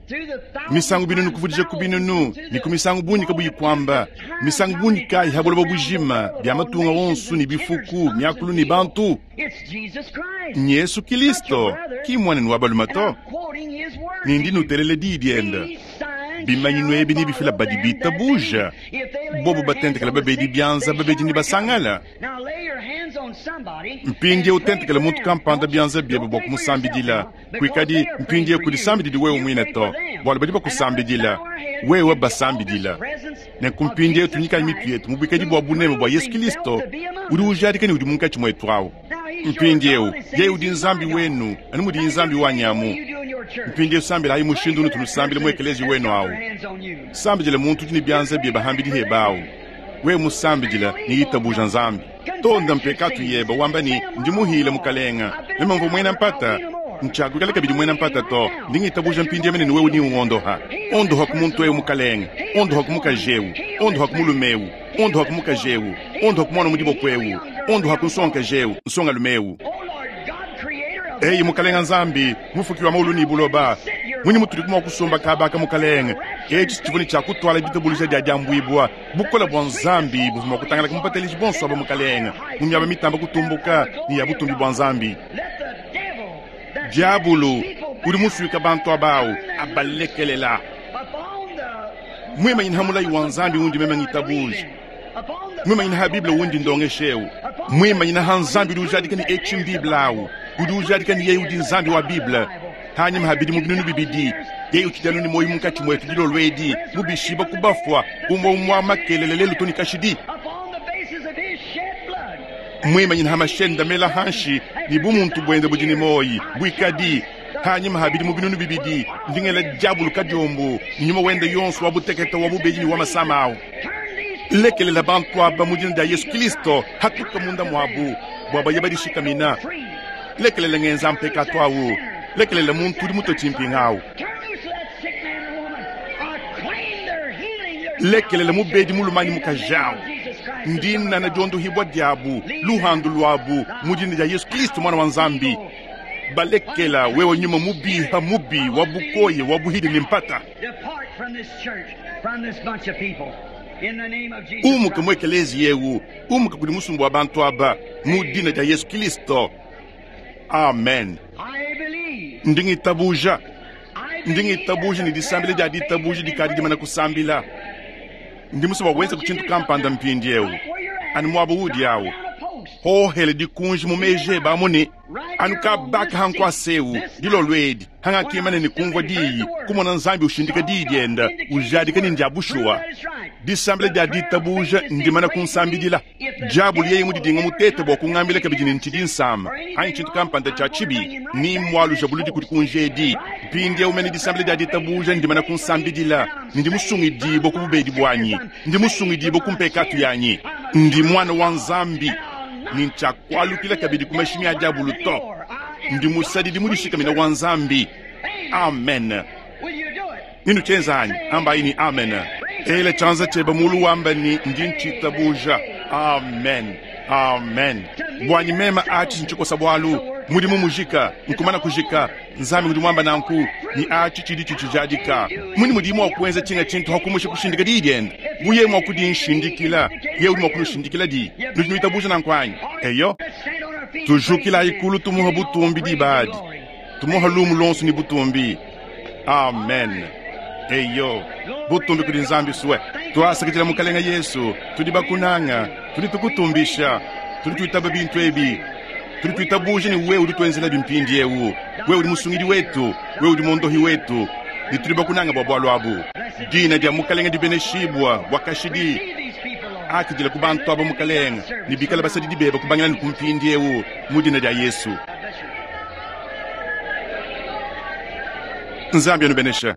Through the thousand Misangu binunu times kuvudija ku thousands binunu to ni the ku misangu bunyi kabuyi multitudes kwamba of times, misangu how bunyi many kayi times habuloba around the bujima world bya of all matunga nations wonsu ni and kindreds, bifuku tongues and myakulu ni people? bantu. It's Jesus Christ, Ni Yesu not your Kristo brother. ki mwanenu wa balume And to. I'm quoting his word Ni to ndi you. nutelele diyi dienda. These signs Bimanyinu shall ebi ni bifila follow badi them that bitabuja. believe. If they lay Bobo their hands batentekela on the babedi sick, byanza they babedi shall ni recover. basangala. Now lay your hands on somebody and Mpindie pray utentekele for muntu them. kampanda Don't, byanza byebe don't bua pray for yourself kumusambidila. now, because Kuikadi they are praying mpindie for you. kudisambidili wewe You mwine pray to. for them. Bwalo badi And now let's bakusambidila. bow our heads Wewe in the august basambidila. presence Nenku of mpindie Jesus tunyikayi mitu Christ, yetu mubwikadi who bua buneme bua proved Yesu himself Kristo to be among udi us. ujadika ni udi munkatshi mwetu awu. Now he's your Mpindiewu God, the same yeye as udi he's my nzambi God. wenu anu mudi Now you nzambi pray the way wanyamu. you do in your church. Mpindie sambila ayi Pray mushindu for unutu that nusambile person mwekelezi that's wenu got awu. their hands on you. Sambidile muntu udi ni You byanza pray bye bahambidi for them. hebawu. We musambidila ni Believe on itabuja God. nzambi. Tonda Confess your mpekatu sins. yeba wamba Say ni I'm ndi wrong, muhile Lord. mukalenga. I've been a Meme mvua mwena doubter. I'll mpata. be no more. Nchagukala I'm kabidi mwena believing mpata right to. now Ndi ngitabuja that you're mpindie going mene to ni wewe heal ni me. uondoha. Heal this Ondoha ku muntu person, ewu Lord. mukalenga. Heal Ondoha this ku woman. mukaji ewu. Heal Ondoha this ku man. mulume ewu. Ondoha mukaji ewu, ondoha mwana mu diboko ewu, ondoha nsongakaji ewu, nsongalume ewu. Eyi mukalenga Nzambi, mufuki wa maulu ni buloba, munyi mutudi mwa kusomba kabaka mukalenga. Etshi tshivua ne tshia kutwala ditabuluja dia diambuibwa, bukola bua Nzambi buvua mua kutangalaka mupateleji bonso aba mukalenga, mu miaba mitamba kutumbuka ni ya butumbi bua Nzambi. Diabulu udi musuika bantu abawu abalekelela. Mwimanyina ha mulayi wa Nzambi undi meme ngitabuja. Mwimanyina ha Bible undi ndongeshewu. Mwimanyina ha Nzambi udi ujadika ni etshi Bible awu. Udi ujadika ni yeye udi Nzambi wa Bible. Hanyuma habidi mu binunu bibidi. Yeye utshidi ni moyo munkatshi mwetu dilolo edi, mubishiba kubafwa, umwe umwa makelele lelu to ni kashidi. Mwimanyina ha mashenda mela hanshi ni bumuntu bwende budi ni moyi, bwikadi. Hanyuma habidi mu binunu bibidi, ndingela diabulu kadiombo, nyuma wende yonso wa butekete wa bubedi ni wa masama awu. Lekelela bantu aba mu dina dia Yesu Kristo, hatuka munda mwabu, bua baye badishikamina. Lekelela ngenza mpekatu awu, lekelela muntu udi mutue tshimpinga awu. Lekelela mubedi mulumanyi mukaji awu. Ndina na diondohibwa diabu, luhandu lwabu, mu dina dia Yesu Kristo mwana wa Nzambi. Balekela wewe nyuma mubi ha mubi wa bukoye wa buhidi ni mpata. Umuka mwekelezi yewu, umuka kudi musumbu wa bantu aba, mu dina dia Yesu Kristo. Amen. Ndingitabuja. Ndingitabuja ni disambila dia ditabuja dikadi dimana kusambila. Ndi musoba wenza kuchintu kampanda mpindi ewu. Anu mwabo udi awu. Hohele dikunji mu meje bamune. Anu kabaka hankwaseu dilolo edi hangakimane ni kumvwa diyi kumona Nzambi ushindika diyi dienda ujadika ni ndia bushuwa. Disambila dia ditabuja ndimana kunsambidila. Diabulu yeye mudidinga mutete bua kungambila kabidi ni ntshidi nsama anyi tshintu kampanda tshia tshibi ni mwaluja buludi kudi kunjedi. Mpindi ewu mene disambila dia ditabuja ndimana kunsambidila. Ndi musungidibwa ku bubedi bwanyi, ndi musungidibwa ku mpekatu yanyi, ndi mwana wa Nzambi. Ni ntshakwalukila kabidi ku mashimi a diabulu to. Ndi musadidi mudishikamina wa Nzambi. Amen. Ninu tshienza anyi? Ambayi ni amen. Ele tshianza tshiebe mulu wamba ni ndi ntshitabuja. Amen. Amen. Bwanyi mema atshi ntshikosa bwalu. Mudimu mujika, nkumana kujika. Nzambi udi mwamba nanku ni atshi tshidi tshitshijadika. Muni mudimu wa kuenza tshinga tshintu hakumusha kushindika diyi diende. Buye mwa kudinshindikila, ye udi mwa kunushindikila di. Nudi nuitabuja nanku anyi? Eyo. Tujukila ikulu tumuha butumbi dibadi. Tumuha lumu lonso ni butumbi. Amen. Eyo. Butumbi kudi Nzambi suwe. Twasakidila mukalenga Yesu, tudi bakunanga, tudi tukutumbisha, tudi tuitaba bintu ebi. Tudi tuitabuja ni wewe udi tuenzela bimpindi ewu. Wewe udi musungidi wetu, wewe udi mondohi wetu. Ni tudi bakunanga bua bwalu abu. Dina dia mukalenga dibeneshibwa bua kashidi. Akidila ku bantu aba mukalenga, ni bikala basadidi bebe kubangila ni kumpindi ewu mu dina dia Yesu. Nzambi anubenesha.